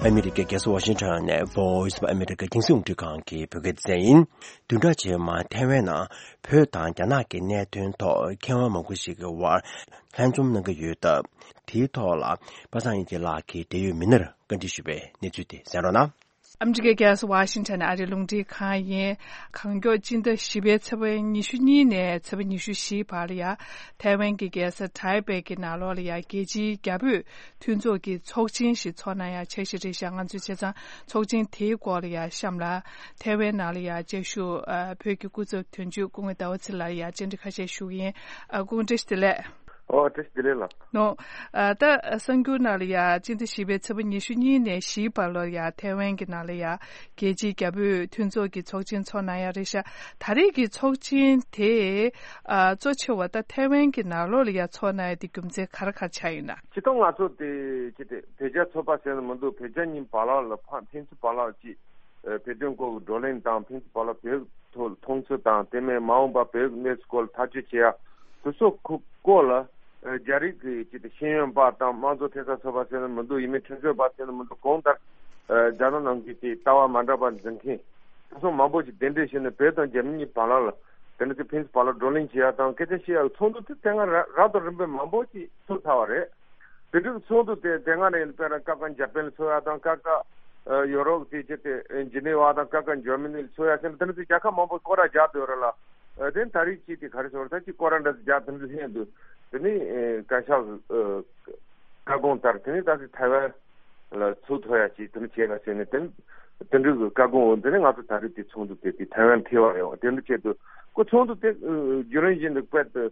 ཨ་མི་རི་ཀའི་རྒྱལ་ས་ཝ་ཤིང་ཊོན་ནས་Voice of America རྒྱང་སྲིང་རླུང་འཕྲིན་ཁང་གི་བོད་སྐད་སྡེ་ཚན་ཡིན། བདུན་ཕྲག་རྗེས་མ་ཐའེ་ཝན་ནང་བོད་དང་རྒྱ་ནག་གི་གནད་དོན་ཐོག་མཁས་དབང་མང་པོ་ཞིག་གི་དབར་ལྷན་འཛོམས་གནང་གི་ཡོད་སྟབས། དེའི་ཐོག་ལ་པ་སངས་དབྱངས་སྐྱིད་ལགས་ཀྱིས་འབྲེལ་ཡོད་མི་སྣར་བཀའ་འདྲི་ཞུས་པའི་གནས་ཚུལ་དེ་གསན་རོགས་གནང་། ཨ་མི་རི་ཀའི་རྒྱལ་ས་ཝ་ཤིང་ཊོན་ཨ་རིའི་རླུང་འཕྲིན་ཁང་ཡིན། གང་མགྱོགས་སྤྱི་ཟླ་བཞི་པའི་ཚེས་པ་ཉི་ཤུ་གཉིས་ནས་ཚེས་པ་ཉི་ཤུ་བཞིའི་བར་ལ་ཡ། ཐའེ་ཝན་གྱི་རྒྱལ་ས་ཐའེ་པེ་གི་ནང་ལོགས་ལ་ཡ་རྒྱལ་སྤྱིའི་རྒྱ་བོད་མཐུན་ཚོགས་ཀྱི་ཚོགས་ཆེན་ཞིག་ཚོགས་གནང་ཡ་འཆར་གཞི་རེད་ཤག་ང་ཚོས་བྱས་ཙང་ཚོགས་ཆེན་དེའི་སྐོར་ལ་ཡ་གཤམ་ལ་ཐའེ་ཝན་ནང་ལ་ཡ་བཅའ་བཞུགས་ཨ་བོད་ཀྱི་སྐུ་ཚབ་དོན་གཅོད་སྐུ་ངོ་ཟླ་བ་ཚེ་ལགས་ལ་ཡ་བཅར་འདྲི་ཁ་ཤས་ཞུ་གི་ཡིན། ཨ་སྐུ་ངོ་བཀྲ་ཤིས་བདེ་ལེགས། ཨོ་བཀྲ་ཤིས་བདེ་ལེགས་ལགས། ནོ། ཨ་ད་གསར་འགྱུར་ནང་ལ་ཡ་སྤྱི་ཟླ་བཞི་པའི་ཚེས་པ་ཉི་ཤུ་གཉིས་ནས་བཞིའི་བར་ལ་ཡ་ཐའེ་ཝན་གྱི་ནང་ལ་ཡ་རྒྱལ་སྤྱིའི་རྒྱ་བོད་མཐུན་ཚོགས་ཀྱི་ཚོགས་ཆེན་ཚོགས་གནང་ཡ་རེད་ཤག་ད་རེས་ཀྱི་ཚོགས་ཆེན་དེ་ཨ་གཙོ་ཆེ་བ་ད་ཐའེ་ཝན་གྱི་ནང་ལོགས་ལ་ཡ་ཚོགས་གནང་ཡ་དེ་རྒྱུ་མཚན་ག་རེ་ག་རེ་ཆགས་ཡོད་ན། སྤྱིར་བཏང་ང་ཚོ་དེ་ཅི་སྟེ་བོད་རྒྱ་ཚོགས་པ་ཟེར་ན་མི་འདུག་བོད་རྒྱ་གཉིས་བར་ལ་ལ་ཕ་ཕན་ཚུན་བར་ལ་ཅི་བོད་དོན་སྐོར་གྱི་བགྲོ་གླེང་དང་ཕན་ཚུན་བར་ལ་བོད་ཐོག་མཐོང་ཚུལ་དང་དེ་མིན་མ་འོངས་པ་བོད་གནས་ཚུལ་སྐོར་ལ་ཐག་གཅོད་བྱེད་ཡ་དེ་ཚོ་ཁུ་སྐོར་ལ་རྒྱ་རིགས་ཀྱི་ཅི་སྟེ་ཤེས་ཡོན་པ་དང་དམངས་གཙོ་ཐེབས་རྩ་ཚོགས་པ་ཟེར་ན་མི་འདུག་ཡིན་མིན་ཁྲིམས་རྩོད་པ་ཟེར་ན་མི་འདུག་གང་ལྟར་རྒྱ་ནག་ནང་གི་དེ་ལྟ་བ་མ་འདྲ་བ་འཛིན་མཁན་དེ་ཚོ་མང་པོ་ཞིག་གདན་འདྲེན་བྱས་ནས་བོད་དང་རྒྱ་མི་གཉིས་བར་ལ་ལ་དེ་ནི་ཚེ་ཕན་ཚུན་བར་ལ་བགྲོ་གླེང་བྱེད་ཡ་དང་སྐད་ཆ་བཤད་ཡ་ཚོགས་འདུ་དེ་དེ་སྔ་ར་རབ་དང་རིམ་པས་མང་པོ་ཞིག་ཚོགས་ཚར་བ་རེད། དེ་འདྲའི་ཚོགས་འདུ་དེ་དེ་སྔ་ནས་ཡིན་པས་ན་སྐབས་འགའ་འཇར་པན་ལ་ཚོགས་ཡ་དང་སྐབས་འགའ་ཡོ་རོབ་དེ་ཅི་སྟེ་ཇི་ནི་ཝ་དང་སྐབས་འགའ་འཇར་མ་ནི་ལ་ཚོགས་ཡ་ཟེར་ན་དེ་འདྲ་ཚོ་རྒྱལ་ཁབ་མང་པོ་སྐོར་ར་རྒྱག་བསྡད་ཡོད་རེད་ལ། དེ་ནི་ད་རེས་ཅི་སྟེ་ག་རེ་ཟེར་བ་ད་ཅི་སྐོར་ར་འདྲ་ཚོ་རྒྱག་དེ་འདྲ་ལྷན་དུ་དེ་ནི་བཀའ་ཤག་བཀའ་དགོངས་ལྟར་དེ་ནི་ད་ཅི་ཐའེ་ཝན་ ལ་ཚུར་ཐོན་ཡ་ཅིག་དེ་འདྲ་བྱས་ན་ཟེར་ནས་དེ་དེ་འདྲ་གི་བཀའ་དགོངས་འོག་འདི་ནས་ང་ཚོ་ད་རེས་དེ་ཚོགས་འདུ་དེ་དེ་ཐའེ་ཝན་ཕེབས་པ་ཡིན། དེ་འདྲ་བྱས་དུས་ཁོ་ཚོགས་འདུ་དེ་ཨ་བརྒྱུད་རིམ་བཞིན་དུ་དཔེར་དུ་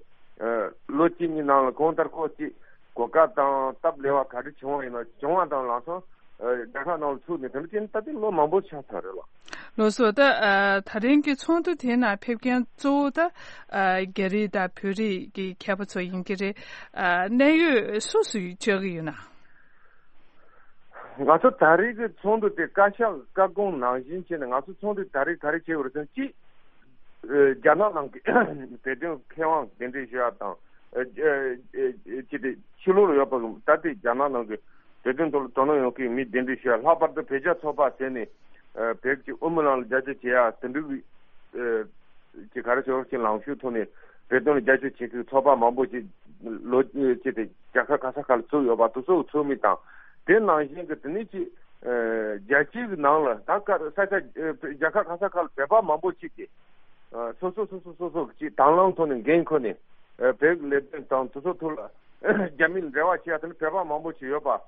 ཨ་ལོ་གཅིག་གཉིས་ནང་ལ་གང་ལྟར་ཁོ་ཅིག་གོ་སྐབས་དང་སྟབས་ལེགས་པ་ག་རེ་བྱུང་བ་ཡིན་ན་བྱུང་བ་དང་ལམ་སང་ཨ་རྒྱལ་ཁབ་ནང་ལ་ཚུགས་ནས་དེ་འདྲ་བྱས་ནས་ད་ལྟའི་ལོ་མང་པོ་ཆགས་ཚར་རེད་ལགས། ལགས་སོ། ད་ཨ་ད་རིང་གི་ཚོགས་འདུ་དེའི་ནང་ཕེབས་མཁན་གཙོ་བོ་ད་ཨ་རྒྱ་རིགས་དང་བོད་རིགས་ཀྱི་མཁས་པ་ཚོ་ཡིན་གྱི་རེད། ཨ་གནད་ཡོད་སུ་སུ་བཅར་གྱི་ཡོད་ན། ང་ཚོ་ད་རེས་ཀྱི་ཚོགས་འདུ་དེ་བཀའ་ཤག་བཀའ་དགོངས་ནང་བཞིན་བྱས་ནས་ང་ཚོ་ཚོགས་འདུ་ད་རེས་ག་རེ་བྱས་ཡོད་རེད་ཟེར་ན། གཅིག་ཨ་རྒྱ་ནག་ནང་གི་བོད་དོན་མཁས་དབང་གདན་འདྲེན་ཞུ་ཡ་དང་། ཨ་ཨ་ཨ་ཅི་སྟེ་ཕྱི་ལོགས་ལ་ཡོད་པ་ད་ལྟའི་རྒྱ་ནག་ནང་གི་བོད་དོན་ཐོག་ལ་དོ་སྣང་ཡོད་མཁན་མི་གདན་འདྲེན་ཞུ་ཡ། ལྷག་པར་དུ་བོད་རྒྱ་ཚོགས་པ་ཟེར་ནས་ཨ་བོད་ཀྱི་དབུ་མའི་ལམ་ལ་རྒྱབ་སྐྱོར་བྱེད་ཡ་དེ་འདྲ་གི་ཨ་ཅི་ག་རེ་ཟེར་བ་ཅིག་ལངས་ཕྱོགས་ཐོག་ནས་བོད་དོན་ལ་རྒྱབ་སྐྱོར་བྱེད་མཁན་ཚོགས་པ་མང་པོ་ཅིག་ལོ་ཅི་སྟེ་རྒྱལ་ཁབ་ག་ས་ག་ལ་ཚུགས་ཡོད་པ་དེ་ཚོ་ཚུགས་མི་དང་། དེ་ནང་བཞིན་གྱི་དེ་ནས་ཅིག་ཨ་རྒྱལ་སྤྱིའི་ནང་ལ་ད་ག་ས་ཆ་ཨ་རྒྱལ་ཁབ་ག་ས་ག་ལ་བོད་པ་མང་པོ་ཅིག་གིས་ཨ་སོ་སོ་སོ་སོ་སོ་སོ་ཀྱི་དང་བླངས་ཐོག་ནས་འགན་ཁུར་ནས་ཨ་བོད་ཀྱི་ལས་དོན་དང་དེ་ཚོ་ཐོག་ལ་རྒྱ་མི་ལ་འབྲེལ་བ་བྱེད་ཡ་དེ་ནི་བོད་པ་མང་པོ་ཞིག་ཡོད་པ། ཨ་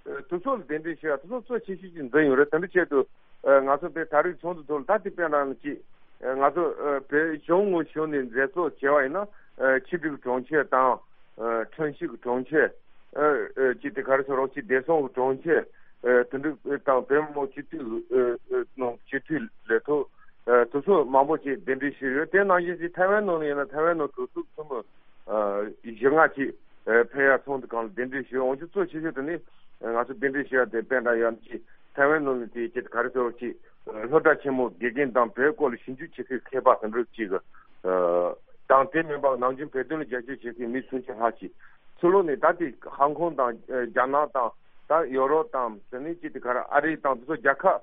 དེ་ཚོ་ལ་གདན་འདྲེན་ཞུ་ཡ་དེ་ཚོ་གཙོ་ཆེ་ཤོས་ཀྱི་འཛིན་ཡོད་རེད། དེ་འདྲ་བྱས་དུས་ཨ་ང་ཚོ་དེ་ད་རེས་ཚོགས་འདུ་ཐོག་ལ་ད་དེ་དཔེར་ན་ཅིག་ཨ་ང་ཚོ་ཨ་བོད་གཞུང་ངོས་བྱུང་ནས་མཛད་གཙོ་བྱས་པ་ཡིན་ན་ཨ་ཆིག་སྒྲིལ་གྱི་གྲོང་ཁྱེར་དང་། ཨ་ཁྲེང་ཞི་གི་གྲོང་ཁྱེར། ཨ་ཨ་ཅིག་དེ་ག་རེ་ཟེར་རོགས་ཅིག་བདེ་སྲུང་གི་གྲོང་ཁྱེར། ཨ་དེ་འདྲ་དང་བོད་མི་མང་སྤྱི་འཐུས་ཨ་ཨ་ནང་སྤྱི་འཐུས་ལས་ཐོག་ཨ་དེ་ཚོ་མང་པོ་ཅིག་གདན་འདྲེན་ཞུས་ཡོད། དེ་ནང་བཞིན་ཅིག་ཐའེ་ཝན་ནང་ལ་ཡིན་ན་ཐའེ་ཝན་ནང་གྲོས་ཚོགས་འཐུས་མི་ཨ་བཞི་ལྔ་ཅིག་ཨ་ཕེབས་ཡ་ཚོགས་འདུ་སྒང་ལ་གདན་འདྲེན་ཞུས། འོན་ཀྱང་གཙོ་ཆེ་ཤོས་དེ་ནི་ང་ཚོ་གདན་འདྲེན་ཞུ་ཡ་དེ་དཔེར་ན་ཡང་ཅིག་ཐའེ་ཝན་ནང་ལ་དེ་ཅིག་ག་རེ་ཟེར་རོགས་ཅིག་སློབ་གྲྭ་ཆེན་མོ་དགེ་རྒན་དང་བོད་སྐོར་ལ་ཞིབ་འཇུག་བྱེད་མཁན་མཁས་པ་དེ་འདྲ་ཅིག་གི་ཨ་དང་དེ་མིན་པ་ནམ་རྒྱུན་བོད་དོན་ལ་རྒྱབ་སྐྱོར་བྱེད་མཁན་མི་སུམ་ཅུ་ལྷག་ཅིག་ཕྱི་ལོགས་ནས་ད་ལྟའི་ཧང་ཀོང་དང་ཨ་རྒྱ་ནག་དང་ད་ཡོ་རོབ་དང་དེ་ནས་ཅིག་དེ་ག་རེ་ཨ་རི་དང་དེ་ཚོ་རྒྱལ་ཁབ་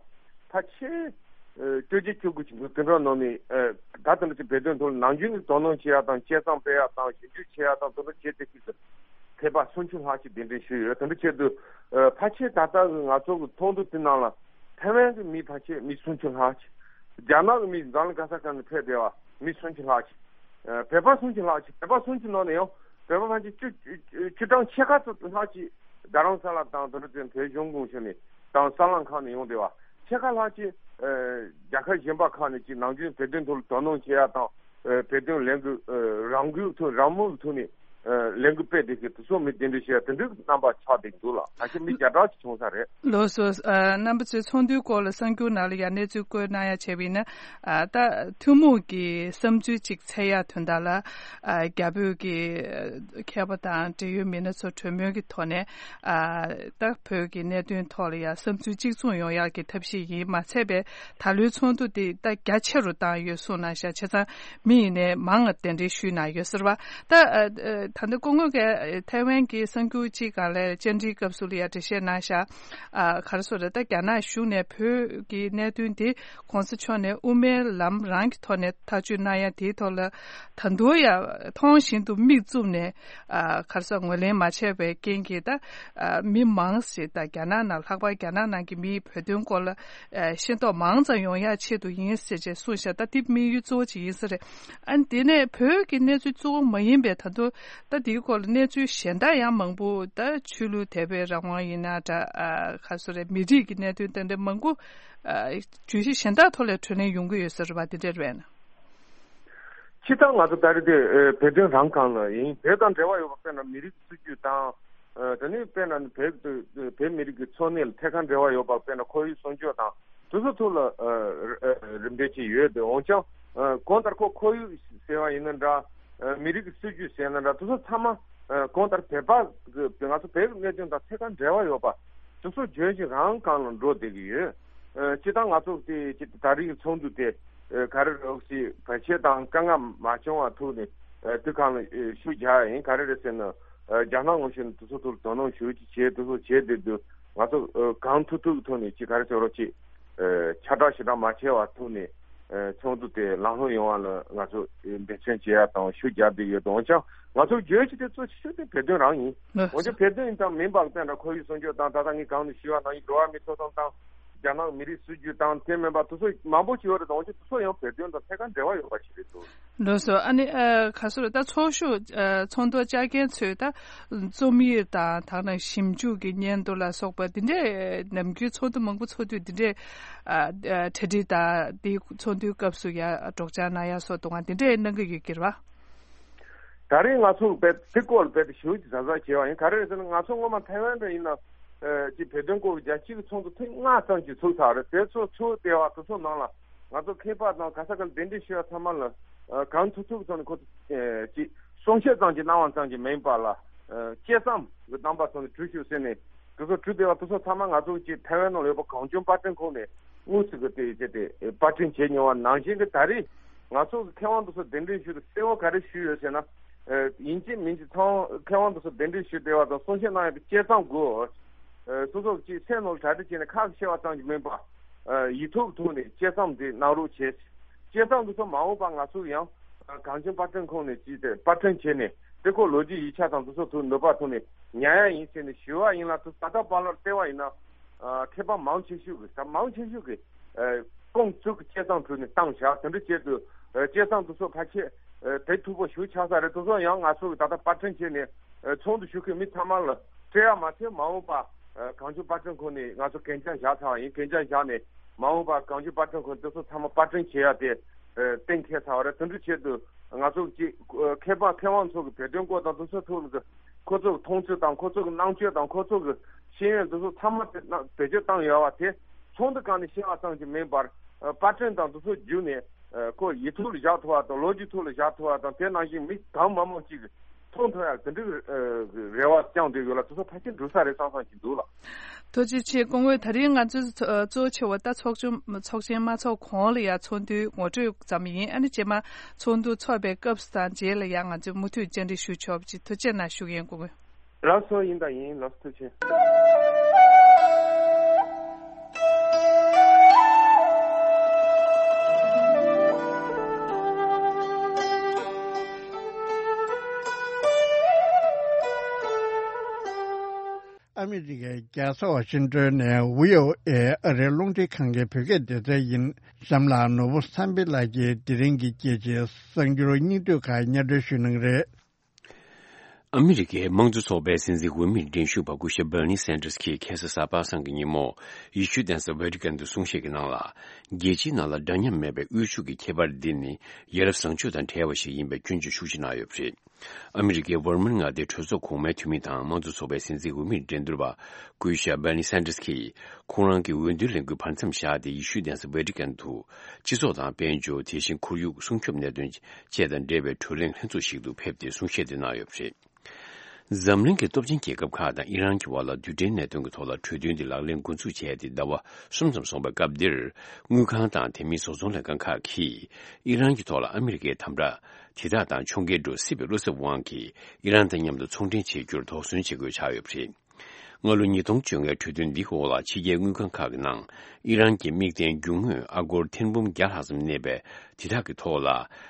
ཕལ་ཆེར་ཨ་བཅོ་བརྒྱད་བཅུ་དགུ་ཅིག་འདུག་དེ་འདྲ་ནང་ནས་ཨ་ད་དེ་འདྲ་ཅིག་བོད་དོན་ཐོག་ལ་ནམ་རྒྱུན་ནས་དོ་སྣང་བྱེད་ཡ་དང་དཔྱད་རྩོམ་སྤེལ་ཡ་དང་དེ་འདྲ་ཞིབ་འཇུག་བྱེད་ཡ་དང་དེ་འདྲ་བྱེད་བསྡད་མཁན་གྱི་མཁས་པ་སུམ་ཅུ་ལྷག་ཅིག་གདན་འདྲེན་ཞུས་ཡོད། དེ་འདྲ་བྱས་དུས་ཨ་ཕལ་ཆེར་ད་ལྟ་གི་ང་ཚོ་གི་ཚོགས་འདུ་དེ་ནང་ལ་ཐའེ་ཝན་གྱི་མི་ཕལ་ཆེར་མི་སུམ་ཅུ་ལྷག་ཅིག་རྒྱ་ནག་གི་མི་འཛམ་གླིང་ག་ས་ག་ནས་ཕེབས་བསྡད་པ་མི་སུམ་ཅུ་ལྷག་ཅིག་ཨ་བོད་པ་སུམ་ཅུ་ལྷག་ཅིག་བོད་པ་སུམ་ཅུ་ནང་ནས་ཡང་བོད་པ་ཕལ་ཆེར་བཅུ་བཅུ་བཅུ་གྲངས་ཕྱེད་ཀ་ཙམ་ལྷག་ཅིག་རྡ་རམ་ས་ལ་དང་དེ་འདྲ་ཅན་བོད་གཞུང་གི་ངོས་ནས་དང་གསར་ལམ་ཁག་ནས་ཡོང་བསྡད་པ་ཕྱེད་ཀ་ལྷག་ཅིག་ཨ་རྒྱལ་ཁབ་གཞན་པ་ཁག་ནས་ཅིག་ནམ་རྒྱུན་བོད་དོན་ཐོག་ལ་དོ་སྣང་བྱེད་ཡ་དང་ཨ་བོད་དོན་ལས་འགུལ་ཨ་རང་འགུལ་ཐོག་རང་མོས་ཐོག་ནས་ཨ་ལས་འགུལ་སྤེལ་བསྡད་མཁན་དེ་ཚོ་མི་གདན་འདྲེན་བྱེད་ཡ་དེ་འདྲའི་རྣམ་པ་ཆགས་བསྡད་འདུག་ལགས། ད་ཆ་མི་བརྒྱ་ཕྲག་ཅིག་བྱུང་ས་རེད། ལགས་སོ། ཨ་རྣམ་པ་ཚོས་ཚོགས་འདུའི་སྐོར་ལ་གསར་འགྱུར་ནང་ལ་ཡང་གནས་ཚུལ་བཀོད་གནང་ཡ་བྱས་པ་ཡིན་ན། ཨ་ད་ཐུན་མོང་གི་བསམ་ཚུལ་ཅིག་འཚོལ་ཡ་དོན་དག་ལ་ཨ་རྒྱ་བོད་ཀྱི་མཁས་པ་དང་འབྲེལ་ཡོད་མི་སྣ་ཚོ་གྲོས་མོལ་གྱི་ཐོག་ནས་ཨ་ད་བོད་ཀྱི་གནད་དོན་ཐོག་ལ་ཡང་བསམ་ཚུལ་གཅིག་མཚུངས་ཡོང་ཡག་གི་ཐབས་ཤེས་ཡིན། མ་ཚད་པའི་ད་ལོའི་ཚོགས་འདུ་འདི་ད་རྒྱ་ཆེ་རུ་བཏང་ཡོད་གསུངས་གནང་ཤག་བྱས་ཙང་མི་ཡིན་ནའི་མང་ང་གདན་འདྲེན་ཞུས་གནང་ཡོད་ཟེར་བ། ད་ཨ་ཨ་ད་ལྟ་སྐུ་ངོ་གིས་ཐའེ་ཝན་གྱི་གསར་འགྱུར་གཅིག་སྒང་ལ་བཅར་འདྲིའི་སྐབས་སུ་ལ་ཡང་འགྲེལ་བཤད་གནང་ཤག་ཨ་ག་རེ་ཟེར་རེད། ད་རྒྱ་ནག་གཞུང་ནས་བོད་ཀྱི་གནད་དོན་འདི་གོང་ས་མཆོག་ནས་དབུ་མའི་ལམ་རང་གི་ཐོག་ནས་ཐག་གཅོད་གནང་ཡ་དེའི་ཐོག་ལ་ད་དུང་ཡང་མཐོང་བཞིན་དུ་མིག་བཙུམ་ནས་ཨ་ག་རེ་ཟེར་ངོས་ལེན་མ་བྱས་པའི་རྐྱེན་གྱིས་ད་ཨ་མི་མང་ཞིག་ད་རྒྱ་ནག་ནང་ལྷག་པར་རྒྱ་ནག་ནང་གི་མིས་བོད་དོན་སྐོར་ལ་ཨ་ཤེས་རྟོགས་མང་ཙམ་ཡོང་ཡ་ཆེད་དུ་ཡིན་ཟེར་བྱས་གསུངས་ཤག་ད་དེ་དམིགས་ཡུལ་གཙོ་བོ་ཅིག་ཡིན་ས་རེད། ཨ་ནི་དེ་ནས་བོད་ཀྱི་གནས་ཚུལ་གཙོ་བོ་མ་ཡིན་པའི་ད་དུང་ད་དེའི་སྐོར་ལ་གནས་ཚུལ་གཞན་དག་ཡང་མང་པོ། ད་ཆོས་ལུགས་དད་པའི་རང་དབང་ཡིན་ན་འདྲ། ཨ་ག་རེ་ཟེར་རེད། མི་རིགས་ཀྱི་གནད་དོན་དེ་འདྲ་མང་པོ་ཨ་བརྗོད་གཞི་གཞན་དག་ཐོག་ལ་གྲོས་གླེང་ཡོང་གི་ཡོད་ས་རེད་པ། དེ་འདྲ་རེད་པས་ན། སྤྱིར་བཏང་ང་ཚོ་ད་རེས་དེ་ཨ་བོད་དོན་རང་སྒང་ལ་ཡིན། བོད་དང་འབྲེལ་བ་ཡོད་པ་དཔེར་ན་མི་རིགས་སྲིད་ཇུས་དང་། ཨ་དེ་ནས་དཔེར་ན་བོད་བོད་མི་རིགས་ཀྱི་འཚོ་གནས་ལ་ཐད་ཀར་འབྲེལ་བ་ཡོད་པ་དཔེར་ན་ཁོར་ཡུག་སྲུང་སྐྱོབ་དང་དེ་ཚོ་ཐོག་ལ་ཨ་ཨ་རེ་འདུན་ཅིག་ཡོད་དེ། འོན་ཀྱང་ཨ་གང་ལྟར་ཁོ་ཁོར་ཡུག་ཟེར་བ་ཡིན་ན་འདྲ། ཨ་མི་རིགས་ཀྱི་སྲིད་ཇུས་ཟེར་ན་འདྲ། དེ་ཚོ་ཚང་མ་ཨ་གང་ལྟར་བོད་པ་གི་ང་ཚོ་བོད་ཀྱི་གནད་དོན་དང་ཐད་ཀར་འབྲེལ་བ་ཡོད་པ་དེ་ཚོ་བརྗོད་གཞི་རང་སྒང་ལ་འགྲོ་བསྡད་ཀྱི་ཡོད། ཨ་སྤྱིར་བཏང་ང་ཚོ་དེ་ཅིག་ད་རེས་ཀྱི་ཚོགས་འདུ་དེ་ཨ་ག་རེ་རེད་ཟེར་བར་ཆད་དང་དཀའ་ངལ་མ་བྱུང་བ་ཐོག་ནས་ཨ་དེ་སྒང་ལ་ཨ་ཤུགས་རྒྱག་ཡ་ཡིན། ག་རེ་རེད་ཟེར་ན་ཨ་རྒྱ་ནག་ངོས་ནས་དེ་ཚོ་ཐོག་ལ་དོ་སྣང་ཞེ་པོ་ཅིག་བྱས། དེ་ཚོ་བྱས་བསྡད་དུས་ང་ཚོ་ཨ་གང་ཐུབ་ཐུབ་ཀྱི་ཐོག་ནས་ཅིག་ག་རེ་ཟེར་རོགས་ཅིག་ཨ་ཁྱབ་བསྒྲགས་ཞེ་དྲག་མ་བྱས་པ་ཐོག་ནས་ཨ་ཚོགས་འདུ་དེ་ལམ་ལྷོང་ཡོང་བ་ལ་ང་ཚོ་འབད་བརྩོན་བྱེད་ཡ་དང་ཤུགས་རྒྱག་བསྡད་ཡོད། འོན་ཀྱང་ང་ཚོ་བརྗོད་གཞི་དེ་གཙོ་ཆེ་ཤོས་དེ་བོད་དོན་རང་ཡིན། ལགས་འོན་ཀྱང་བོད་དོན་ཡིན་དང་མིན་པ་དཔེར་ན་ཁོར་ཡུག་སྲུང་སྐྱོབ་དང་། ད་ལྟ་ངས་གོང་ནས་ཞུས་པ་ནང་བཞིན་འགྲོ་བ་མིའི་ཐོབ་ཐང་དང་། རྒྱ་ནག་མི་རིགས་སྲིད་ཇུས་དང་དེ་མིན་པ་དེ་ཚོ་མང་པོ་ཞིག་ཡོད་རེད། དེ་ཚོ་ཡང་བོད་དོན་དང་ཐད་ཀར་འབྲེལ་བ་ཡོད་པ་ཞིག་རེད་འདུག། ལགས་སོ། ཨ་ནི་ཨ་ག་སོ་རེད། ད་ཚོགས་ཞུགས་ཨ་ཚོགས་འདུ་བཅར་མཁན་ཚོས་ད་རྩོམ་ཡིག་དང་ཐ་ན་ཞིབ་འཇུག་གི་སྙན་ཐོ་ལ་སོགས་པ་འདི་འདྲའི་ནམ་རྒྱུན་ཚོགས་འདུ་མང་པོ་ཚོགས་དུས་འདི་འདྲའི་ཨ་ཨ་གྲ་སྒྲིག་དང་འདི་ཚོགས་འདུའི་སྐབས་སུ་ཡ་སྒྲོག་སྦྱང་གནང་ཡ་སོགས་འདུག་ག་འདི་འདྲའི་གནང་གི་ཡོད་ཀྱི་རེད་པ། ད་རེས་ང་ཚོ་རྦད་དེ་སྐོར་རྦད་དེ་ཞེ་པོ་ཅིག་གཟབ་གཟབ་བྱས་པ་ཡིན། ག་རེ་རེད་ཟེར་ན་ང་ཚོ་སྔོན་མ་ཐའེ་ཝན་དུ་ཡིན་ན་ཨ་ཅིག་བོད་དོན་སྐོར་གྱི་རྒྱལ་སྤྱིའི་ཚོགས་འདུ་ཐེངས་ལྔ་ཙམ་ཅིག་ཚོགས་ཚར་རེད། དེ་ཚོ་ཚོགས་བསྡད་པ་དེ་ཚོ་ནང་ལ་ང་ཚོ་མཁས་པ་དང་ག་ས་ག་ལ་གདན་འདྲེན་ཞུས་པ་ཚང་མ་ལ་ཨ་གང་ཐུབ་ཐུབ་ཀྱི་ཐོག་ནས་ཁོ་ཚོ་ཨ་ཅིག་གསུང་བཤད་ཙམ་ཅིག་གནང་བ་ཙམ་ཅིག་མིན་པ་ལ་ཨ་དཔྱད་རྩོམ་གྱི་རྣམ་པ་ཐོག་ནས་བྲིས་ཤོག་ཟེར་ནས་དེ་ཚོ་བྲིས་བསྡད་པ་དེ་ཚོ་ཚང་མ་ང་ཚོ་ཅིག་ཐའེ་ཝན་ནང་ལ་ཡོད་པ་གངས་ལྗོངས་པར་སྐྲུན་ཁང་ནས་དངོས་སུ་གི་དེ་བྱས་ཏེ་པར་སྐྲུན་བྱས་མྱོང་བ་ནང་བཞིན་གྱི་ད་རེས་ང་ཚོ་གི་མཁས་དབང་དེ་ཚོ་གདན་འདྲེན་ཞུས་ཏེ་གསལ་བོ་ག་རེ་ཞུས་ཡོད་ཟེར་ན། ཨ་ཡིན་གཅིག་མིན་གཅིག་ཚང་མཁས་དབང་དེ་ཚོ་གདན་འདྲེན་ཞུས་བསྡད་པ་དང་གསུང་བཤད་གནང་ཡག་གི་དཔྱད་རྩོམ་དགོས། ཨ་སོ་སོ་གཅིག་སེམས་ནང་ལ་གྲ་སྒྲིག་བྱས་ནས་ཁ་གིས་བཤད་པ་ཙམ་གྱིས་མིན་པ། ཨ་ཡིག་ཐོག་གི་ཐོག་ནས་དཔྱད་རྩོམ་དེ་གནང་རོགས་བྱས། དཔྱད་རྩོམ་དེ་ཚོ་མ་འོངས་པ་ང་ཚོ་ཡང་ཨ་གངས་ལྗོངས་པར་སྐྲུན་ཁང་ནས་ཅིག་དེ་པར་སྐྲུན་བྱས་ནས་དེ་ཁོ་ལོ་རྒྱུས་ཡིག་ཆ་དང་དེ་ཚོ་ཐོག་ནུས་པ་ཐོག་ནས་ཉར་ཡག་ཡིན་ཟེར་ནས་ཞུ་བ་ཡིན་ལ། དེ་ད་ལྟ་བར་ལ་བལྟས་པ་ཡིན་ན་ཨ་མཁས་པ་མང་ཆེ་ཤོས་ཀྱིས་ད་མང་ཆེ་ཤོས་ཀྱིས། ཨ་ཁོང་ཚོ་གི་དཔྱད་རྩོམ་བྲིས་ནས་བཏང་བཞག་དེ་འདྲ་བྱས་དུས་ཨ་དཔྱད་རྩོམ་དེ་ཚོ་ཕལ་ཆེར་ཨ་དེ་མཐུག་པོ་ཞེ་པོ་ཆགས་ས་རེད། དེ་ཚོ་ཡང་ང་ཚོ་གི་ད་ལྟ་པར་སྐྲུན་བྱས་ནས་ཨ་ཚོགས་འདུ་ཞུགས་མཁན་མི་ཚང་མ་ལ་སྤྲད་ཡག་མ་ཚད་མ་འོངས་པ་ཨ་གངས་ལྗོངས་པར་སྐྲུན་ཁང་ནས་ང་ཚོ་གན་རྒྱ་བཞག་ཚར་བ་ཡིན། གན་རྒྱ་བཞག་ནས་མ་འོངས་པ་གངས་ལྗོངས་པར་སྐྲུན་ཁང་དེ་ཚོ་ཚང་མ་པར་སྐྲུན་བྱེད་ཡག་དེ་ཨ་གཏན་འཁེལ་ཚར་བ་རེད། དེ་འདྲ་བྱས་དུས་ང་ཚོ་གི་ཨ་མཁས་པ་མཁས་དབང་ཚོ་གི་བོད་དོན་སྐོར་དང་དེ་ཚོ་ཐོག་ལ་གི་ཁོ་ཚོ་གི་མཐོང་ཚུལ་དང་ཁོ་ཚོ་གི་རྣམ་དཔྱོད་དང་ཁོ་ཚོ་གི་ཤེས་ཡོན་དེ་ཚོ་ཚང་མ་དེ་ན་བེད་སྤྱོད་བཏང་ཡོད་པ་དེ་ཚོགས་འདུ་སྒང་ནས་བཤད་པ་ཙམ་གྱིས་མིན་པར་ཨ་པར་སྐྲུན་དང་དེ་ཚོ་བརྒྱུད་ནས་ཨ་ཁོ་ཡིག་ཐོག་ལ་བཞག་ཐུབ་པ་དང་ལོ་རྒྱུས་ཐོག་ལ་བཞག་ཐུབ་པ་དང་དེ་ནང་བཞིན་མི་གང་མང་མང་ཅིག་གིས་མཐོང་ཐུབ་ཡག་དེ་འདྲའི་ཨ་རེ་བ་བཅངས་བསྡད་ཡོད་ལ། དེ་ཚོ་ཕལ་ཆེར་འགྲུབ་ས་རེད་བསམ་བསམ་ཞིག་འདུག་ལགས། ཐུགས་རྗེ་ཆེ། སྐུ་ངོ། ད་རིང་ང་ཚོའི་ཚོགས་གཙོ་ཆེ་བ་ད་ཚོགས་ཆུང་ཚོགས་ཆེན་མ་ཚོགས་གོང་ལ་ཡང་ཚོགས་འདུའི་ངོ་སྤྲོད་ཙམ་ཡིན། ཨ་ནི་རྗེས་མ་ཚོགས་འདུ་ཚོགས་པའི་སྐབས་སུ་དང་རྗེས་ལ་ཡང་ང་ཚོས་མུ་མཐུད་བཅར་འདྲི་ཞུ་ཆོག་པ་ཅིག་ཐུགས་རྗེ་གནང་ཞུ་ཡིན། སྐུ་ངོ། ལགས་སོ། ཡིན་དང་ཡིན། ལགས་སོ། ཐུགས་རྗེ་ཆེ། ཨ་མི་རི་ཀའི་རྒྱལ་ས་ཝ་ཤིང་ཏོན་ནས་བྷི་ཨོ་ཨེ་ཨ་རིའི་རླུང་འཕྲིན་ཁང་གི་བོད་སྐད་སྡེ་ཚན་ཡིན། གཤམ་ལ་ནོར་བུ་བསམ་འཕེལ་ལགས་ཀྱིས་དེ་རིང་གི་རྒྱལ་སྤྱིའི་གསར་འགྱུར་སྙིང་བསྡུས་ཁག་སྙན་སྒྲོན་ཞུ་གནང་གི་རེད། ཨ་མི་རི་ཀའི་དམངས་གཙོ་ཚོགས་པའི་སྲིད་འཛིན་འོས་མིར་འགྲན་ཞུགས་པ་སྐུ་ཞབས་Bernie Sanders་གྱིས་ཁ་སང་གཟའ་པ་སངས་ཀྱི་ཉིན་མོ་ཡེ་ཤུ་གདན་ས་ཝེ་ཏི་ཀན་དུ་གསུང་བཤད་ཀྱི་ནང་ལ། རྒྱལ་སྤྱིའི་ནང་ལ་འདྲ་མཉམ་མེད་པའི་དབུལ་ཕྱུག་གི་ཁྱད་པར་འདི་ནི་ཡ་རབས་བཟང་སྤྱོད་དང་བྲལ་བ་ཞིག་ཡིན་པའི་སྐྱོན་བརྗོད་ཤུགས་ཆེ་གནང་ཡོད་པ་རེད། ཨ་མི་རི་ཀའི་ཝར་མཱན་མངའ་སྡེའི་གྲོས་ཚོགས་གོང་མའི་འཐུས་མི་དང་དམངས་གཙོ་ཚོགས་པའི་སྲིད་འཛིན་འོས་མིར་འགྲན་བསྡུར་བ་སྐུ་ཞབས་Bernie Sanders་གྱིས་ཁོང་རང་གི་འོས་བསྡུའི་ལས་འགུལ་བར་མཚམས་བཞག་སྟེ་ཡེ་ཤུའི་གདན་ས་ཝེ་ཏི་ཀན་དུ་སྤྱི་ཚོགས་དང་དཔལ་འབྱོར། དེ་བཞིན་ཁོར་ཡུག་སྲུང་སྐྱོབ་གནད་དོན་བཅས་དང་འབྲེལ་བའི་གྲོས་གླེང་ལྷན་ཚོགས་ཤིག་ཏུ་ཕེབས་ཏེ་གསུང་བཤད་དེ་གནང་ཡོད་པ་རེད། འཛམ་གླིང་གི་སྟོབས་ཆེན་རྒྱལ་ཁབ་ཁག་དང་ཨི་རན་གྱི་བར་ལ་རྡུལ་ཕྲན་གནད་དོན་གྱི་ཐོག་ལ་གྲོས་མཐུན་དེ་ལག་ལེན་འགོ་འཛུགས་བྱས་ཏེ་ཟླ་བ་གསུམ་ཙམ་སོང་བའི་སྐབས་འདིར། དངུལ་ཁང་དང་དེ་མིན་བཟོ་ཚོང་ལས་ཁང་ཁག་གིས་ཨི་རན་གྱི་ཐོག་ལ་ཨ་མི་རི་ཀའི་དམ་དྲག་དེ་དག་དང་ཕྱོགས་འགལ་འགྲོ་སྲིད་པའི་བློ་འཚབ་དབང་གིས་ཨི་རན་དང་མཉམ་དུ་ཚོང་འབྲེལ་བྱེད་རྒྱུར་དོགས་ཟོན་བྱེད་དགོས་ཆགས་ཡོད་པ་རེད། སྔ་ལོ་ཉིས་སྟོང་བཅོ་ལྔའི་གྲོས་མཐུན་འདིའི་འོག་ལ་ཕྱི་རྒྱལ་དངུལ་ཁང་ཁག་གི་ནང་ཨི་རན་གྱི་དམིགས་རྟེན་རྒྱུ་དངོས་ཨ་སྒོར་ཐེར་འབུམ་བརྒྱ་ལྷག་ཙམ་གནས་པའི་དེ་དག་གི་ཐོག་ལ་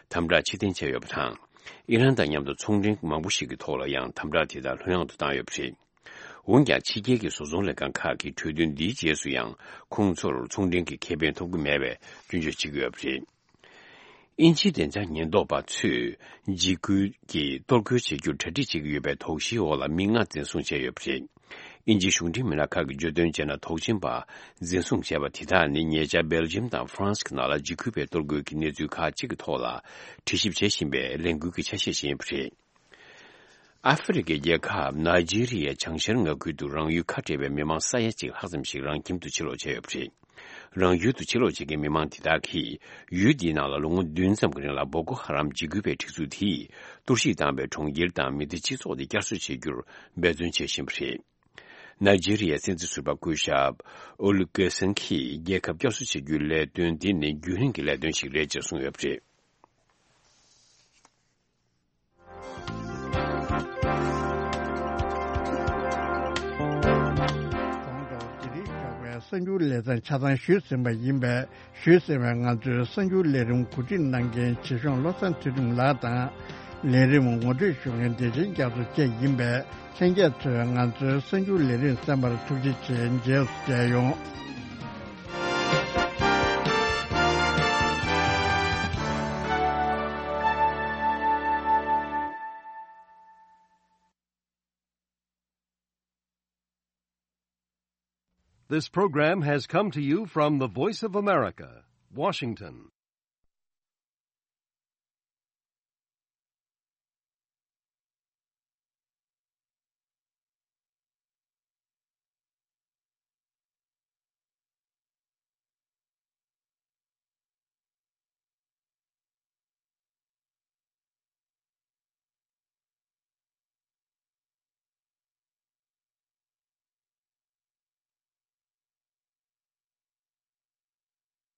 དམ་དྲག་ཕྱིར་འཐེན་བྱས་ཡོད་པ་དང་། ཨི་རན་དང་མཉམ་དུ་ཚོང་འབྲེལ་མང་པོ་ཞིག་གི་ཐོག་ལ་ཡང་དམ་དྲག་དེ་དག་ལྷོད་ཡངས་དུ་བཏང་ཡོད་པ་རེད། འོན་ཀྱང་ཕྱི་རྒྱལ་གྱི་བཟོ་ཚོང་ལས་ཁང་ཁག་གིས་གྲོས་མཐུན་འདིའི་རྗེས་སུ་ཡང་ཁོང་ཚོར་ཚོང་འབྲེལ་གྱི་ཁེ་ཕན་ཐོབ་ཀྱི་མེད་པའི་སྐྱོན་བརྗོད་བྱེད་ཀྱི་ཡོད་པ་རེད། དབྱིན་ཇིའི་བདེ་འཇགས་ཉེན་རྟོག་པ་ཚོས་འཇིགས་སྐུལ་གྱིས་གཏོར་རྒོལ་བྱེད་རྒྱུར་གྲ་སྒྲིག་བྱེད་ཀྱི་ཡོད་པའི་དོགས་གཞིའི་འོག་ལ་མི་ལྔ་འཛིན་བཟུང་བྱས་ཡོད་པ་རེད། དབྱིན་ཇིའི་གཞུང་འབྲེལ་མི་སྣ་ཁག་གིས་བརྗོད་དོན་བྱས་ན། དོགས་ཟོན་པ་འཛིན་བཟུང་བྱས་པ་དེ་དག་ནི་ཉེ་ཆར་སྦེལ་ཇི་ཡམ་དང་ཧྥ་རན་སི་གི་ནང་ལ་འཇིགས་སྐུལ་བའི་གཏོར་རྒོལ་གྱི་གནས་ཚུལ་ཁག་ཅིག་གི་ཐོག་ལ་དྲི་ཞིབ་བྱེད་བཞིན་པའི་ལས་འགུལ་གྱི་ཆ་ཤས་ཤིག་ཡིན་པ་རེད། ཨ་ཧྥེ་རི་ཁའི་རྒྱལ་ཁབ་ནཱི་ཇི་རི་ཡའི་བྱང་ཤར་མངའ་ཁུལ་དུ་རང་ཡུལ་ཁ་བྲལ་བའི་མི་མང་ས་ཡ་གཅིག་ལྷག་ཙམ་ཞིག་རང་ཁྱིམ་དུ་ཕྱིར་ལོག་བྱས་ཡོད་པ་རེད། རང་ཡུལ་དུ་ཕྱིར་ལོག་བྱེད་མཁན་མི་མང་དེ་དག་གིས་ཡུལ་འདིའི་ནང་ལ་ལོ་ངོ་བདུན་ཙམ་གྱི་རིང་ལ་བོ་ཀོ་ཧ་རམ་འཇིགས་སྐུལ་བའི་སྒྲིག་འཛུགས་དེས་གཏོར་བཤིག་བཏང་བའི་གྲོང་ཁྱེར་དང་མི་སྡེ་སྤྱི་ཚོགས་དེ་བསྐྱར་གསོ་བྱེད་རྒྱུར་འབད་བརྩོན་བྱེད་བཞིན་པ་རེད། ནཱི་ཇི་རི་ཡའི་སྲིད་འཛིན་ཟུར་པ་སྐུ་ཞབས་ཨོ་ལུ་ཀེ་སན་གྱིས་རྒྱལ་ཁབ་བསྐྱར་གསོ་བྱེད་རྒྱུའི་ལས་དོན་འདི་ནི་རྒྱུན་རིང་གི་ལས་དོན་ཞིག་རེད་ཅེས་གསུངས་ཡོད་པ་རེད། གོང་དུ་དེ་རིང་ཞོགས་པའི་གསར་འགྱུར་ལེ་ཚན་ཆ་ཚང་ཞུས་ཟིན་པ་ཡིན་པས། ཞུས་ཟིན་པའི་ང་ཚོའི་གསར་འགྱུར་ལས་རིམ་གོ་སྒྲིག་གནང་མཁན་བྱིས་གཤོངས་བློ་བཟང་ཚུལ་ཁྲིམས་ལགས་དང་། ལས་རིམ་ངོ་སྤྲོད་ཞུ་མཁན་བདེ་ཆེན་རྒྱ་མཚོ་བཅས་ཡིན་པས། ལྷན་རྒྱས་ཚོས་ང་ཚོའི་གསར་འགྱུར་ལས་རིམ་གསན་པར་ཐུགས་རྗེ་ཆེ། རྗེས་སུ་མཇལ་ཡོང་། This program has come to you from the Voice of America, Washington.